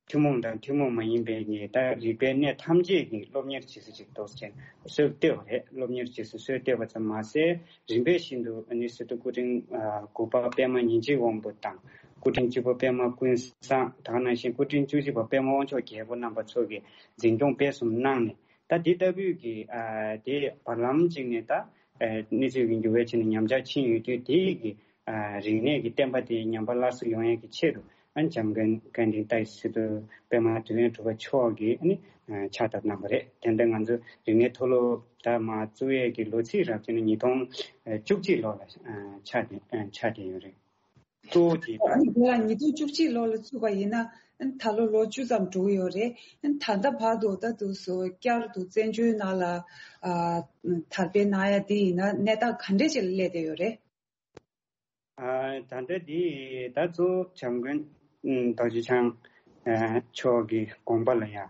ཐུན་མོང་དང་ཐུན་མོང་མ་ཡིན་པའི་ཉེ་ད་རིག་པའི་གནས་ཐམས་ཅད་ཀྱི་སློབ་གཉེར་བྱེད་ས་ཅིག་འདུག་ཅེས་སྲོལ་བཏོད་པ་རེད། སློབ་གཉེར་བྱེད་ས་སྲོལ་བཏོད་པ་ཙམ་མ་ཟད་རིམ་པས་བཞིན་དུ་ཨ་ནི་སི་ཏུ་སྐུ་ཕྲེང་ཨ་དགུ་པ་པདྨ་ཉིན་བྱེད་དབང་པོ་དང་སྐུ་ཕྲེང་བཅུ་པ་པདྨ་ཀུན་བཟང་ད་ག་ནང་བཞིན་སྐུ་ཕྲེང་བཅུ་གཅིག་པ་པདྨ་དབང་མཆོག་རྒྱལ་པོ་རྣམ་པ་ཚོ་གིས་འཛིན་སྐྱོང་སྤེལ་གསུམ་གནང་ནས་ད་འདི་ལྟ་བུའི་གི་ཨ་དེ་བར་ལམ་གཅིག་ནས་ད་ཨ་གནས་ཚུལ་གྱི་འགྱུར་བའི་ཆ་ནས་ཉམས་ཆག་ཕྱིན་ཡོད་དུས་དེའི་གི་ཨ་རིག་གནས་ཀྱི་བསྟན་པ་དེ་ཉམས་པ་སླར་གསོ་ཡོང་ཡས་ཀྱི་ཆེད་དུ་ཨ་ནི་འཇམ་མགོན་ཀན་ཌིང་ཏའི་སི་ཏུ་པདྨ་དོན་ཡོད་གྲུབ་པ་མཆོག་གིས་ཨ་ནི་ཨ་ཕྱག་བཏབ་གནང་བ་རེད། དེ་འདྲ་ང་ཚོ་རིག་གནས་མཐོ་སློབ་ད་མར་བཙུགས་ཡས་ཀྱི་ལོ་ཚིགས་རབ་བྱས་ནས་ཉིས་སྟོང་བཅུ་གཅིག་ལོ་ལ་ཨ་ཆགས་ཏེ་ཨ་ཆགས་ཏེ་ཡོད་རེད། གཙོ་བོ་དེ་ཨ་ནི་དེ་ལ་ཉིས་སྟོང་བཅུ་གཅིག་ལོ་ལ་བཙུགས་པ་ཡིན་ན་ཨ་ནི་ད་ལོ་ལོ་བཅུ་ཙམ་འགྲོ་གི་ཡོད་རེད། ཨ་ནི་ད་ལྟ་བར་དུ་ད་དུང་སོ་བསྐྱར་དུ་བཙན་བྱོལ་ནང་ལ་ཨ་དར་སྤེལ་གནང་ཡ་དེ་ཡིན་ན་གནས་སྟངས་ག་འདྲས་ཅིག་ལ་སླེབས་བསྡད་ཡོད་རེད། ཨ་ད་ལྟ་འདི་ད་གཙོ་བོ་བྱམས་མགོན་ཨ་རྡོ་རྗེ་འཆང་ཨ་མཆོག་གི་དགོངས་པ་ལ་ཡང་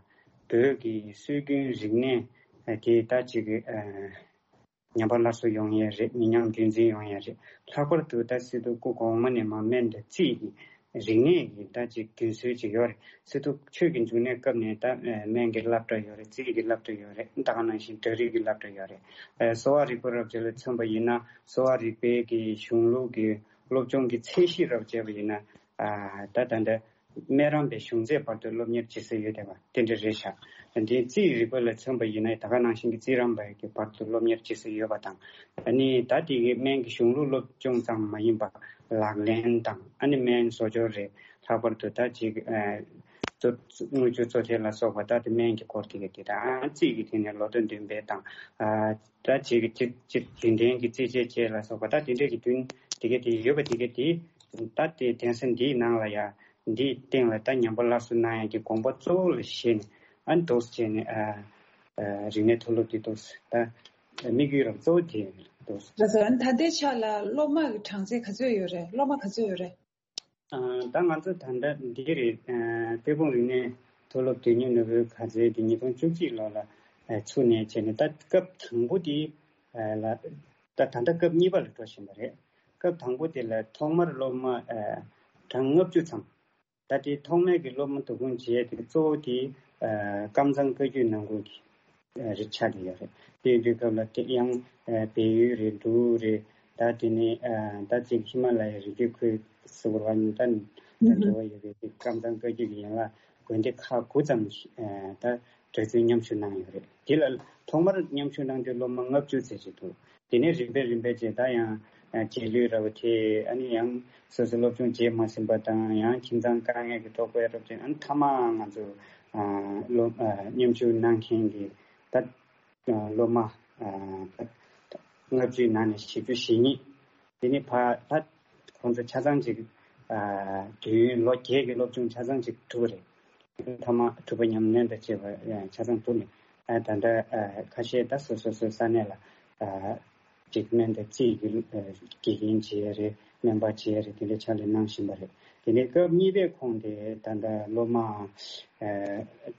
བོད་ཀྱི་སྲོལ་རྒྱུན་རིག་གནས་ཨ་དེ་ད་ཅིག་ཨ་ཉམས་པ་སླར་གསོ་ཡོང་ཡས་རེད། མི་ཉམས་རྒྱུན་འཛིན་ཡོང་ཡས་རེད། ལྷག་པར་དུ་ད་སི་ཏུ་སྐུ་གོང་མ་ནས་མར་སྨན་དང་རྩིས་ཀྱི་རིག་གནས་ཀྱི་ད་ཅིག་རྒྱུན་སྲོལ་ཅིག་ཡོད་རེད། སི་ཏུ་ཆོས་ཀྱི་འབྱུང་གནས་སྐབས་ནས་ད་ཨ་སྨན་གྱི་སློབ་གྲྭ་ཡོད་རེད། རྩིས་ཀྱི་སློབ་གྲྭ་ཡོད་རེད། ད་ག་ནང་བཞིན་གྲྭ་རིགས་ཀྱི་སློབ་གྲྭ་ཡོད་རེད། ཨ་གསོ་བ་རིག་པ་རབ་བྱེད་ལ་མཚོན་པ་ཡིན་ན་གསོ་བ་རིག་པའི་གི་གཞུང་ལུགས་ཀྱི་སློབ་སྦྱོང་གི་ཚད་གཞི་རབ་བྱས་པ་ཡིན་ན་ཨ་ད་ད་ལྟ་སྨན་རམས་པའི་གཞུང་ཚད་བར་དུ་སློབ་གཉེར་བྱེད་ས་ཡོད་བསྡད་པ་དེ་འདྲ་རེད་ཤག། འདིའི་རྩིས་རིག་པ་ལ་མཚོན་པ་ཡིན་ན་ད་ག་ནང་བཞིན་གྱི་རྩིས་རམས་པའི་གི་བར་དུ་སློབ་གཉེར་བྱེད་ས་ཡོད་པ་དང་། ཨ་ནི་ད་དེ་གི་སྨན་གྱི་གཞུང་ལུགས་སློབ་སྦྱོང་ཙམ་མ་ཡིན་པ་ལག་ལེན་དང་ཨ་ནི་སྨན་བཟོ་སྦྱོར་རེད། ལྷག་པར་དུ་ད་ཅིག་ཨ་ གཙོ་དངུལ་ཆུ་གཙོ་ཆེ་ལ་སོགས་པ་ད་དེ་སྨན་གྱི་སྐོར་དེ་ག་དེ་དང་རྩིས་ཀྱི་ཐད་ནས་ལོ་ཐོ་བདུན་པའི་དང་། ཨ་ད་ཅིག་ཅིག་ཅིག་རྒྱུན་ལྡན་གྱི་རྩིས་དཔྱད་བཅས་ལ་སོགས་པ་ད་དེ་འདྲས་ཀྱི་བདུན་དེ་ག་དེ་ཡོད་པ་དེ་ག་དེ་ད་དེ་གདན་ས་འདིའི་ནང་ལ་ཡ་འདིའི་སྟེང་ལ་ད་ཉམས་པ་སླར་གསོ་གནང་ཡ་གི་དགོངས་པ་གཙོ་བོ་ལ་བཞེས་ནས་ཨ་འདུག་སེ་བྱས་ནས་ཨ་ཨ་རིག་གནས་མཐོ་སློབ་དེ་འདུག་སེ་ད་དམིགས་ཡུལ་རང་གཙོ་བོ་དེ་འདུག་སེ། ལགས་སོ། ཨ་ནི་ད་ལྟའི་ཆ་ལ་སློབ་མ་གི་གྲངས་ཚད་ག་ཚོད་ཡོད་རེད། སློབ་མ་ག་ཚོད་ཡོད་རེད། ཨ་ད་ང་ཚོ་ད་ལྟ་འདི་རེད། ཨ་དཔལ་སྤུངས་རིག་གནས་མཐོ་སློབ་དོན་གཉེར་ནོར་བུའི་ག་ཚོད་དེ་ཉིས་སྟོང་བཅུ་གཅིག་ལོ་ལ་ཨ་ཚུགས་ནས་བྱས་ནས་ད་སྐབས་དང་པོ་དེ་ཨ་ལ་ད་ད་ལྟ་སྐབས་གཉིས་པ་ལ་འགྲོ་བཞིན་པ་རེད། སྐབས་དང་པོ་དེ་ལ་ཐོག་མར་སློབ་མ་ཨ་གྲངས་ལྔ་བཅུ་ཙམ། ད་ལྟའི་ཐོག་མའི་གི་སློབ་མ་བསྡུ་སྐོང་བྱས་ཏེ་གཙོ་བོ་དེ་ཨ་ཀམ་ཚང་བཀའ་བརྒྱུད་ནང་ཁུལ་གྱི་ཨ་རིགས་ཆགས་ཀྱི་ཡོད་རེད། དེ་དུས་སྐབས་ལ་དེ་ཡང་ཨ་བལ་ཡུལ་རེད། འབྲུག་རེད། ད་དེ་ནས་ཨ་ད་ཅིག་ཧི་མ་ལ་ཡའི་རི་རྒྱུད་ཁུལ་ཟེར་བ་ནི་ད་ད་འབྲེལ་བ་ཡོད་པའི་དེ་ཀམ་ཚང་བཀའ་བརྒྱུད་ཀྱི་ཡན་ལག་དགོན་སྡེ་ཁག་དགུ་ཙམ་ཞིག་ཨ་ད་གྲོས་ཚོགས་མཉམ་ཞུགས་གནང་ཡོད་རེད། དེ་ལ་ཐོག་མར་མཉམ་ཞུགས་གནང་དུས་སློབ་མ་ལྔ་བཅུ་ཙམ་ཞིག་འདུག་དེ་ནས་རིམ་པས་རིམ་པས་བྱས་ད་ཡང་རྗེས་ལུས་ར་བ་དེ་ཨ་ནི་ཡང་སོ་སོ་སློབ་སྦྱོང་བྱེད་མ་ཟིན་པ་དང་ཡང་ཁྱིམ་ཚང་དཀའ་ངལ་གྱི་ཐོག་པའི་རོགས་ཅན་ཨ་ནི་མཐའ་མ་ང་ཚོ་སློབ་མཉམ་ཞུགས་གནང་མཁན་གྱི་ད་སློབ་མ་ལྔ་བཅུའི་ནང་ནས་བཞི་བཅུ་ཞེ་གཉིས་དེ་ནི་ཕ་ད་ཁོང་ཚོ་ཆ་ཚང་ཅིག་དུས་ཡུན་ལོ་བརྒྱད་ཀྱི་སློབ་སྦྱོང་ཆ་ཚང་ཅིག་གྲུབ་པ་རེད། མཐའ་མ་གྲུབ་པ་ཉམས་ལེན་དང་བཅས་པ་ཆ་ཚང་གྲུབ་ནས་ད་ལྟ་ཁ་ཤས་ད་སོ་སོ་སོའི་ས་གནས་ལ་ཅིག་སྨན་དང་རྩིས་ཀྱི་དགེ་རྒན་བྱེད་ཡ་རེད། སྨན་པ་བྱེད་ཡ་རེད། དེ་འདྲའི་ཕྱག་ལས་གནང་བཞིན་པ་རེད། དེ་ནས་སྐབས་གཉིས་པའི་ཁོངས་དེ་ད་ལྟ་སློབ་མ་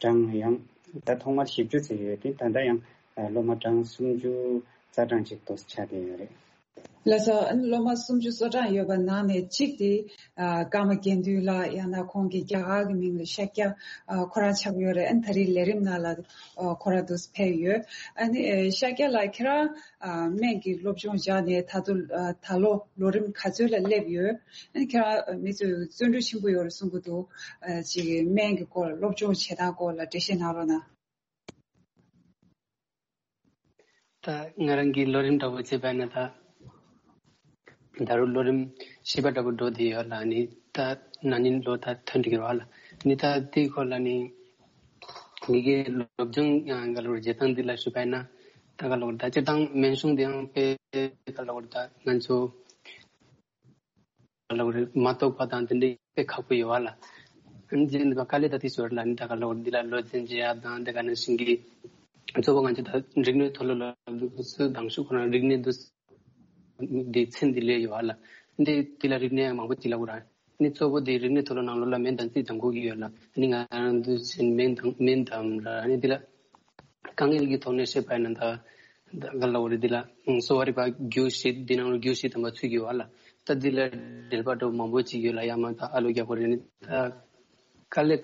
གྲངས་ཡང་ད་ཐོག་མར་བཞི་བཅུ་ཙམ་ཡོད་དེ་ད་ལྟ་ཡང་སློབ་མ་གྲངས་སུམ་ཅུ་རྩ་གྲངས་ཅིག་ཏུ་ཆགས་བསྡད་ཡོད་རེད། ལགས་སོ། ཨ་ནི་སློབ་མ་སུམ་ཅུ་སོ་གྲངས་ཡོད་པ་ནང་ནས་གཅིག་དེ་ཨ་ཀརྨ་དགེ་འདུན་ལགས། ཡང་ན་ཁོང་གི་རྒྱ་གར་གྱི་མིང་ལ་ཤཱཀྱ་ཨ་ཁོ་རང་ཆགས་ཡོད་རེད། ཨ་ནི་ད་རེས་ལས་རིམ་ནང་ལ་ཨ་ཁོ་རང་འདུག་སེ་ཕེབས་ཡོད། ཨ་ནི་ཨ་ཤཱཀྱ་ལགས་ཁྱེད་རང་ཨ་སྨན་གྱི་སློབ་སྦྱོང་སྦྱངས་ནས་ད་དུང་ཨ་ད་ལོ་ལོ་རིམ་ག་ཚོད་ལ་སླེབས་ཡོད། ཨ་ནི་ཁྱེད་རང་ཨ་མི་ཚོས་བརྩོན་འགྲུས་ཆེན་པོ་ཡོད་རེད་གསུང་གི་འདུག་ཨ་ཅིག་སྨན་གྱི་སྐོར་སློབ་སྦྱོང་བྱེད་སྟངས་སྐོར་ལ་འགྲེལ་བཤད་གནང་རོགས་གནང་། ད་ང་རང་གི་ལོ་རིམ་འདྲ་པོ་བྱས་པ་ན་ད་ད་རུང་ལོ་རིམ་བཞི་པ་འདྲ་པོ་འགྲོ་བསྡད་ཡོད་ལ། ནི་ད་ན་ནིང་ལོ་ད་ཐོན་འགྲིག་གི་རེད་བ་ལ། ནི་ད་དེའི་སྐོར་ལ་ནི་ངེད་ཀྱི་སློབ་སྦྱོང་ཡང་ག་ལོར་བྱེད་སྟངས་འདི་ལ་ཞུས་པ་ཡིན་ན། ད་ག་ལོར་ད་སྤྱིར་བཏང་སྨན་གཞུང་འདི་ཡང་དཔེ་ག་ལོར་ད་ང་ཚོ་ལ་མ་གཏོགས་པ་དང་དེ་འདྲའི་དཔེ་ཁག་པོ་ཡོད་བ་ལ། ཨ་ནི་དཀའ་ལས་ད་དེ་ཞོར་ལ་ནི་ད་ག་ལོར་འདི་ལ་བློ་འཛིན་བྱེད་ཡ་དང་དེ་ག་ནང་བཞིན་གྱི་གཙོ་བོ་ང་ཚོ་ད་རིག་གནས་མཐོ་སློབ་ལ་འདུག་སུ་དང་ཤུགས་ཁོ་རང་རིག་གནས་འདུག་འདི་ཚན་འདི་ལས་ཡོད་བ་ལ། འདི་འདི་ལ་རིག་གནས་མང་པོ་ཅིག་ལ་གོ་ར། ནི་གཙོ་བོ་འདི་རིག་གནས་མཐོ་སློབ་ནང་ལོགས་ལ་སྨན་དང་རྩིས་དང་གོ་གི་ཡོད་ལ། ནི་ང་རང་འདུག་ཟིན་སྨན་དང་སྨན་དང་ར་ནི་འདི་ལ། དཀའ་ངལ་གྱི་ཐོག་ནས་བཤད་པ་ཡིན་ན་ད་ད་ག་ལ་འོ་རེད། འདི་ལ་གསོ་བ་རིག་པ་རྒྱུགས་ཤིག་འདི་ནང་ལ་རྒྱུགས་ཤིག་དམ་པ་ཚུད་ཀྱི་ཡོད་ལ། ད་འདི་ལ་འབྲེལ་པ་འགྲོ་མང་པོ་ཅིག་ཡོད་ལ། ཡ་མ་ད་ཨ་ལོ་རྒྱག་པ་རེད། ནི་ད་དཀའ་ལས་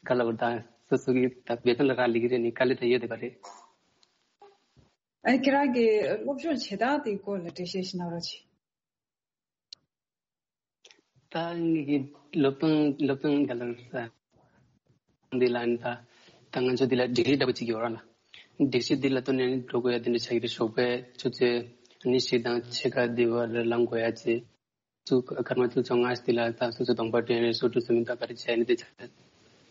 ག་ལ་འོ་ད་སོ་སོ་གི་ད་བེ་ཐོན་ལ་རག་ལི་གི་རེད། ནི་དཀའ་ལས་ད་ཡོད་དེ་ག་རེད། ཨ་ཁྱེད་རང་གི་སློབ་སྦྱོང་བྱེད་སྟངས་དེའི་སྐོར་ལ་འགྲེལ་བཤད་ཞིག་གནང་རོགས་གྱིས། ད་ངེད་ཀྱི་སློབ་སྟོན་སློབ་སྟོན་ག་ལ་ས་འདི་ལ་ནི་ད་ད་ང་ཚོ་འདི་ལ་ཌིག་རི་འདྲ་པོ་གཅིག་ཡོད་ར་ལ། ཌིག་རི་འདི་ལ་ཐོན་ནས་འགྲོ་དགོས་ཡ་དེ་འདྲ་ཆགས་ཀྱི་རེད། ཞོགས་པའི་ཆུ་ཚོད་ཉི་ཤུ་དང་ཕྱེད་ཀ་འདི་བར་ལ་ལངས་དགོས་ཡ་ཅེ། ཚུ་སྐར་མ་ཚུ་ཚོ་ང་འདི་ལ་ད་སོ་སོ་གདོང་པ་དྲན་རེད། སོ་དྲུག་སོ་མི་ད་ག་རེ་བྱས་ནི་དེ་ཆ་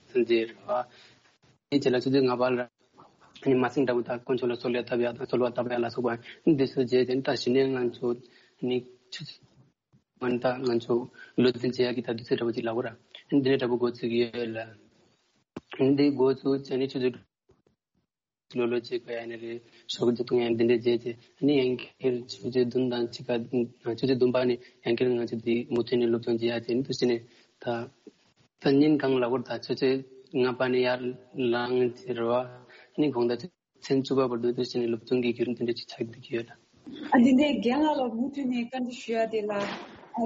ཚང་རྗེས་རེད་བ། དེ་རྗེས་ལ་ཆུ་ཚོད་ལྔ་པ་ལ་ནི་མ་སེང་འདྲ་པོ་ད་དཀོན་མཆོག་ལ་གསོལ་བ་བཏབ་ཡ་དང་གསོལ་བ་བཏབ་ཡ་ལ་སོགས་པ་འདི་ཚོ་བྱས་ཏེ་ད་གཞི་ནས་ང་ཚོ་ནི་ཆུ་ཚོད་མ་ནི་ད་ང་ཚོ་ལོ་འཛིན་བྱེད་ཡག་གི་ད་དུས་ཚོད་འདྲ་པོ་ཅིག་ལབ་དགོས་ར། འདི་འདྲའི་འདྲ་པོ་འགོ་ཚུགས་ཀྱི་ཡོད་ལ། འདི་འགོ་ཚུགས་བྱས་ནས་ཆུ་ཚོད་ལོ་ལོ་བྱེད་དགོས་ཡ་ནི་རེད། ཞོགས་ཀྱི་བཏུང་ཡ་འདི་འདྲའི་བྱས་ཏེ་ནི་ཡང་བསྐྱར་ཆུ་ཚོད་བདུན་དང་ཕྱེད་ཀ་ཆུ་ཚོད་བདུན་པ་ནི་ཡང་བསྐྱར་ང་ཚོ་འདི་མུ་མཐུད་ནས་སློབ་སྦྱོང་བྱེད་ཡ་དེ་འདུག་སེ་ནས་ད་ད་ཉིན་གང་ལབ་དགོས་ར། ད་ཆུ་ཚོད་ལྔ་པ་ནས་ཡར་ལངས་ཏེ་རེད་བ། ནི་དགོང་དག་མཚན་བཅུ་པ་བར་དུ་དུས་ཆེན་ནས་སློབ་སྦྱོང་གི་བརྒྱུད་རིམ་དེ་འདྲ་ཅིག་ཆགས་བསྡད་ཀྱི་ཡོད་ལ། ཨ་འདི་ནས་རྒན་ལགས་ལ་མུ་མཐུད་ནས་བཀའ་འདྲི་ཞུ་ཡ་དེ་ལ། ཨ་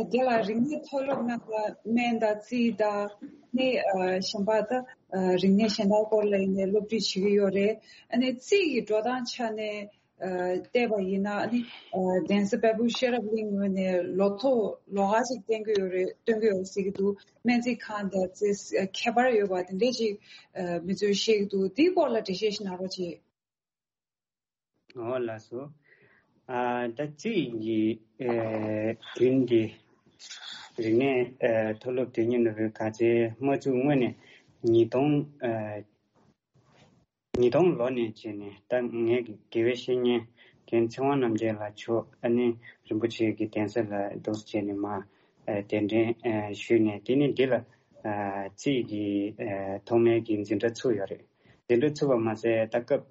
རྒན་ལགས་རིག་གནས་མཐོ་སློབ་ནང་ལ་སྨན་དང་རྩིས་དང་ནི་ཨ་གཞན་པ་ད་ཨ་རིག་གནས་གཞན་དག་སྐོར་ལ་ཡིན་ནའི་སློབ་ཁྲིད་བྱེད་ཀྱི་ཡོད་རེད། ཨ་ནི་རྩིས་ཀྱི་འགྲོ་སྟངས་ཆ་ནས་ཨ་བལྟས་པ་ཡིན་ན་ཨ་ནི་ཨ་གདན་ས་དཔལ་སྤུངས་ཤེས་རབ་གླིང་ངོས་ནས་ལོ་ཐོ་ལོ་ག་ཅིག་བསྟན་གྱི་ཡོད་རེད། སྟོན་གྱི་ཡོད་ཟེར་གྱི་འདུག་སྨན་རྩིས་ཁང་དང་རྩིས་ཁྱད་པར་ཡོད་པ་དེ་འདྲས་ཅིག་ཨ་མི་ཚོས་བཤད་ཀྱི་འདུག་དེའི་སྐོར་ལ་འགྲེལ་བཤད་ཞིག་གནང་རོགས་གྱིས། འོ་ལགས་སོ། ཨ་ད་རྩིས་ཀྱི་ཨེ་རྒྱུན་འདི་རིག་གནས་ཨེ་མཐོ་སློབ་དོན་གཉེར་ནོར་བུའི་དགའ་ཚལ་དམག་འཛུགས་སྔོན་ནས་ ཉིས་སྟོང་ཨ་ཉིས་སྟོང་ལོ་ནས་བྱས་ནས་ད་ངའི་དགེ་བའི་བཤེས་གཉེན་རྒན་ཚེ་དབང་རྣམ་རྒྱལ་ལགས་མཆོག་ཨ་ནི་རིན་པོ་ཆེ་གི་གདན་ས་ལ་འདུག་སེ་བྱས་ནས་མར་ཨ་གདན་འདྲེན་ཨ་ཞུས་ནས། དེ་ནས་འདི་ལ་ཨ་རྩིས་ཀྱི་ཨ་ཐོག་མའི་གི་འཛིན་གྲྭ་ཚུགས་ཡོད་རེད། འཛིན་གྲྭ་ཚུགས་པ་མ་ཟད་ད་སྐབས་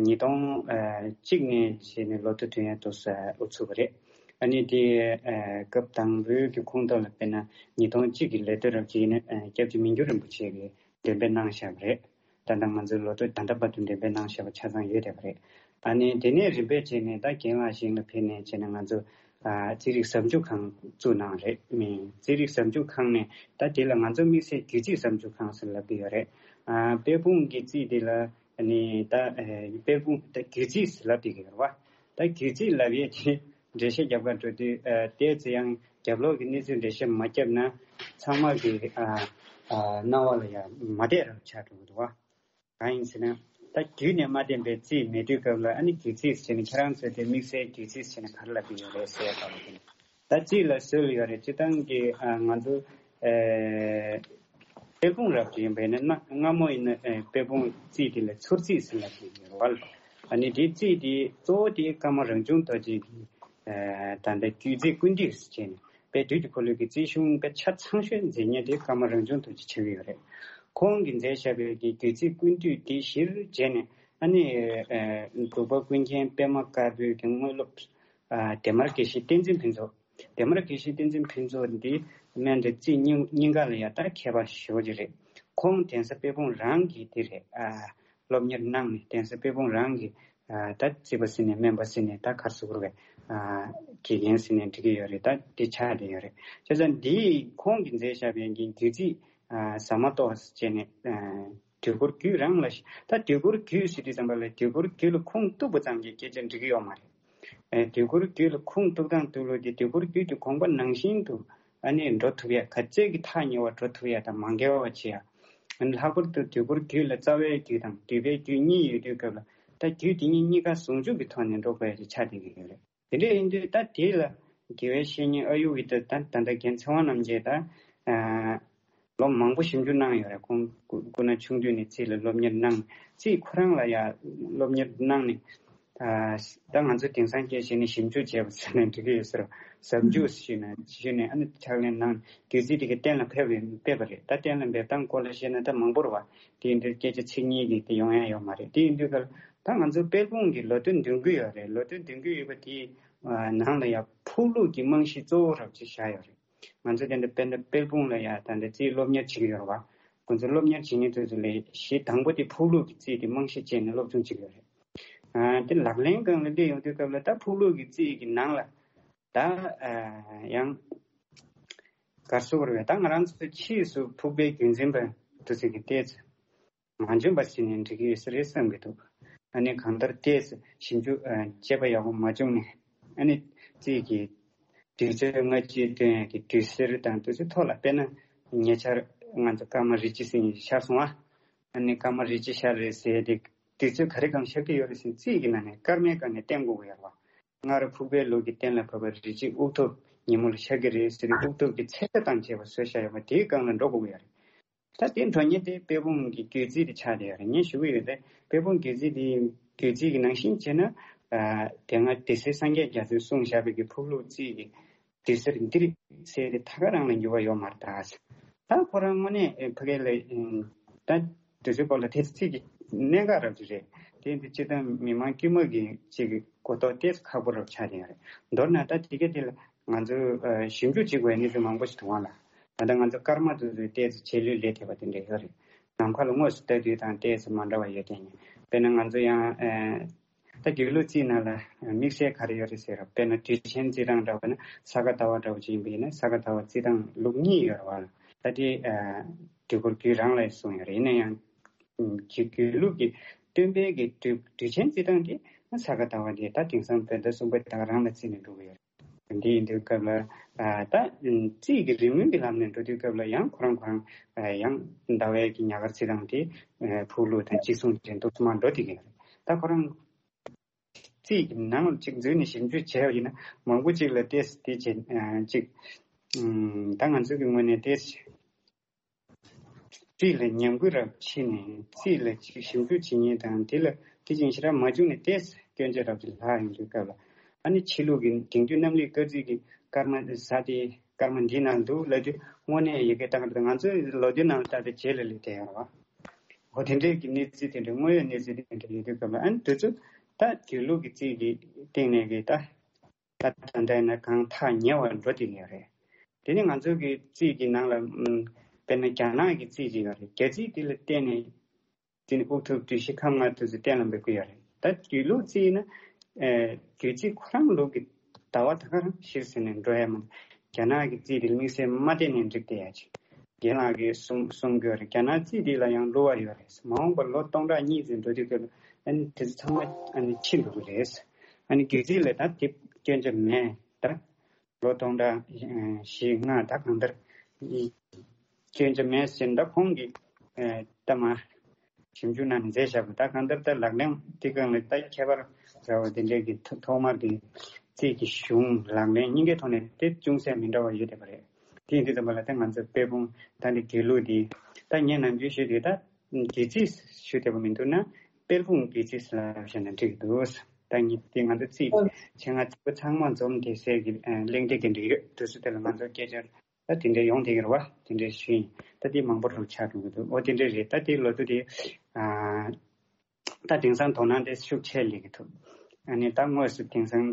ཉིས་སྟོང་ཨ་གཅིག་ནས་བྱས་ནས་ལོ་ཐོ་ཐོན་ཡ་འདུག་སེ་ཨུ་ཚུགས་པ་རེད། ཨ་ནི་དེ་ཨ་སྐབས་དང་པོའི་གི་ཁོངས་གཏོགས་ལ་དཔེར་ན་ཉིས་སྟོང་གཅིག་གི་ལོ་ཐོ་རབ་ཅིག་ནི་ཨ་སྐྱབས་རྗེ་མི་འགྱུར་རིན་པོ་ཆེ་གིས་འདོན་སྤེལ་གནང་བཞག་པ་རེད། ད་ལྟ་ང་ཚོའི་ལོ་ཐོ་ད་ལྟ་བར་དུ་འདོན་སྤེལ་གནང་བཞག་པ་ཆ་ཚང་ཡོད་བསྡད་པ་རེད། ཨ་ནི་དེ་ནས་རིམ་པས་བྱས་ནས་ད་རྒན་ལགས་ཞིང་ལ་ཕེབས་ནས་བྱས་ནས་ང་ཚོ་ཨ་རྩིས་རིག་ཟབ་འཇུག་ཁང་བཙུགས་གནང་རེད། མི་རྩིས་རིག་ཟབ་འཇུག་ཁང་ནས་ད་དེ་ལ་ང་ཚོ་དམིགས་བསལ་རྒྱུད་རྩིས་ཟབ་འཇུག་ཁང་ཟེར་ལབ་ཀྱི་ཡོད་རེད། ཨ་དཔལ་སྤུངས་ཀྱི་རྩིས་དེ་ལ་ཨ་ནི་ད་ཨ་དཔལ་སྤུངས་ད་རྒྱུད་རྩིས་ཟེར་ལབ་བསྡད་ཀྱི་ཡོད་རེད་བ། ད་རྒྱུད་རྩིས་ལབ་ཡས་དེ་འགྲེལ་བཤད་རྒྱབ་ག་འགྲོ་དུས་ཨ་ཏོག་ཙམ་ཡང་རྒྱབ་ལོགས་ཀྱི་གནས་ཚུལ་འགྲེལ་བཤད་མ་བརྒྱབ་ན་ཚང་མ་གི་ཨ་ཨ་རྣ་བ་ལ་ཡང་མ་བསྡད་རབས་ཆགས་འགྲོ་གི་འདུག་བ། གང་ཡིན་ཟེར་ན། ད་རྒྱུད་ནས་མ་བསྟན་པའི་རྩིས་མེད་དུས་སྐབས་ལ་ཨ་ནི་རྒྱུད་རྩིས་ཟེར་ནས་ཁྱེད་རང་ཚོས་དེ་དམིགས་བསལ་རྒྱུད་རྩིས་ཟེར་ནས་ག་རེ་ལབ་ཀྱི་ཡོད་རེད་ཟེར་ཡ་ལྟ་བུ་དེ། ད་རྩིས་ལ་སྲོལ་ཡོད་རེད། སྤྱིར་བཏང་གི་ཨ་ང་ཚོ་ཨེ་དཔལ་སྤུངས་རབ་ཏུ་ཡིན་པས་ན་སྔ་སྔ་མོ་ཡིན་ན་ཨེ་དཔལ་སྤུངས་རྩིས་དེ་ལ་ཚུར་རྩིས་ཟེར་ལབ་ཀྱི་ཡོད་རེད་བ། ཨ་ནི་དེ་རྩིས་དེ་གཙོ་བོ་དེ་ཀརྨ་རང་བྱུང་རྡོ་རྗེ་གི་ཨེ་ད་ལྟ་རྒྱུད་རྩིས་ཀུན་བཏུས་ཟེར་བྱས་ནས། དཔལ་དུས་ཀྱི་འཁོར་ལོའི་གི་རྩིས་གཞུང་དཔེ་ཆ་ཚང་ཤོས་མཛད་མཁན་དེ་ཀརྨ་རང་བྱུང་རྡོ་རྗེ་ཆགས་ཀྱི་ཡོད་རེད། ཁོང་གིས་མཛད་བཞག་པའི་གི་རྒྱུད་རྩིས་ཀུན་བཏུས་དེ་གཞིར་བྱས་ནས་ཨ་ནི་ཨ་འབྲུག་པ་ཀུན་མཁྱེན་པད་མ་དཀར་པོའི་གི་དངོས་སློབ་ཨ་བདེ་དམར་དགེ་བཤེས་བསྟན་འཛིན་ཕུན་ཚོགས། བདེ་དམར་དགེ་བཤེས་བསྟན་འཛིན་ཕུན་ཚོགས་འདི་སྨན་རི་རྩིས་གཉིས་གཉིས་ཀ་ལ་ཡ་ད་མཁས་པ་ཞེ་པོ་ཅིག་རེད། ཁོང་གདན་ས་དཔལ་སྤུངས་རང་གི་དེ་རེད། ཨ་སློབ་གཉེར་གནང་ནས་གདན་ས་དཔལ་སྤུངས་རང་གི་ཨ་ད་རྩིས་པ་ཟེར་ནས་སྨན་པ་ཟེར་ནས་ད་ག་རེ་ཟེར་དགོས་རེད། ཨ་དགེ་རྒན་ཟེར་ནས་འགྲིག་གི་ཡོད་རེད། ད་འདི་ཆགས་བསྡད་ཡོད་རེད། བྱས་ཙང་འདི་ཁོང་གིས་མཛད་བཞག་པའི་གི་རྒྱུད་རྩིས་ཨ་ཟ་མ་ཏོག་ཟེར་བྱས་ནས་ཨ་དུས་འཁོར་རྒྱུད་རང་ལ་ད་དུས་འཁོར་རྒྱུད་ཟེར་དུས་ཙམ་པ་ལ་དུས་འཁོར་རྒྱུད་ལ་ཁུངས་གཏུགས་པ་ཙམ་གྱིས་སྐད་ཆ་འགྲིག་གི་ཡོད་མ་རེད། ཨ་དུས་འཁོར་རྒྱུད་ལ་ཁུངས་གཏུགས་སྟངས་གཏུགས་ལུགས་དེ་དུས་འཁོར་རྒྱུད་ཀྱི་དགོངས་པ་ནང་བཞིན་དུ་ཨ་ནི་འགྲོ་ཐུབ་ཡ། ག་ཚད་ཀྱི་ཐག་ཉེ་བ་འགྲོ་ཐུབ་ཡ་དང་མ་འགལ་བ་བྱེད་ཡ། ཨ་ནི་ལྷག་པར་དུ་དུས་འཁོར་རྒྱུད་ལ་རྩ་བའི་རྒྱུད་དང་འདུས་པའི་རྒྱུད་གཉིས་ཡོད་དུས་སྐབས་ལ་ད་རྒྱུད་དེ་གཉིས་གཉིས་ཀ་ཟུང་འཇུག་གི་ཐོག་ནས་འགྲོ་དགོས་ཡ་ཅིག་ཆགས་བསྡད་ཀྱི་ཡོད་རེད། དེ་འདྲ་ཡིན་དུས་ད་དེ་ལ་དགེ་བའི་བཤེས་གཉེན་ཨ་ཡུ་གི་ད་ད་ད་ལྟ་རྒན་ཚེ་དབང་རྣམ་རྒྱལ་ད་ཨ་ལོ་མང་པོ་ཞིབ་འཇུག་གནང་ཡོད་རེད། ཁོང་སྐུ་སྐུ་ན་ཆུང་དུས་ནས་རྩིས་ལ་སློབ་གཉེར་གནང་། རྩིས་ཁོ་རང་ལ་ཡ་སློབ་གཉེར་གནང་ནས་ཨ་ད་ང་ཚོ་དེང་སང་སྐད་བཤད་ན་ཞིབ་འཇུག་བྱས་པ་ཟེར་ན་འགྲིག་གི་ཡོད་ཟེར། ཟབ་འཇུག་ཞུས་ན་ཞུས་ནས་ཨ་ནི་ཕྱག་ལེན་གནང་། རྒྱུད་རྩིས་དེ་ག་གཏན་ལ་ཕེབས་པའི་ཕེབས་པ་རེད། ད་གཏན་ལ་འབེབས་སྟངས་སྐོར་ལ་བཤད་ན་ད་མང་པོ་རེད་བ། དེ་ཡིན་དུས་སྐད་ཆ་ཚིག་གཉིས་ཀྱིས་དེ་ཡོང་ཡ་ཡོད་མ་རེད། དེ་ཡིན་དུས་ག་ལ་ད་ང་ཚོ་དཔལ་སྤུངས་ཀྱི་ལོ་ཐོ་འདོན་གྱི་ཡོད་རེད། ལོ་ཐོ་འདོན་གྱི་ཡོད་པ་དེའི་ནང་ལ་ཡ་ཕུག་ལུགས་ཀྱི་རྨང་གཞི་གཙོ་བོ་རབ་ཅིག་བཞག་ཡོད་རེད། ང་ཚོ་དེ་འདྲ་དཔེར་ན་དཔལ་སྤུངས་ལ་ཡ་ད་འདྲ་རྩིས་སློབ་གཉེར་བྱེད་ཀྱི་ཡོད་རེད་བ། ཁོང་ཚོ་སློབ་གཉེར་བྱེད་མཁན་དེ་ཚོ་ལ་གཞི་དང་པོ་དེ་ཕུག་ལུགས་ཀྱི་རྩིས་དེ་རྨང་གཞི་བྱས་ནས་སློབ་སྦྱོང་བྱེད་ཀྱི་ཡོད་རེད། ཨ་དེ་ལག་ལེན་སྒང་ལ་སླེབས་ཡོང་དུས་སྐབས་ལ་ད་ཕུག་ལུགས་ཀྱི་རྩིས་ཀྱི་ནང་ལ་ད་ཨ་ཡང་ག་རེ་ཟེར་དགོས་རེད། ད་ང་རང་ཚོ་ཕྱིས་སུ་ཕུག་པའི་རྒྱུན་འཛིན་པ་དེ་ཚོ་གི་ཏོག་ཙམ་མ་འཇོན་པ་ཟེར་ནས་འགྲིག་གི་ཡོད་ས་རེད་བསམ་གྱི་འདུག་ཨ་ནི་གང་ལྟར་ཏོག་ཙམ་ཞིབ་འཇུག་ཨ་དཔྱད་པ་ཡག་པོ་མ་བྱུང་ནས་ཨ་ནི་རྩིས་ཀྱི་དུས་ཚོད་སྔ་ཕྱི་སྟོན་ཡག་གི་དུས་གསར་དང་དུས་ཚོད་ཐོག་ལ་དཔེར་ན་ཉེ་ཆར་ང་ཚོ་ཀརྨ་རི་ཅི་ཟེར་མཁན་ཤར་སོང་བ། ཨ་ནི་ཀརྨ་རི་ཅི་ཤར་རེད་ཟེར་ཏེ་དུས་ཚོད་ག་རེ་སྒང་ཤར་གྱི་ཡོད་རེད་ཟེར་ན་རྩིས་ཀྱི་ནང་ནས་སྐར་མའི་སྒང་ནས་བསྟན་དགོས་ཀྱི་ཡོད་རེད་བ། སྔར་ཕུག་པའི་ལུགས་ཀྱི་གཏན་ལ་ཕབ་པ་རི་ཅི་དབུགས་ཐུབ་ཉིན་མོ་ལ་ཤར་གྱི་རེད་ཟེར་ཏེ་དབུགས་ཐུབ་ཀྱི་ཚད་གྲངས་དང་བཅས་པ་བཟོས་བཞག་ཡོད་པ་དེའི་སྒང་ལ་འགྲོ་དགོས་ཀྱི་ཡོད་རེད། ད་དེ་འགྲོ་མཁན་དེ་དཔལ་སྤུངས་ཀྱི་རྒྱུད་རྩིས་དེ་ཆགས་བསྡད་ཡོད་རེད། ངས་ཞུ་གི་ཡོད་དེ་དཔལ་སྤུངས་རྒྱུད་རྩིས་དེ་རྒྱུད་རྩིས་ཀྱི་ནང་བཞིན་བྱས་ན་ཨ་དེ་སྔ་སྡེ་སྲིད་སངས་རྒྱས་རྒྱ་མཚོས་གསུངས་བཞག་པའི་གི་ཕུག་ལུགས་རྩིས་ཀྱི་དུས་གསར་འདིར་ཟེར་ཏེ་ཐད་ཀ་རང་ལ་འགྱུར་བ་ཡོད་མ་རེད་ད། ད་ཁོ་རང་དངོས་གནས་ཕ་གི་ལ་ད་དུས་ཚོད་སྐོར་ལ་དེ་ཚིག་གི་གནད་འགག་རབ་ཅིག་རེད། དེ་འདི་སྤྱིར་བཏང་མི་མང་དཀྱུས་མ་གི་ཅིག་གི་གོ་རྟོགས་ཏོག་ཙམ་ཁག་པོ་རབ་ཆགས་བསྡད་ཡོད་རེད། མདོར་ན་ད་དེ་ག་དེ་ལ་ང་ཚོ་ཨ་ཞིབ་འཇུག་བྱེད་དགོས་གནས་ཚུལ་མང་པོ་ཞིག་འདུག་བ་ལ། ད་ལྟ་ང་ཚོ་ཀརྨ་དེ་ཚོས་ཏོག་ཙམ་རྗེས་ལུས་ལས་ཐེབས་པ་དེ་འདྲ་ཡོད་རེད། ནམ་མཁའ་ལ་དངོས་སུ་ལྟ་དུས་དང་ཏོག་ཙམ་མ་འདྲ་བ་ཡོད་དེ། དཔེར་ན་ང་ཚོ་ཡང་ཨ། ད་དགེ་ལུགས་རྩིས་ནང་ལ་དམིགས་བསལ་ག་རེ་ཡོད་རེད་ཟེར་ར། དཔེར་ན་དུས་ཆེན་རྩིས་སྟངས་འདྲ་བ་ན་ས་ག་ཟླ་བ་འདྲ་བ་ཅིག་ཡིན་པ་ཡིན་ན་ས་ག་ཟླ་བ་རྩིས་སྟངས་ལུགས་གཉིས་ཡོད་རེད་བ། ད་དེ་ཨ་དུས་འཁོར་རྒྱུད་རང་ལ་གསུངས་ཡོད་རེད། ཡིན་ན་ཡང་ཨ་དགེ་ལུགས་ཀྱི་སྟོན་པའི་གི་དུས་དུས་ཆེན་རྩིས་སྟངས་དེ་ས་ག་ཟླ་བ་དེ་ད་དེང་སང་བོད་ཟླ་གསུམ་པ་དེ་དག་རང་ལ་རྩིས་ནས་འགྲོ་གི་ཡོད་རེད། འདི་ཡིན་དུས་སྐབས་ལ་ཨ་ད་རྩིས་ཀྱི་རིམ་ལྔ་གི་ལམ་ནས་འགྲོ་དུས་སྐབས་ལ་ཡང་ཁོ་རང་ཁོ་རང་ཨ་ཡང་ཟླ་བའི་གི་ཉག་ག་རྩིས་སྟངས་དེ་ཨ་ཕུག་ལུགས་དང་གཅིག་མཚུངས་ཅན་འདུག་སེ་མར་འགྲོ་བསྡད་ཀྱི་ཡོད་རེད། ད་ཁོ་རང་རྩིས་ཀྱི་ནང་ལ་གཅིག་འཛུལ་ནས་ཞིབ་འཇུག་བྱས་པ་ཡིན་ན་མང་པོ་གཅིག་ལ་ཏོག་ཙམ་དེ་བྱས་ཨ་གཅིག་ཨམ་ད་ང་ཚོ་གི་ངོས་ནས་ཏོག་ཙམ་ རྩིས་ལ་ཉམས་རྒུད་རབ་ཕྱིན་ནས་རྩིས་ལ་ཅིག་ཞིབ་འཇུག་བྱེད་མཁན་དང་། དེ་ལ་དེ་བཞིན་ཞེ་དྲག་མ་བྱུང་ནས་ཏོག་ཙམ་སྐྱོན་ཆ་རབ་ཅིག་ལྷག་ཡོང་དུས་སྐབས་ལ། ཨ་ནི་ཕྱི་ལུགས་ཀྱི་དེང་དུས་གནམ་ལུགས་སྐར་རྩིས་ཀྱི་སྐར་མ་ཟ་དེ་སྐར་མ་འདི་ནང་འདུག་ལབ་དུས། དངོས་གནས་ཡི་གེ་ལྟ་ག་ང་ཚོའི་ལོ་རྒྱུས་ནང་ལ་ལྟ་དེ་རྗེས་ལ་སླེབས་བསྡད་ཡོད་རེད་བ། འོ་དེ་འདྲའི་གི་གནས་ཚུལ་དེ་འདྲ། དངོས་ཡོད་གནས་ཚུལ་དེ་འདྲ་ཡོད་དུས་སྐབས་ལ། ཨ་ནི་དུས་ཚོད་ད་དུས་ལུགས་ཀྱི་རྩིས་ཀྱི་སྟེང་ནས་གི་ད། ད་ད་ལྟ་ཡིན་ན་གང་ཐག་ཉེ་བར་འགྲོ་བསྡད་ཡོད་རེད། དེ་ནི་ང་ཚོ་གི་རྩིས་ཀྱི་ནང་ལ་ཨམ། དཔེར་ན་རྒྱ་ནག་གི་རྩིས་ཅིག་ཡོད་རེད། རྒྱ་རྩིས་དེ་ལ་བརྟེན་ནས་དེ་ནི་དབུགས་ཐུབ་དུས་བཞི་ཁམས་ལྔ་དུས་སུ་གཏན་ལ་འབེབས་ཀྱི་ཡོད་རེད། ད་དུས་ལུགས་རྩིས་ན་ཨེ། དུས་ཚིགས་ཁོ་རང་ལུགས་ཀྱི་ཟླ་བ་ད་ག་རང་གཞིར་བཟུང་ནས་འགྲོ་ཡ་མ་གཏོགས། རྒྱ་ནག་གི་རྩིས་དེ་ལ་དམིགས་བསལ་མ་བལྟས་ནས་འགྲིག་བསྡད་ཡ་ཅིག་རྒན་ལགས་ཀྱིས་གསུང་གསུང་གི་ཡོད་རེད། རྒྱ་ནག་རྩིས་འདི་ལ་ཡང་བསླུ་བ་ཡོད་རེད། མ་འོངས་པར་ལོ་སྟོང་ཕྲག་གཉིས་ཙམ་འགྲོ་དུས་སྐབས་ལ་ཨ་ནི་དེ་ཚོ་ཚང་མ་ཨ་ནི་ཕྱིན་འགྲོ་གི་རེད། ཨ་ནི་སྒྱུ་རྩལ་ལ་ད་དེ་སྐྱོན་ཆ་མེད། ད་ལོ་སྟོང་ཕྲག་བཞི་ལྔ་ད་གང་ལྟར་སྐྱོན་ཆ་མེད་ཟེར། ད་ཁོང་གིས་ཨ་ད་མ་ཞིབ་འཇུག་གནང་ནས་མཛད་བཞག་པ། ད་གང་ལྟར་ད་ལག་ལེན་དེ་གང་ལ་ད་ཁྱད་པར་འདྲ་བ་དེ་འདྲའི་གི་ཐོག་ཐོག་མར་དེ་རྩིས་ཀྱི་གཞུང་ལག་ལེན་གཉིས་ཀའི་ཐོག་ནས་དེ་ཅུང་ཟད་མི་འདྲ་བ་ཡོད་བསྡད་པ་རེད། དེ་ཡིན་དུས་ཙམ་པ་ལ་ད་ང་ཚོ་དཔལ་སྤུངས་ད་འདི་དགེ་ལུགས་འདི། ད་ངས་ནམ་རྒྱུན་ཞུས་དུས་ད་དགེ་རྩིས་ཞུ་བདེ་པོ་མི་འདུག་ན་དཔལ་སྤུངས་དགེ་རྩིས་ལབ་བཞག་ན་འགྲིག་གི་འདུག་ད་ངས་དེ་ང་ཚོ་རྩིས་ཆེད་མངགས་རྩིས་པ་ཚང་མ་འཛོམས་བསྡད་སའི་གི་ཨ་གླེང་སྟེགས་དེ་འདྲ་ཡོད། དུས་ཚོད་དེ་ལ་ང་ཚོ་སྐད་ཆ་ད་དེ་འདྲ་ཡོང་བསྡད་ཀྱི་རེད་བ། དེ་འདྲ་ཞུས་ཡིན། ད་དེ་མང་པོ་རུ་ཆགས་འགྲོ་གི་འདུག་འོ་དེ་འདྲ་རེད། ད་དེ་ལོ་ཐུག་དེ་ཨ་ད་དེང་སང་དོ་སྣང་དེ་ཤུགས་ཆེ་སླེབས་ཀྱི་འདུག་ཨ་ནི་ད་དངོས་སུ་དེང་སང་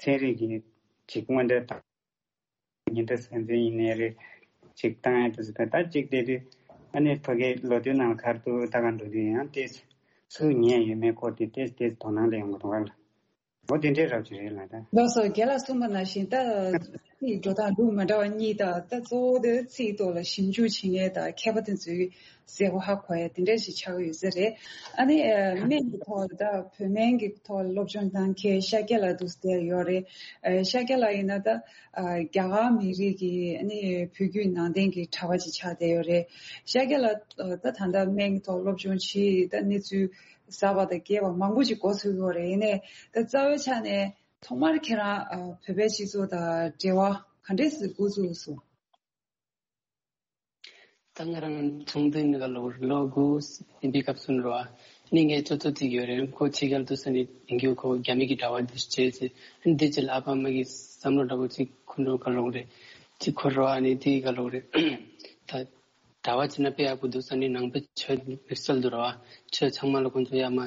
ཚན་རིག་གི་ཅིག་དངོས་འབྲེལ་དང་། ཉིན་ལྟར་སེམས་ཅན་ཡིན་ནའི་རེད། ཅིག་བཏང་ཡ་དེ་ཚོ་ད་ཅིག་དེ་དུས་ཨ་ནི་ཕ་གིའི་ལོ་ཐོའི་ནང་ཁར་དུ་ད་ག་འགྲོ་དུས་ཡང་ཏོག་ཙམ་ཉན་ཡོད་མེད་སྐོར་དེ་ཏོག་ཙམ་དོ་སྣང་ལ་ཡོང་གི་འདུག་ག་ལ། འོ་དེ་འདྲའི་རབ་ཅིག་རེད་ལ་ད། ལགས་སོ། རྒན་ལགས་གསུངས་པ་ནང་བཞིན་ད་ཚིག་འགྲོ་སྟངས་ལུགས་མ་འདྲ་བ་གཉིས་དང་། ད་གཙོ་བོ་དེ་ཚིག་ཐོག་ལ་ཞིབ་འཇུག་བྱེད་མཁན་དང་མཁས་པ་དེ་ཚོའི་གསལ་པོ་ཧ་གོ་ཡ་དེ་འདྲ་ཞིག་ཆགས་ཀྱི་ཡོད་ས་རེད། ཨ་ནི་ཨ་སྨན་གྱི་ཐོག་ལ་ད་བོད་སྨན་གྱི་ཐོག་ལ་སློབ་སྦྱོང་གནང་མཁན་ཤཱཀྱ་ལགས་འདུག་སེ་ཡོད་རེད། ཨ་ཤཱཀྱ་ལགས་ཡིན་ན་ད་ཨ་རྒྱ་གར་མི་རིགས་ཀྱི་ཨ་ནི་བོད་བརྒྱུད་ནང་བསྟན་གྱི་གྲྭ་པ་ཅིག་ཆགས་བསྡད་ཡོད་རེད། ཤཱཀྱ་ལགས་ཨ་ད་ད་ལྟ་སྨན་གྱི་ཐོག་སློབ་སྦྱོང་བྱེད་ད་གནས་ཚུལ་གསར་པ་དང་རྒྱས་པ་མང་པོ་ཞིག་གོ་ཐུབ་ཡོད་རེད། ཡིན་ནའི་ད་རྩ་བའི་ཆ་ནས་ཐོག་མར་ཁྱེད་རང་ཨ་བོད་པའི་སྤྱི་ཚོགས་དང་འབྲེལ་བ་ག་འདྲས་སེ་འགོ་བཙུགས་སོང་། ད་ང་རང་ཆུང་དུས་ནས་ག་ལོ་ལོ་དགུ་ཡིན་པའི་སྐབས་སུ་འགྲོ་བ་ནི་ངའི་ཅོ་ཅོ་གཅིག་ཡོད་རེད། ཁོ་ཕྱི་རྒྱལ་དུ་སོང་ནས་ཡིན་རྒྱུ་ཁོ་རྒྱ་མི་གི་གྲྭ་པ་དུ་བྱས་ཚེ་འདི་ཅི་ལ་ཨ་ཕ་མ་གི་བསམ་བློ་འདྲ་པོ་ཅིག་ཁོ་འགྲོ་ག་ལོ་རེད། ཅིག་ཁོ་རོ་ཨ་ནི་དེ་ག་ལོ་རེད། ད་གྲྭ་པ་བྱས་ན་དཔེ་ཡག་པོ་འདུག་ས་ནི་ནང་པའི་ཆོས་དམིགས་བསལ་དུ་རོ་ཨ་ཆོས་ཚང་མ་ལ་ཁོང་ཚོ་ཡ་མ་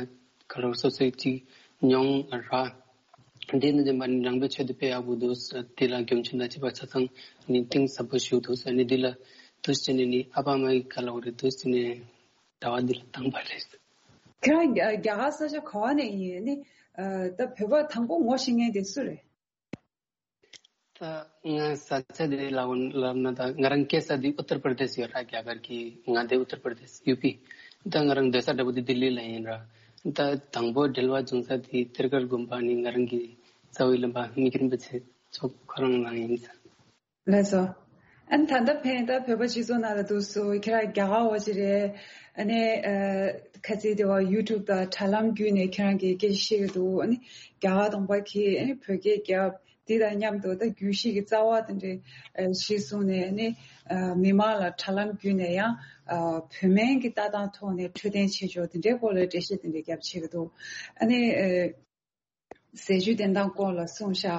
ག་ལོ་སོ་སོའི་ཅིག་མྱོང་ར། འདི་ནི་འདི་མ་ནི་ནང་པའི་ཆོས་དེ་དཔེ་ཡག་པོ་འདུག་ས། དེ་ལ་རྒྱུ་མཚན་དང་བཅས་པ་ཆ་ཚང་ནི་གཏིང་ཟབ་པོ་ཞིག་འདུག་ས་ནི་འདི་ལ་དུས་ཆེན་ནི་ནི་ཨ་ཕ་མ་ཡི་ག་ལོ་རེད་དུས་ཆེན་ནི་ཟླ་བ་འདི་ལ་བཏང་པ་རེད། ཁྱེད་རང་རྒྱ་རྒྱ་གར་ས་ཆ་ག་བ་ནས་ཡིན་ནི། ཨ་ད་བོད་པ་དང་པོ་ངོ་ཤེས་མཁན་དེ་སུ་རེད། ད་ང་ས་ཆ་དེ་ལ་ལབ་ན་ད་ང་རང་སྐྱེས་ས་དེ་ཨུ་ཏར་པར་དེ་སི་ཡོད་ར། རྒྱ་གར་གྱི་མངའ་སྡེ་ཨུ་ཏར་པར་དེ་སི་ཡུ་པི། ད་ང་རང་སྡོད་ས་འདྲ་པོ་དེ་ལྡི་ལི་ལ་ཡིན་ར། ད་དང་པོ་འབྲེལ་བ་བྱུང་ས་དེ་ཐེར་ཀར་དགོན་པ་ནི་ང་རང་གི་རྩ་བའི་བླ་མ་མི་ཁྱེར་འབུལ་ཚེ་ཚོགས་ཁོ་རང་རང་ཡིན་ས། ལགས་སོ། ཨ་ནི་ད་ལྟ་ཕན་ད་བོད་པ་སྤྱི་ཚོགས་ནང་ལ་འདུག་སོ། ཁྱེད་རང་རྒྱ་གར་བ་ཅིག་རེད། ཨ་ནི་ཨ་ཁ་ཚིག་དེ་བ་ཡུ་ཊུབ་དང་དྲ་ལམ་བརྒྱུད་ནས་ཁྱེད་རང་གིས་སྐད་ཆ་བཤད་ཀྱི་འདུག་ཨ་ནི་རྒྱ་གར་གདོང་པ་གིས་ཨ་ནི་བོད་སྐད་རྒྱབ། འདི་དང་མཉམ་དུ་ད་རྒྱུད་བཞི་གི་རྩ་བ་དེ་འདྲའི་ཨ་གཞིར་བཟུང་ནས་ཨ་ནི་ཨ་མི་མང་ལ་དྲ་ལམ་བརྒྱུད་ནས་ཡང་ཨ་བོད་སྨན་གྱི་ལྟ་སྟངས་ཐོག་ནས་འཕྲོད་བསྟེན་བྱེད་ཕྱོགས་དེ་འདྲའི་སྐོར་ལ་འགྲེལ་བཤད་དེ་འདྲའི་རྒྱབ་བྱེད་ཀྱི་འདུག་ཨ་ནི་ཨ་ཟས་བཅུད་བསྟེན་སྟངས་སྐོར་ལ་གསུངས་ཤག་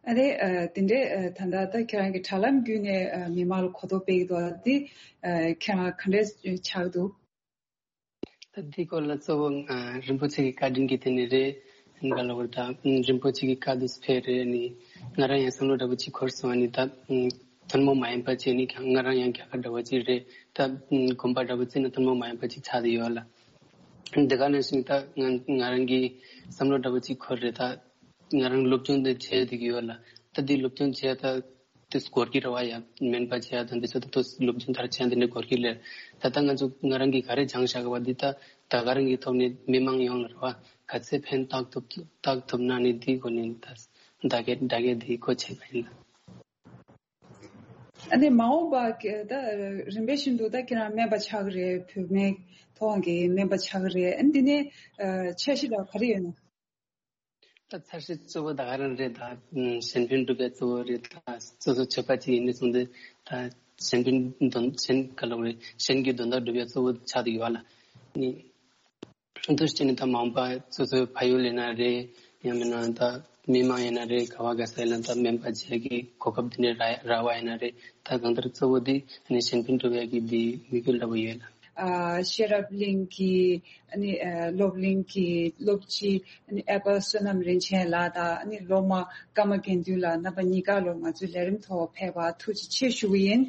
ཨ་ནི་ཨ་དེ་འདྲའི་ཨ་ད་ལྟ་ད་ཁྱེད་རང་གི་དྲ་ལམ་བརྒྱུད་ནས་ཨ་མི་མང་ལ་གོ་རྟོགས་སྤེལ་གྱི་འདུག་འདི་ཨ་ཁྱེད་རང་ག་འདྲས་ཆགས་འདུག་ད་འདི་སྐོར་ལ་གཙོ་བོ་ཨ་རིན་པོ་ཆེ་གི་བཀའ་དྲིན་གྱིས་དེ་ནི་རེད། ག་ལ་བར་ད་རིན་པོ་ཆེ་གི་བཀའ་དུ་ཕེབས་རེད། ནི་ང་རང་ཡང་བསམ་བློ་འདྲ་པོ་ཅིག་འཁོར་སོང་། ནི་ད་ཐུན་མོང་མ་ཡིན་པ་ཅིག་ནི་ང་རང་ཡང་རྒྱ་གར་འདྲ་པོ་ཅིག་རེད། ད་དགོན་པ་འདྲ་པོ་ཅིག་ན་ཐུན་མོང་མ་ཡིན་པ་ཅིག་ཆགས་བསྡད་ཡོད་ལ། འདི་ག་ནང་བཞིན་ད་ང་ང་རང་གི་བསམ་བློ་འདྲ་པོ་ཅིག་འཁོར་རེད། ད་ང་རང་སློབ་སྦྱོང་འདི་བྱས་བསྡད་ཀྱི་ཡོད་ལ། ད་འདི་སློབ་སྦྱོང་བྱས་ད་དེ་སྐོར་གྱི་རེ་བ་ཡང་མིན་པ་བྱས་ད་འདི་ཚོ་ད་དུ་སློབ་སྦྱོང་མཐར་ཕྱིན་འདི་འདྲ་སྐོར་གྱི་ལེར། ད་ལྟ་ང་ཚོ་ང་རང་གིས་ག་རེ་སྦྱངས་བཞག་གི་བ་འདི་ད་ད་ག་རང་གི་ཐོག་ནས་མི་མང་ཡོངས་ལ་རེ་བ་ག་ཚད་ཕན་བཏགས་ཐུབ་བཏགས་ཐུབ་ན་ནི་འདི་སྒོ་ནས་ད་བདག་གིས་བདག་གིས་འདི་གོ་ཆེ་བ་ཡིན་ལ། ཨ་ནི་མ་འོངས་པ་གི་ད་རིམ་པས་བཞིན་དུ་ད་ཁྱེད་རང་སྨན་པ་ཆགས་ཀྱི་རེད། བོད་སྨན་ཐོག་གི་སྨན་པ་ཆགས་ཀྱི་རེད། ཨ་ནི་འདི་ནས་ཨ་འཆར་གཞི་འདྲ་ག་རེ་ཡོད་ན། ད་འཆར་གཞི་གཙོ་བོ་ད་ག་རང་རེད། ད་གཞན་ཕན་སྒྲུབ་པའི་གཙོ་བོ་རེད། ད་སོ་སོ་ཆོས་པ་ཅིག་ཡིན་ནས་བཟུང་སྟེ་ད་ གཞན་ཕན་དོན་གཞན་ག་ལབ་རེད། གཞན་གྱི་དོན་དག་སྒྲུབ་ཡ་གཙོ་བོ་ཆགས་བསྡད་ཡོད་ལ། ནི་འདུག་སེ་བྱས་ནས་ད་མ་འོངས་པ་སོ་སོའི་ཕ་ཡུལ་ཡིན་ན་རེད། ཡང་མིན་ན་ད་མི་མང་ཡིན་ན་རེད། ག་བ་ག་ས་ཡིན་ན་ད་སྨན་པ་བྱེད་ཀྱི་གོ་སྐབས་དེ་འདྲ་རག་རག་པ་ཡིན་ན་རེད། ད་གང་ལྟར་གཙོ་བོ་དེ་ནི་གཞན་ཕན་སྒྲུབ་ཡ་གི་དེ་དམིགས་ཡུལ་འདྲ་པོ་ཡོད་ལ། ཨ་ཤེས་རབ་གླིང་གི་ཨ་ནི་ཨ་སློབ་གླིང་གི་སློབ་སྤྱི་ཨ་ནི་ཨེ་པ་བསོད་ནམས་རིན་ཆེན་ལགས་དང་ཨ་ནི་སློབ་མ་ཀརྨ་དགེ་འདུན་ལགས་རྣམ་པ་གཉིས་ཀ་ལོ་ང་ཚོའི་ལས་རིམ་ཐོག་ཕེབས་པ་ཐུགས་རྗེ་ཆེ་ཞུ་གི་ཡིན།